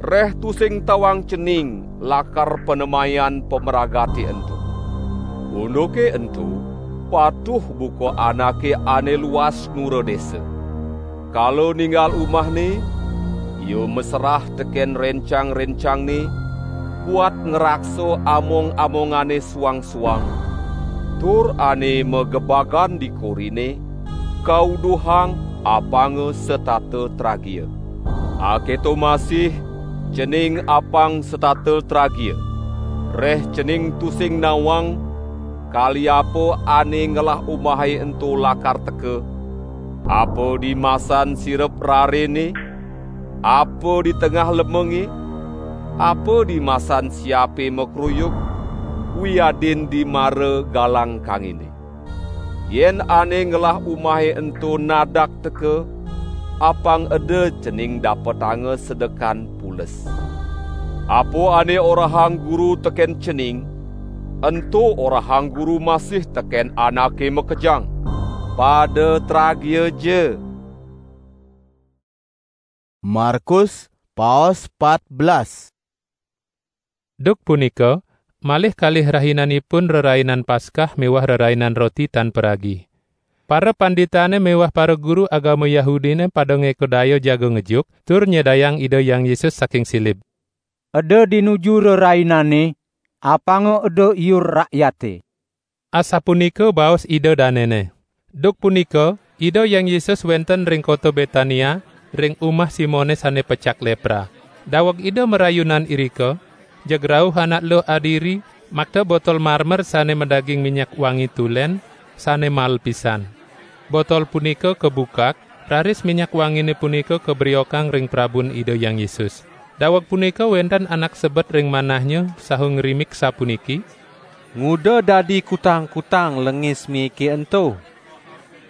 Reh tusing tawang cening lakar panemayan pamragate ento. Unduke ento patuh buka anake ane luas nura desa. Kala ninggal umahne, ia maserah teken rencang-rencangne buat ngraksa among-amongane suang-suang, tur ane magebagan di korine, kauduhang apanga setata tragia. Aketo masih cening apang setata tragia. Reh cening tusing nawang, kali apa ane ngelah umahe ento lakar teka, apa di masan sirep rarene, apa di tengah lemenge, apa di masan siape makruyuk, wiadin di mara galang kangine. Yen ane ngelah umahe ento nadak teka, apang eda cening dapetanga sedekan pules. Apa ane orahang Guru teken cening, ento orahang Guru masih teken anake makejang. Pada tragia ja. Markus, paos pat belas. Duk punika, malih kalih rahinanipun Rerainan Paskah miwah Rerainan Roti Tan Paragi. Para panditane miwah para guru agama Yahudine pada ngeka daya jaga ngejuk, tur nyedayang Ida Hyang Yesus saking silib. Eda di nuju rerainane, apanga eda iur rakyate. Asapunika baos Ida danene. Duk punika, Ida Hyang Yesus wenten ring kota Betania, ring umah Simone sane pecak lepra. Daweg Ida marayunan irika, jeg rauh anak luh adiri, makta botol marmer sane madaging minyak wangi tulen, sane mal pisan. Botol punika kabukak, raris minyak wangine punika kabriokang ring prabun Ida Hyang Yesus. Daweg punika wenten anak sebet ring manahnya saha ngrimik sapuniki, "Nguda dadi kutang-kutang lengis miike ento?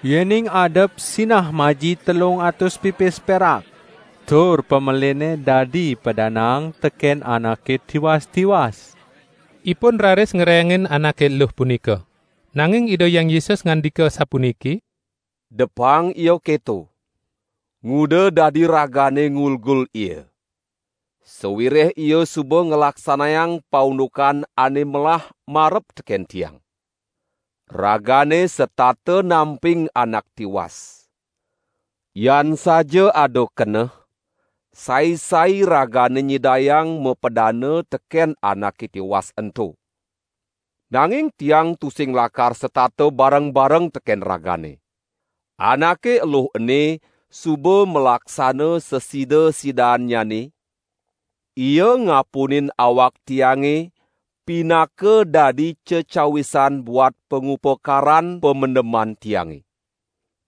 Yening adep sinah maji telung atus pipis perak, tur pameline dadi padanaang teken anake tiwas-tiwas." Ipun raris ngrengin anake luh punika. Nanging Ida Hyang Yesus ngandika sapuniki, "Depang ia keto. Nguda dadi ragane ngulgul ia. Sawireh ia suba nglaksanayang paundukan ane melah marep teken Tiang. Ragane setata namping anak tiwas. Yan saja ada keneh, sai-sai ragane nyidayang mapadana teken anake tiwas ento. Nanging Tiang tusing lakar setata bareng-bareng teken ragane. Anake eluh ene suba malaksana sesida-sidaannyane, ia ngapunin awak Tiange pinaka dadi cecawisan buat pangupakaran pamendeman Tiange.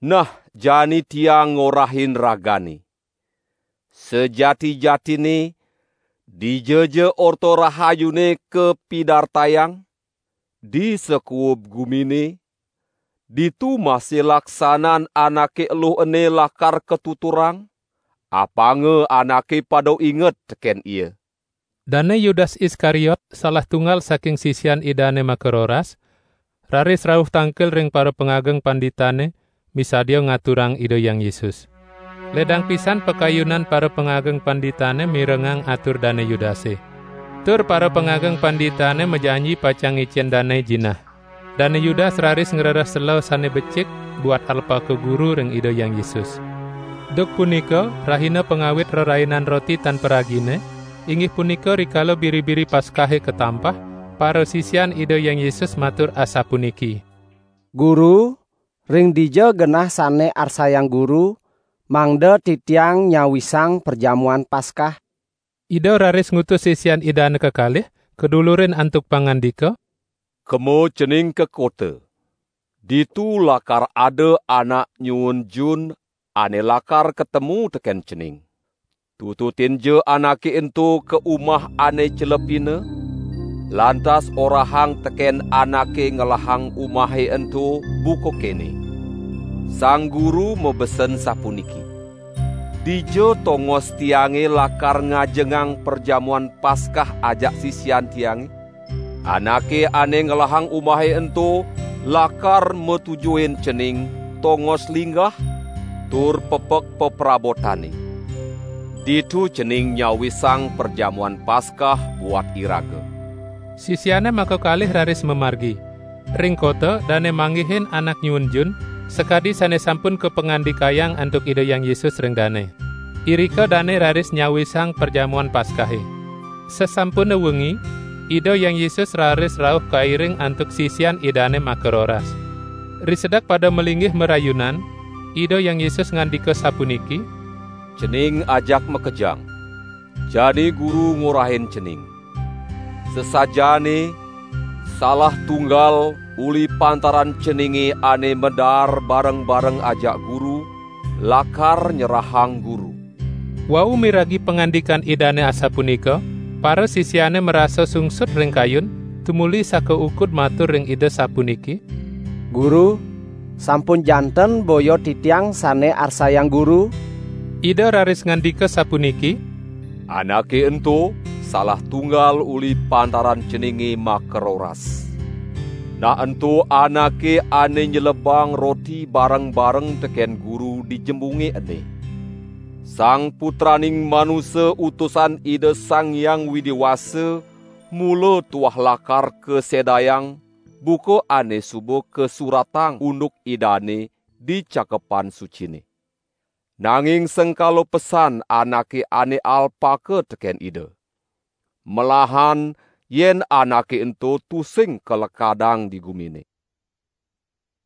Nah, jani Tiang ngorahin ragane. Sajati-jatine, dijaja Orta Rahayune kapidartayang, di sakuub gumine, ditu masih laksanan anake eluh ene lakar katuturang, apanga anake pada inget teken ia." Dane Yudas Iskariot, salah tunggal saking sisian Idane makaroras, raris rauh tangkil ring para pangageng panditane, misadia ngaturang Ida Hyang Yesus. Ledang pisan pakayunan para pangageng panditane mirengang atur Dane Yudase. Tur para pangageng panditane majanji pacang ngicen dane jinah. Dane Yudas raris ngrereh sela sane becik buat alpaka guru ring Ida Hyang Yesus. Duk punika, rahina pangawit Rerainan Roti Tan Paragine, inggih punika rikala biri-biri Paskahe katampah, parasisian Ida Hyang Yesus matur asapuniki: "Guru, ring dija genah sane arsayang Guru, mangda titiang nyawisang perjamuan Paskah?" Ida raris ngutus sisian Idane kekalih, kadulurin antuk pangandika: "Kema cening ka kota. Ditu lakar ada anak nyuun jun ane lakar katemu teken cening. Tututinja anake ento ka umah ane celepina, lantas orahang teken anake ngelahang umahe ento buka kene: 'Sang Guru mabesen sapuniki: Dija tongos Tiange lakar ngajengang perjamuan Paskah ajak sisian Tiange?' Anake ane ngelahang umahe ento lakar matujuin cening tongos linggah tur pepek peprabotane. Ditu cening nyawisang perjamuan Paskah buat iraga." Sisiane makakalih raris mamargi. Ring kota, dane manggihin anak nyuun jun, sakadi sane sampun kapangandikayang antuk Ida Hyang Yesus ring dane. Irika dane raris nyawisang perjamuan Paskahe. Sasampune wengi, Ida Hyang Yesus raris rauh kairing antuk sisian Idane makaroras. Risedek pada malinggih marayunan, Ida Hyang Yesus ngandika sapuniki: "Cening ajak makejang. Jani Guru ngorahin cening. Sasajaane salah tunggal uli pantaran ceninge ane madaar bareng-bareng ajak Guru, lakar nyerahang Guru." Wau miragi pangandikan Idane asapunika, parasisiane marasa sungsut ring kayun, tumuli sakaukud matur ring Ida sapuniki: "Guru, sampun janten boya titiang sane arsayang Guru?" Ida raris ngandika sapuniki: "Anake ento salah tunggal uli pantaran ceninge makaroras. Nah ento anake ane nyelebang roti bareng-bareng teken Guru di jembunge ene. Sang Putraning Manusa Utusan Ida Sang Hyang Widi Wasa mula tuah lakar kasedayang, buka ane suba kasuratang unduk Idane di Cakepan Sucine. Nanging sengkala pesan anake ane alpaka teken Ida. Melahan yen anake ento tusing kalekadang di gumine."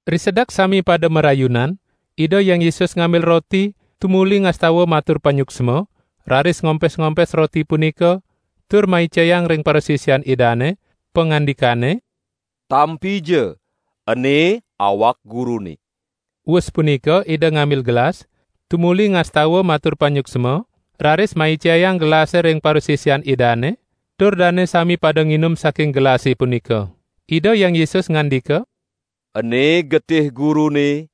Risedek sami pada marayunan, Ida Hyang Yesus ngambil roti, tumuli ngastawa matur panyuksma, raris ngompes-ngompes roti punika, tur maicayang ring parasisian Idane, pangandikane: "Tampija, ene awak Gurune." Wus punika Ida ngambil gelas, tumuli ngastawa matur panyuksma, raris maicayang gelase ring parasisian Idane, tur dane sami pada nginum saking gelase punika. Ida Hyang Yesus ngandika: "Ene getih Gurune,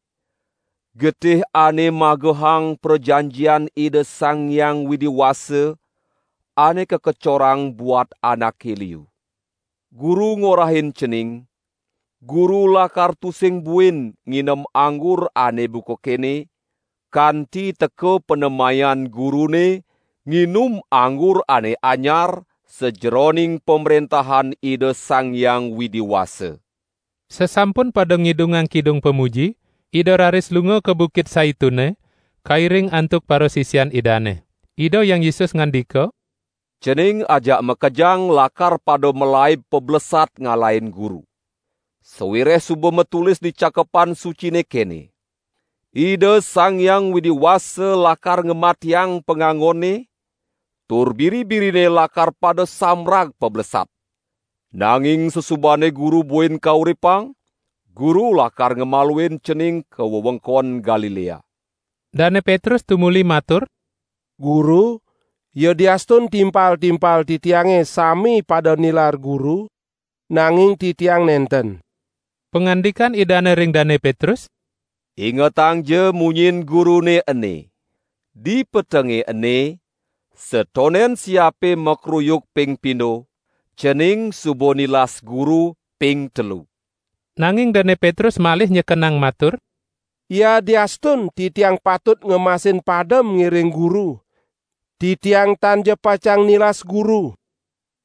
getih ane magehang prajanjian Ida Sang Hyang Widi Wasa ane kakecorang buat anake liu. Guru ngorahin cening, Guru lakar tusing buin nginem anggur ane buka kene, kanti teka panemayan Gurune nginum anggur ane anyar sajeroning Pamrentahan Ida Sang Hyang Widi Wasa." Sasampun pada ngidungang kidung pamuji, Ida raris lunga ka Bukit Saitune, kairing antuk parasisian Idane. Ida Hyang Yesus ngandika: "Cening ajak makejang lakar pada malaib pablesat ngalahin Guru. Sawireh suba matulis di Cakepan Sucine kene: 'Ida Sang Hyang Widi Wasa lakar ngamatiang pangangone, tur biri-birine lakar pada samrag pablesat.' Nanging sasubane Guru buin kauripang, Guru lakar ngamaluin cening ka wewengkon Galilea." Dane Petrus tumuli matur: "Guru, yadiastun timpal-timpal titiange sami pada nilar Guru, nanging titiang nenten." Pangandikan Idane ring Dane Petrus: "Ingetangja munyin Gurune ene: Di petenge ene, satonden siape makruyuk ping pindo, cening suba nilas Guru ping telu." Nanging Dane Petrus malih nyekenang matur: Yadiastun titiang patut ngemasin padem ngiring Guru. Titiang tan ja pacang nilas Guru."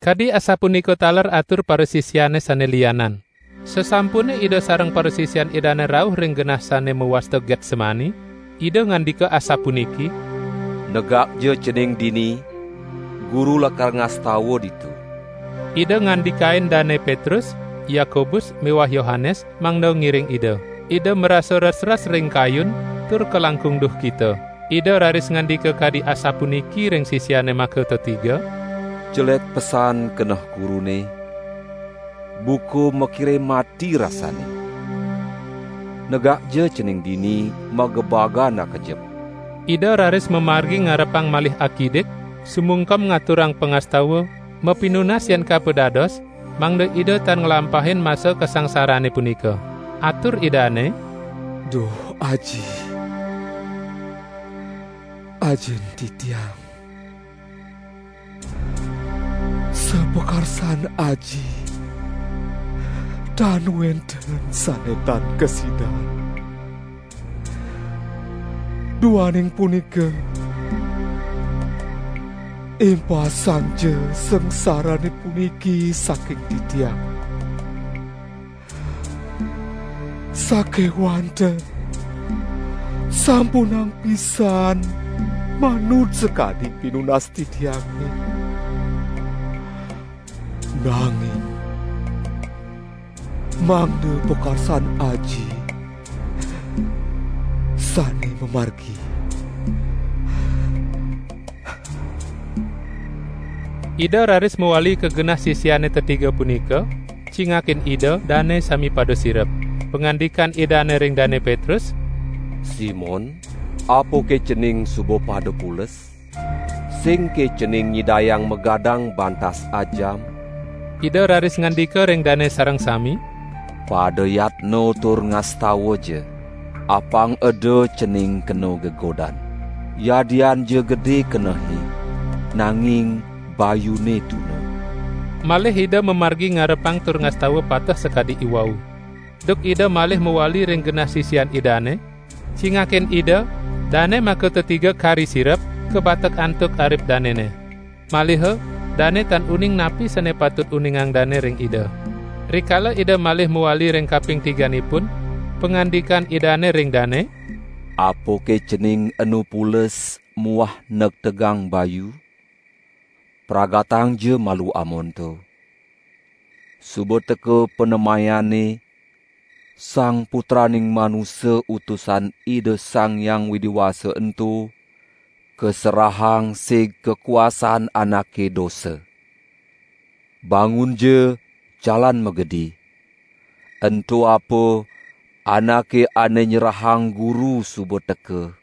Kadi asapunika taler atur parasisiane sane lianan. Sasampune Ida sareng parasisian Idane rauh ring genah sane mawasta Getsemani, Ida ngandika asapuniki, "Negakja cening dini, Guru lakar ngastawa ditu." Ida ngandikain Dane Petrus, Yakobus, miwah Yohanes, mangda ngiring Ida. Ida marasa res-res ring kayun, tur kalangkung duhkita. Ida raris ngandika kadi asapuniki ring sisiane makatetiga, "Jelek pesan keneh Gurune, buka makire mati rasane. Negakja cening dini magebagan akejep." Ida raris mamargi ngarepang malih akidik, sumungkem ngaturang pangastawa, mapinunas yen kapadados, mangda Ida tan nglampahin masa kasangsarane punika. Atur Idane, "Duh, Aji, Ajin titiang. Sapakarsan Aji, tan wenten sane tan kasidan. Duaning punika, impasangja sangsarane puniki saking titiang. Sakewanten, sampunang pisan manut sakadi pinunas titiange. Nanging mangda pakarsan Aji sane mamargi." Ida raris mawali ka genah sisiane tetiga punika, cingakin Ida, dane sami pada sirep. Pangandikan Idane ring Dane Petrus, "Simon, apake cening suba pada pules? Singke cening nyidayang magadang bantas ajam?" Ida raris ngandika ring dane sareng sami, "Pada yatna tur ngastawa ja, apang eda cening kena gegodan. Yadian ja gede kenehe, nanging bayune tuna." Malih Ida mamargi ngarepang tur ngastawa pateh sakadi iwau. Duk Ida malih mawali ring genah sisian Idane, cingakin Ida, dane makatetiga kari sirep, kabatek antuk arip danene. Maliha, dane tan uning napi sane patut uningang dane ring Ida. Rikala Ida malih mawali ring kaping tiganipun, pangandikan Idane ring dane, "Apake cening enu pules muah negtegang bayu? Pragatangja malu amonto. Suba teka panemayane, Sang Putraning Manusa Utusan Ida Sang Hyang Widi Wasa ento kaserahang sig kakuasan anake dosa. Bangunja, jalan magedi. Ento apa anake ane nyerahang Guru suba teka."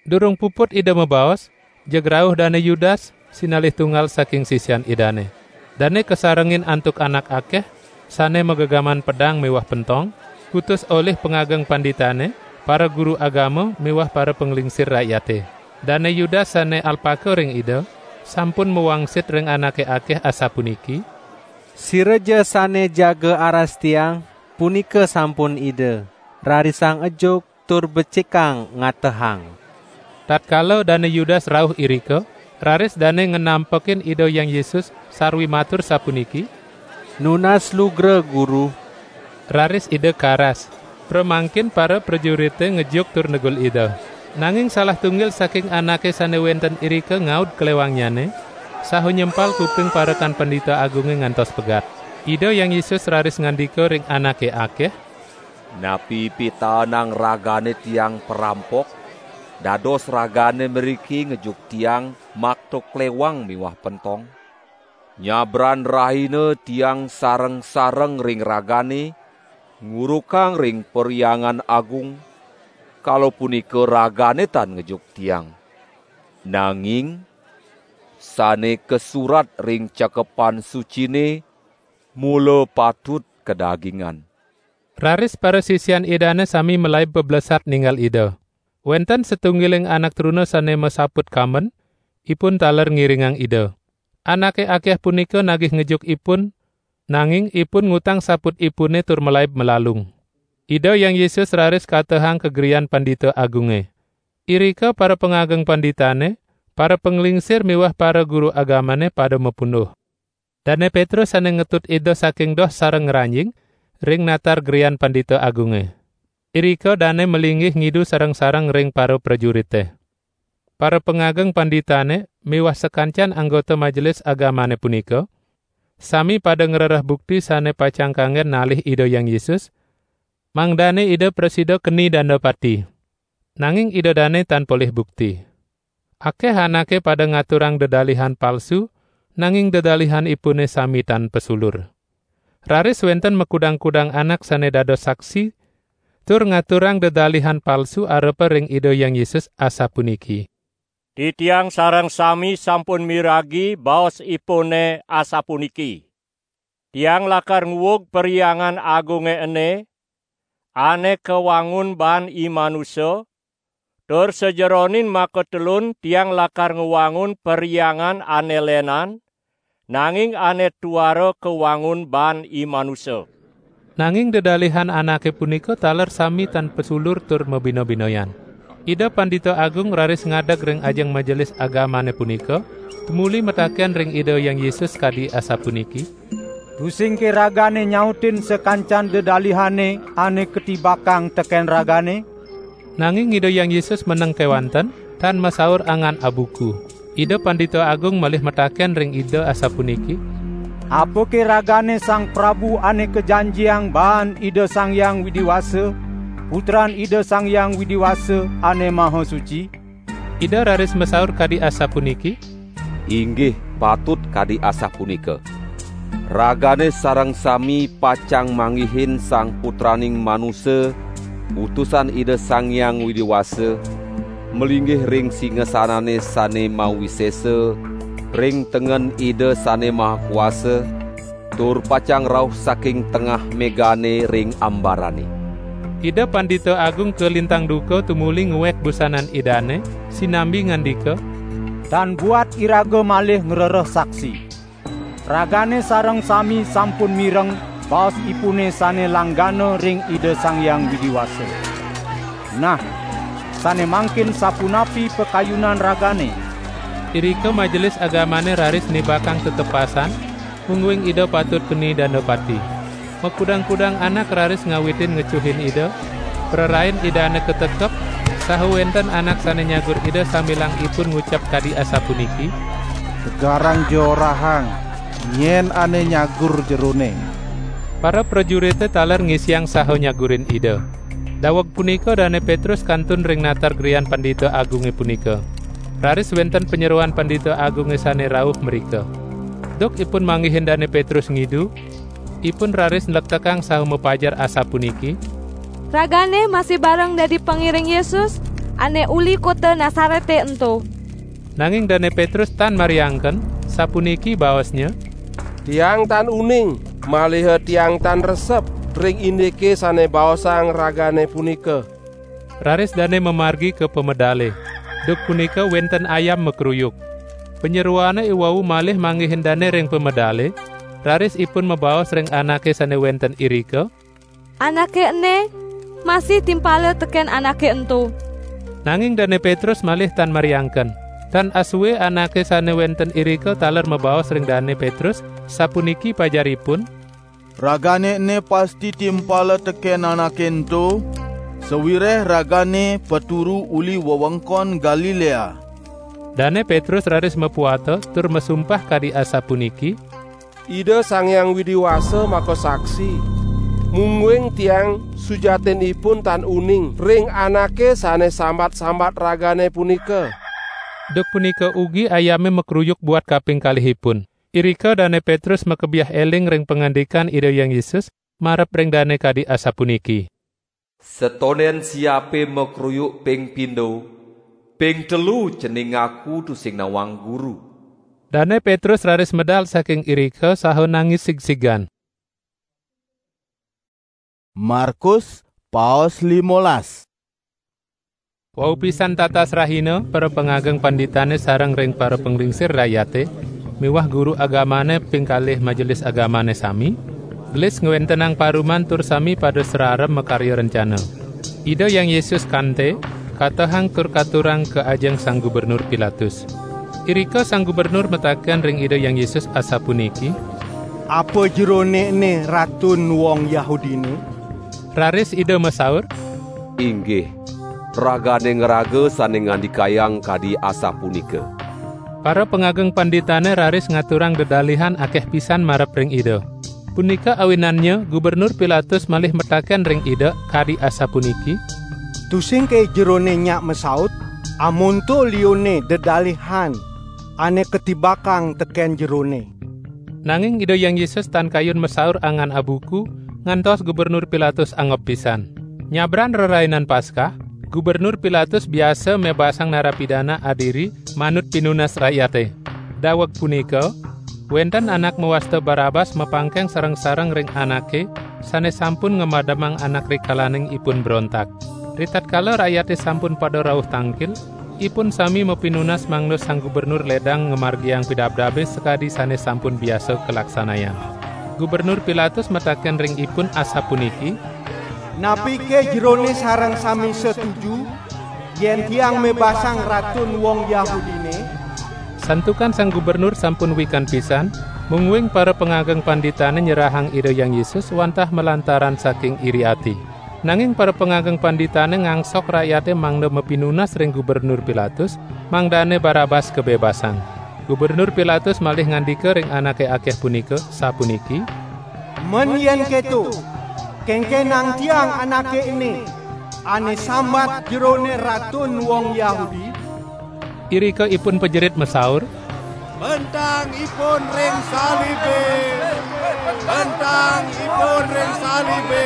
Durung puput Ida mabaos, jeg rauh Dane Yudas, sinalih tunggal saking sisian Idane. Dane kasarengin antuk anak akeh, sane magegaman pedang miwah pentong, kutus olih pangageng panditane, para guru agama miwah para panglingsir rakyate. Dane Yudas sane alpaka ring Ida, sampun mawangsit ring anake akeh asapuniki, "Siraja sane jaga aras tiang, punika sampun Ida. Rarisang ejuk tur becikang ngatehang." Tatkala Dane Yudas rauh irika, raris dane ngenampekin Ida Hyang Yesus sarwi matur sapuniki, "Nunas lugra, Guru." Raris Ida karas. Pramangkin para prajurite ngejuk tur negul Ida. Nanging salah tunggil saking anake sane wenten irika ngaud klewangnyane, saha nyempal kuping parekan Pandita Agunge ngantos pegat. Ida Hyang Yesus raris ngandika ring anake akeh, "Napi pitaenang ragane Tiang parampok? Dados ragane mriki ngejuk Tiang makta klewang miwah pentong? Nyabran rahina Tiang sareng-sareng ring ragane, ngurukang ring Perhyangan Agung, kala punika ragane tan ngejuk Tiang. Nanging sane kasurat ring Cakepan Sucine mula patut kadagingan." Raris parasisian Idane sami malaib pablesat ningal Ida. Wenten satunggiling anak truna sane masaput kamben, ipun taler ngiringang Ida. Anake akeh punika nagih ngejuk ipun, nanging ipun ngutang saputipune tur malaib malalung. Ida Hyang Yesus raris katehang ka grian Pandita Agunge. Irika para pangageng panditane, para panglingsir miwah para guru agamane pada mapunduh. Dane Petrus sane ngetut Ida saking doh sareng ngranjing ring natar grian Pandita Agunge. Irika dane malinggih ngidu sareng-sareng ring para prajurite. Para pangageng panditane miwah sakancan anggota majelis agamane punika sami pada ngrereh bukti sane pacang kanggen nalih Ida Hyang Yesus, mangdane Ida prasida keni danda pati. Nanging Ida dane tan polih bukti. Akeh anake pada ngaturang dedalihan palsu, nanging dedalihanipune sami tan pasulur. Raris wenten makudang-kudang anak sane dados saksi, tur ngaturang dedalihan palsu arepa ring Ida Hyang Yesus asapuniki: "Titiang sareng sami sampun miragi baosipune asapuniki: Tiang lakar nguug Perhyangan Agunge ene, ane kawangun baan i manusa, tur sajeroning makatelun tiang lakar ngwangun perhyangan ane lenan, nanging ane tuara kawangun baan i manusa." Nanging dedalihan anake punika taler sami tan pasulur tur mabina-binayan. Ida Pandita Agung raris ngadeg ring ajeng majelis agamane punika, tumuli mataken ring Ida Hyang Yesus kadi asapuniki: "Tusingke ragane nyautin sakancan dedalihane ane katibakang teken ragane?" Nanging Ida Hyang Yesus meneng kewanten, tan masaur angan abuku. Ida Pandita Agung malih mataken ring Ida asapuniki: "Apake ragane Sang Prabu ane kajanjiang baan Ida Sang Hyang Widi Wasa, Putran Ida Sang Hyang Widi Wasa ane Maha Suci?" Ida raris masaur kadi asapuniki: "Inggih, patut kadi asapunika. Ragane sareng sami pacang manggihin Sang Putraning Manusa, Utusan Ida Sang Hyang Widi Wasa, malinggih ring singasanane sane mawisesa ring tengen Ida Sane Maha Kuasa, tur pacang rauh saking tengah megane ring ambarane." Ida Pandita Agung kalintang duka tumuli nguek busanan Idane, sinambi ngandika: "Tan buat iraga malih ngrereh saksi. Ragane sareng sami sampun mireng baosipune sane langgana ring Ida Sang Hyang Widi Wasa. Nah, sane mangkin sapunapi pakayunan ragane?" Irika majelis agamane raris nibakang tetepasan, mungguing Ida patut keni danda pati. Makudang-kudang anak raris ngawitin ngecuhin Ida, prarain Idane katekep, saha wenten anak sane nyagur Ida sambilang ipun ngucap kadi asapuniki: "Tegarang jorahang, nyen ane nyagur jerone." Para prajurite taler ngisiang saha nyagurin Ida. Daweg punika Dane Petrus kantun ring natar grian Pandita Agunge punika. Raris wenten panyeroan Pandita Agunge sane rauh mrika. Duk ipun manggihin Dane Petrus ngidu, ipun raris nlektekang saha mapajar asapuniki: "Ragane masih bareng dadi pangiring Yesus, ane uli kota Nasarete ento." Nanging Dane Petrus tan mariangken, sapuniki baosnya: "Tiang tan uning, maliha tiang tan resep ring indike sane baosang ragane punika." Raris dane mamargi ka pamedale. Duk punika wenten ayam makruyuk. Panyeroane iwau malih manggihin dane ring pamedale, raris ipun mabaos ring anake sane wenten irika: "Anake ene masih timpala teken anake ento." Nanging Dane Petrus malih tan mariangken. Tan asue anake sane wenten irika taler mabaos ring Dane Petrus, sapuniki pajaripun: "Ragane ene pasti timpala teken anake ento, sawireh ragane paturu uli wewengkon Galilea." Dane Petrus raris mapuata tur masumpah kadi asapuniki: "Ida Sang Hyang Widi Wasa makasaksi, mungguing tiang sujatinipun tan uning ring anake sane sambat-sambat ragane punika." Duk punika ugi ayame makruyuk buat kaping kalihipun. Irika Dane Petrus makebiah eling ring pangandikan Ida Hyang Yesus marep ring dane kadi asapuniki: "Setonden siape makruyuk ping pindo, ping telu cening ngaku tusing nawang Guru." Dane Petrus raris medal saking irika saha nangis sigsigan. Markus, paos limolas. Wau pisan tatas rahina, para pangageng panditane sareng ring para panglingsir rakyate miwah guru agamane ping kalih majelis agamane sami, Gelis ngwentenang paruman tur sami pada srara makarya rencana. Ida Hyang Yesus kante, katehang tur katurang ka ajeng Sang Gubernur Pilatus. Irika Sang Gubernur mataken ring Ida Hyang Yesus asapuniki, "Apa jerone ene Ratun wong Yahudine?" Raris Ida masaur, "Inggih, ragane ngraga sane ngandikayang kadi asapunika." Para pangageng panditane raris ngaturang dedalihan akeh pisan marep ring Ida. Punika awinannya Gubernur Pilatus malih mataken ring Ida kadi asapuniki, "Tusing ke jerone nyak masaut, amonto lione dedalihan ane katibakang teken jerone." Nanging Ida Hyang Yesus tan kayun masaur angan abuku, ngantos Gubernur Pilatus angob pisan. Nyabran Rerainan Paskah, Gubernur Pilatus biasa mebasang narapidana adiri manut pinunas rakyate. Daweg punika, wenten anak mawasta Barabas mapangkeng sareng-sareng ring anake sane sampun ngamademang anak rikalaning ipun brontak. Ritatkala rakyate sampun pada rauh tangkil, ipun sami mapinunas mangda Sang Gubernur ledang ngamargiang pidabdabe sakadi sane sampun biasa kalaksanayang. Gubernur Pilatus mataken ring ipun asapuniki, "Napike jerone sareng sami setuju yen tiang mebasang Ratun wong Yahudine?" Santukan Sang Gubernur sampun wikan pisan, mungguing para pangageng panditane nyerahang Ida Hyang Yesus wantah malantaran saking iri ati. Nanging para pangageng panditane ngangsok rakyate mangda mapinunas ring Gubernur Pilatus, mangdane Barabas kabebasang. Gubernur Pilatus malih ngandika ring anake akeh punika, sapuniki, "Men yen keto, kengkenang tiang anake ene, ane sambat jerone Ratun wong Yahudi?" Irika ipun pajerit masaur, "Bentang ipun ring salibe! Bentang ipun ring salibe!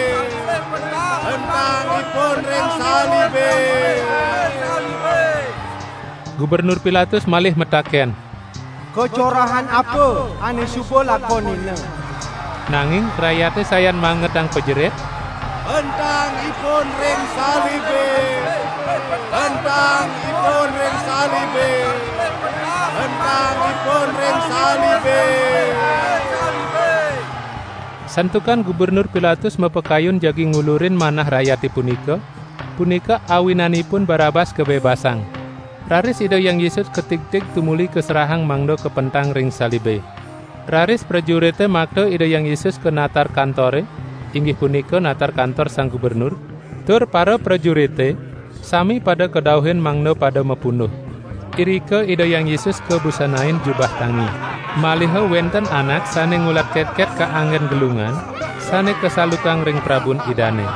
Bentang ipun ring salibe!" Gubernur Pilatus malih mataken, "Kacorahan apa ane suba lakonina?" Nanging rakyate sayan mangetang pajerit, "Bentang ipun ring salibe! Bentang ipun ring salibe! Bentang ipun ring salibe!" Santukan Gubernur Pilatus mapakayun jagi ngulurin manah rakyate punika, punika awinanipun Barabas kabebasang. Raris Ida Hyang Yesus katigtig tumuli kaserahang mangda kapentang ring salibe. Raris prajurite makta Ida Hyang Yesus ka natar kantore, inggih punika natar kantor Sang Gubernur, tur para prajurite sami pada kadauhin mangda pada mapunduh. Irika Ida Hyang Yesus kabusanain jubah tangi. Maliha wenten anak sane ngulat ketket kaanggen gelungan, sane kasalukang ring prabun Idane.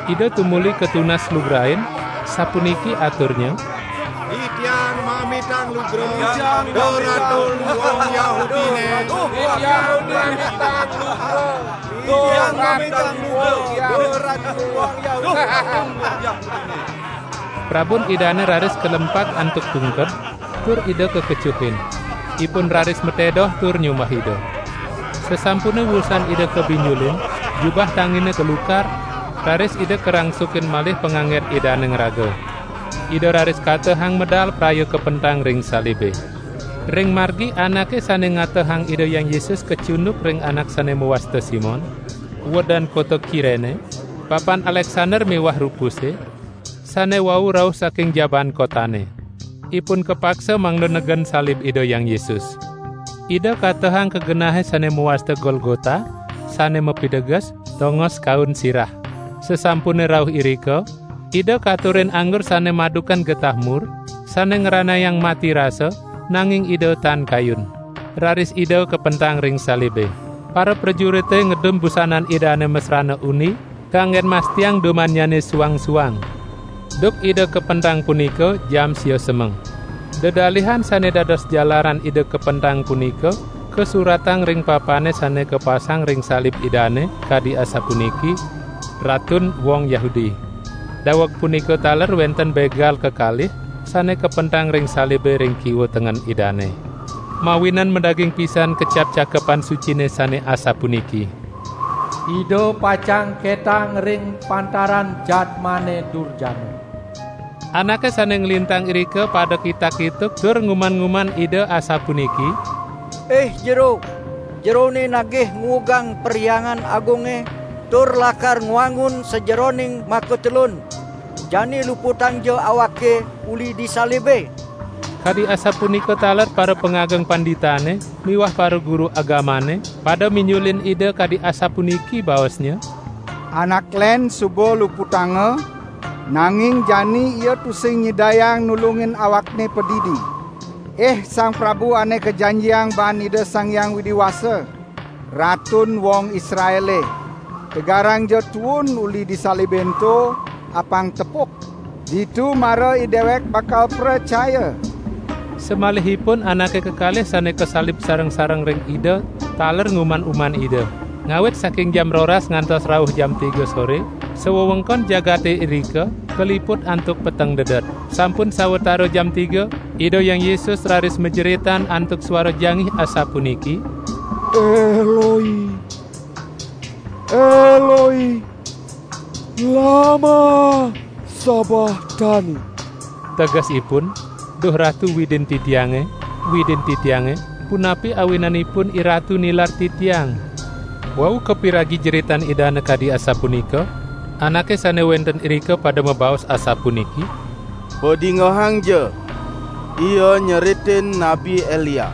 Ida tumuli katunas lugrain, sapuniki aturnya, "Titiang mamitang lugra, Duh Ratun wong Yahudine." Titiang mamitang lugra, Duh Ratun wong Yahudine. Prabun Idane raris kalempak antuk tungked, tur Ida kakecuhin. Ipun raris matedoh tur nyumbah Ida. Sasampune wusan Ida kabinjulin, jubah tangine kalukar, raris Ida karangsukin malih panganggen Idane ngraga. Ida raris katehang medal praya kapentang ring salibe. Ring margi anake sane ngatehang Ida Hyang Yesus kacunduk ring anak sane mawasta Simon, wedan kota Kirene, papan Aleksander miwah Rupuse, sane wau rauh saking jaban kotane. Ipun kapaksa mangda negen salib Ida Hyang Yesus. Ida katehang ka genahe sane mawasta Golgota, sane mapiteges, tongos kaun sirah. Sasampune rauh irika, Ida katurin anggur sane madukan getah mur, sane ngranayang mati rasa, nanging Ida tan kayun. Raris Ida kapentang ring salibe. Para prajurite ngedum busanan Idane masrana uni, kanggen mastiang dumannyane suang-suang. Duk Ida kapentang punika jam sia semeng. Dedalihan sane dados jalaran Ida kapentang punika kasuratang ring papane sane kapasang ring salib Idane kadi asapuniki, "Ratun wong Yahudi." Daweg punika taler wenten begal kekalih sane kapentang ring salibe ring kiwa tengen Idane. Mawinan madaging pisan kecap Cakepan Sucine sane asapuniki, "Ida pacang ketang ring pantaran jadmane durjana." Anake sane nglintang irika pada kitak-kituk tur nguman-nguman Ida asapuniki, "Ih, Jero!" jerone nagih nguugang Perhyangan Agunge, tur lakar ngwangun sajeroning makatelun. Jani luputangja awake uli disalibe." Kadi asapunika taler para pangageng panditane miwah para guru agamane pada minyulin Ida kadi asapuniki baosnya, "Anak len suba luputanga, nanging jani ia tusing nyidayang nulungin awakne padidi. Ih Sang Prabu ane kajanjiang baan Ida Sang Hyang Widi Wasa, Ratun wong Israele, tegarangja tuun uli disalibe ento, apang tepuk. Ditu mara idewek bakal pracaya." Samalihipun anake kekalih sane kasalib sareng-sareng ring Ida taler nguman-uman Ida. Ngawit saking jam roras ngantos rauh jam tiga sore, sawewengkon jagate irika kaliput antuk peteng dedet. Sampun sawatara jam tiga, Ida Hyang Yesus raris majeritan antuk suara jangih asapuniki, "Eloi, Eloi, lama sabachthani?" Tegesipun, "Duh Ratu Widin titiange, Widin titiange, punapi awinanipun Iratu nilar titiang?" Wau kapiragi jeritan Idane kadi asapunika, anake sane wenten irika pada mabaos asapuniki, "Padingehangja! Ia nyeritin Nabi Elia."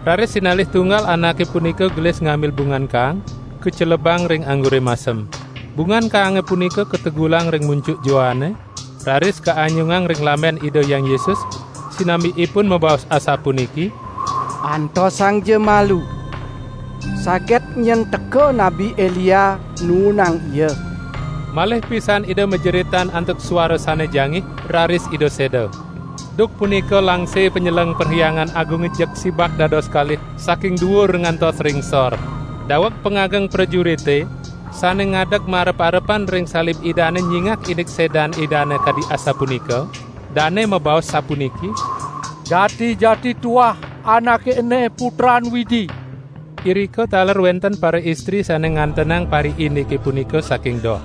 Raris sinalih tunggal anake punika gelis ngambil bungan kaang, kacelebang ring anggure masem. Bungan kaange punika kategulang ring munjuk joane, raris kaanyungang ring lamben Ida Hyang Yesus, sinambi ipun mabaos asapuniki, "Antosangja malu. Saget nyen teka Nabi Elia nuunang ia." Malih pisan Ida majeritan antuk suara sane jangih, raris Ida seda. Duk punika langse panyeleng Perhyangan Agunge jeg sibak dados kalih saking duur ngantos ring sor. Daweg pangageng prajurite sane ngadeg marep-arepan ring salib Idane nyingak indik sedan Idane kadi asapunika, dane mabaos sapuniki, "Jati-jati tuah anake ene Putran Widi." Irika taler wenten para istri sane ngantenang pariindike punika saking doh.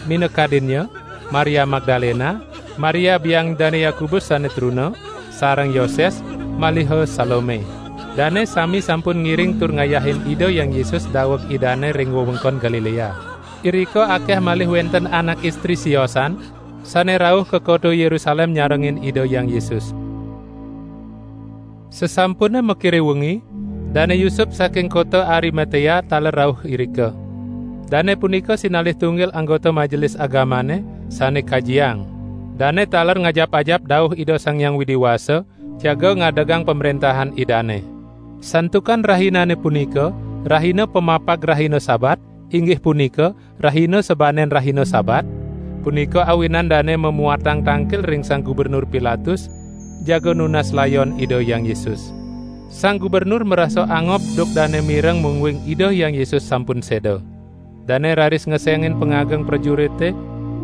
Minakadinnya, Maria Magdalena, Maria biang Dane Yakobus sane truna, sareng Yoses, maliha Salome. Dane sami sampun ngiring tur ngayahin Ida Hyang Yesus daweg Idane ring wewengkon Galilea. Irika akeh malih wenten anak istri siosan, sane rauh ka kota Yerusalem nyarengin Ida Hyang Yesus. Sasampune makire wengi, Dane Yusup saking kota Arimatea taler rauh irika. Dane punika sinalih tunggil anggota majelis agamane sane kajiang. Dane taler ngajap-ajap dauh Ida Sang Hyang Widi Wasa, jaga ngadegang pamrentahan Idane. Santukan rahinane punika, rahina pamapag rahina Sabat, inggih punika, rahina sabanen rahina Sabat, punika awinan dane mamuatang tangkil ring Sang Gubernur Pilatus, jaga nunas layon Ida Hyang Yesus. Sang Gubernur marasa angob duk dane mireng mungguing Ida Hyang Yesus sampun seda. Dane raris ngesengin pangageng prajurite,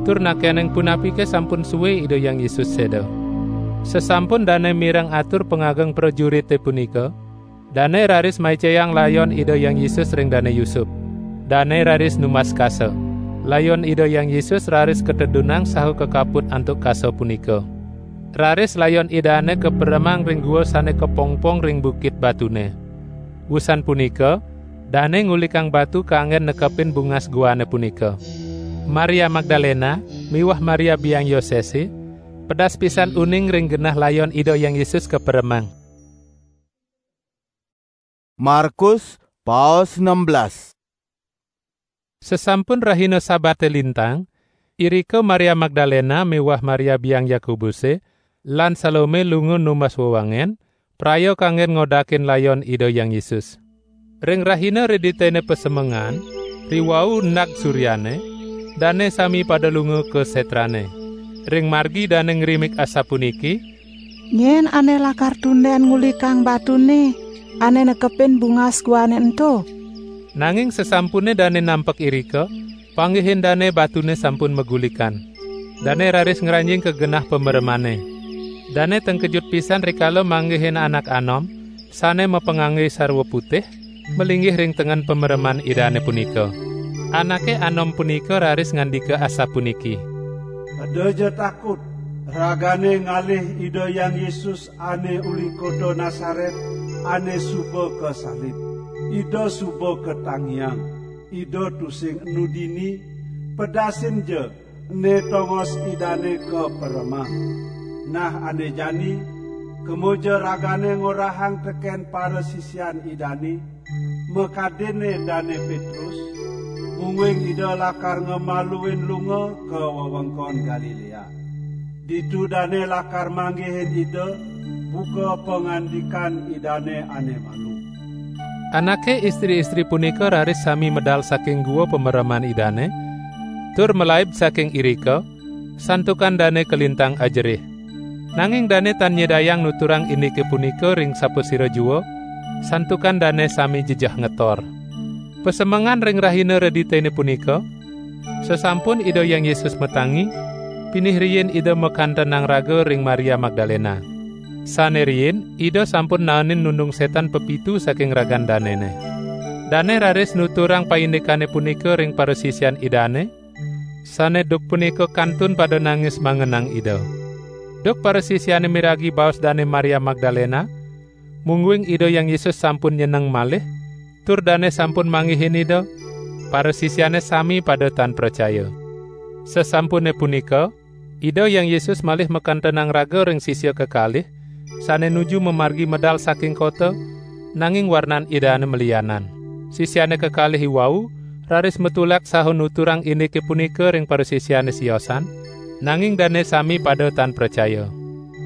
tur nakening punapike sampun sue Ida Hyang Yesus seda. Sasampun dane mireng atur pangageng prajurite punika, dane raris maicayang layon Ida Hyang Yesus ring Dane Yusup. Dane raris numbas kasa. Layon Ida Hyang Yesus raris katedunang saha kakaput antuk kasa punika. Raris layon Idane kaperemang ring gua sane kapongpong ring bukit batune. Wusan punika, dane ngulikang batu kanggen nekepin bungas guane punika. Maria Magdalena miwah Maria biang Yosese pedas pisan uning ring genah layon Ida Hyang Yesus kaperemang. Markus, paos enam belas. Sasampun rahina Sabate lintang, irika Maria Magdalena miwah Maria biang Yakobuse lan Salome lunga numbas wewangen, praya kanggen ngodakin layon Ida Hyang Yesus. Ring rahina riditene pasemengan, riwau nag suryane, dane sami pada lunga ka setrane. Ring margi dane ngrimik asapuniki, "Nyen ane lakar tunden ngulikang batune ane nekepin bungas guane ento?" Nanging sasampune dane nampek irika, panggihin dane batune sampun magulikan. Dane raris ngranjing ka genah pameremane. Dane tengkejut pisan rikala manggihin anak anom, sane mapangangge sarwa putih, malinggih ring tengen pamereman Idane punika. Anake anom punika raris ngandika asapuniki, "Edaja takut, ragane ngalih Ida Hyang Yesus ane uli kota Nasaret, ane suba kasalib. Ida suba katangiang, Ida tusing enu dini, pedasin ja, ene tongos Idane kaperemang. Nah, ane jani, kema ja ragane ngorahang teken parasisian Idane, makadinne Dane Petrus, mungguing Ida lakar ngemaluin lunga ka wewengkon Galilea. Ditu dane lakar manggihin Ida, buka pangandikan Idane ane malu. Anake istri-istri punika raris sami medal saking gua pamereman Idane, tur malaib saking irika, santukan dane kalintang ajerih. Nanging dane tan nyidayang nuturang indike punika ring sapasira jua, santukan dane sami jejeh ngetor. Pasemengan ring rahina reditene punika, sasampun Ida Hyang Yesus matangi, pinih riin Ida makantenang raga ring Maria Magdalena. Sane riin, Ida sampun naenin nundung setan pepitu saking ragan danene. Dane raris nuturang paindikane punika ring parasisian Idane, sane duk punika kantun pada nangis mangenang Ida. Duk parasisiane miragi baos Dane Maria Magdalena, mungguing Ida Hyang Yesus sampun nyeneng malih, tur dane sampun manggihin Ida, parasisiane sami pada tan pracaya. Sasampune punika, Ida Hyang Yesus malih makantenang raga ring sisia kekalih, sane nuju mamargi medal saking kota, nanging warnan Idane malianan. Sisiane kekalih iwau raris matulak saha nuturang indike punika ring parasisiane siosan, nanging dane sami pada tan pracaya.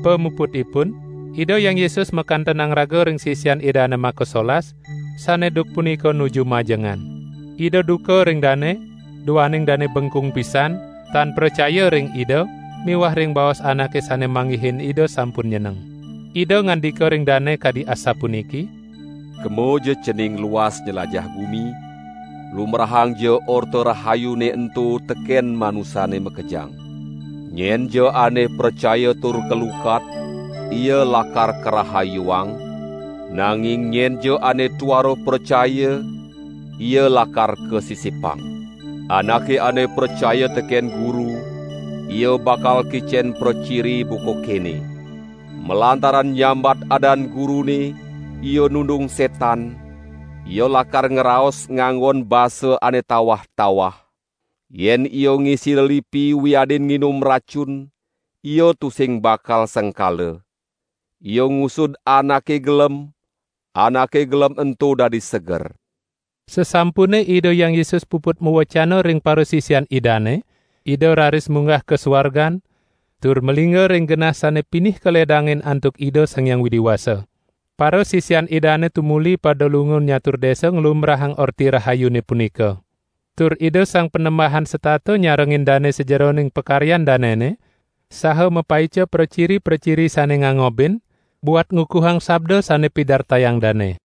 Pamuputipun, Ida Hyang Yesus makantenang raga ring sisian Idane makasolas, sane duk punika nuju majengan. Ida duka ring dane, duaning dane bengkung pisan, tan pracaya ring Ida, miwah ring baos anake sane manggihin Ida sampun nyeneng. Ida ngandika ring dane kadi asapuniki, "Kema ja cening luas njelajah gumi, lumrahang ja Orta Rahayune ento teken manusane makejang. Nyen ja ane pracaya tur kalukat, ia lakar karahayuang, nanging nyen ja ane tuara pracaya, ia lakar kasisipang. Anake ane pracaya teken Guru, ia bakal kicen praciri buka kene: malantaran nyambat adan Gurune, ia nundung setan, ia lakar ngraos nganggon basa ane tawah-tawah. Yen ia ngisi lelipi wiadin nginum racun, ia tusing bakal sengkala. Ia ngusud anake gelem, anake gelem ento dadi seger." Sasampune Ida Hyang Yesus puput mawecana ring parasisian Idane, Ida raris munggah ka suargan, tur malingga ring genah sane pinih kaledangin antuk Ida Sang Hyang Widi Wasa. Parasisian Idane tumuli pada lunga nyatur desa nglumbrahang Orti Rahayune punika. Tur Ida Sang Panembahan setata nyarengin dane sajeroning pakaryan danene, saha mapaica praciri-praciri sane ngangobin, buat ngukuhang sabda sane pidartayang dane.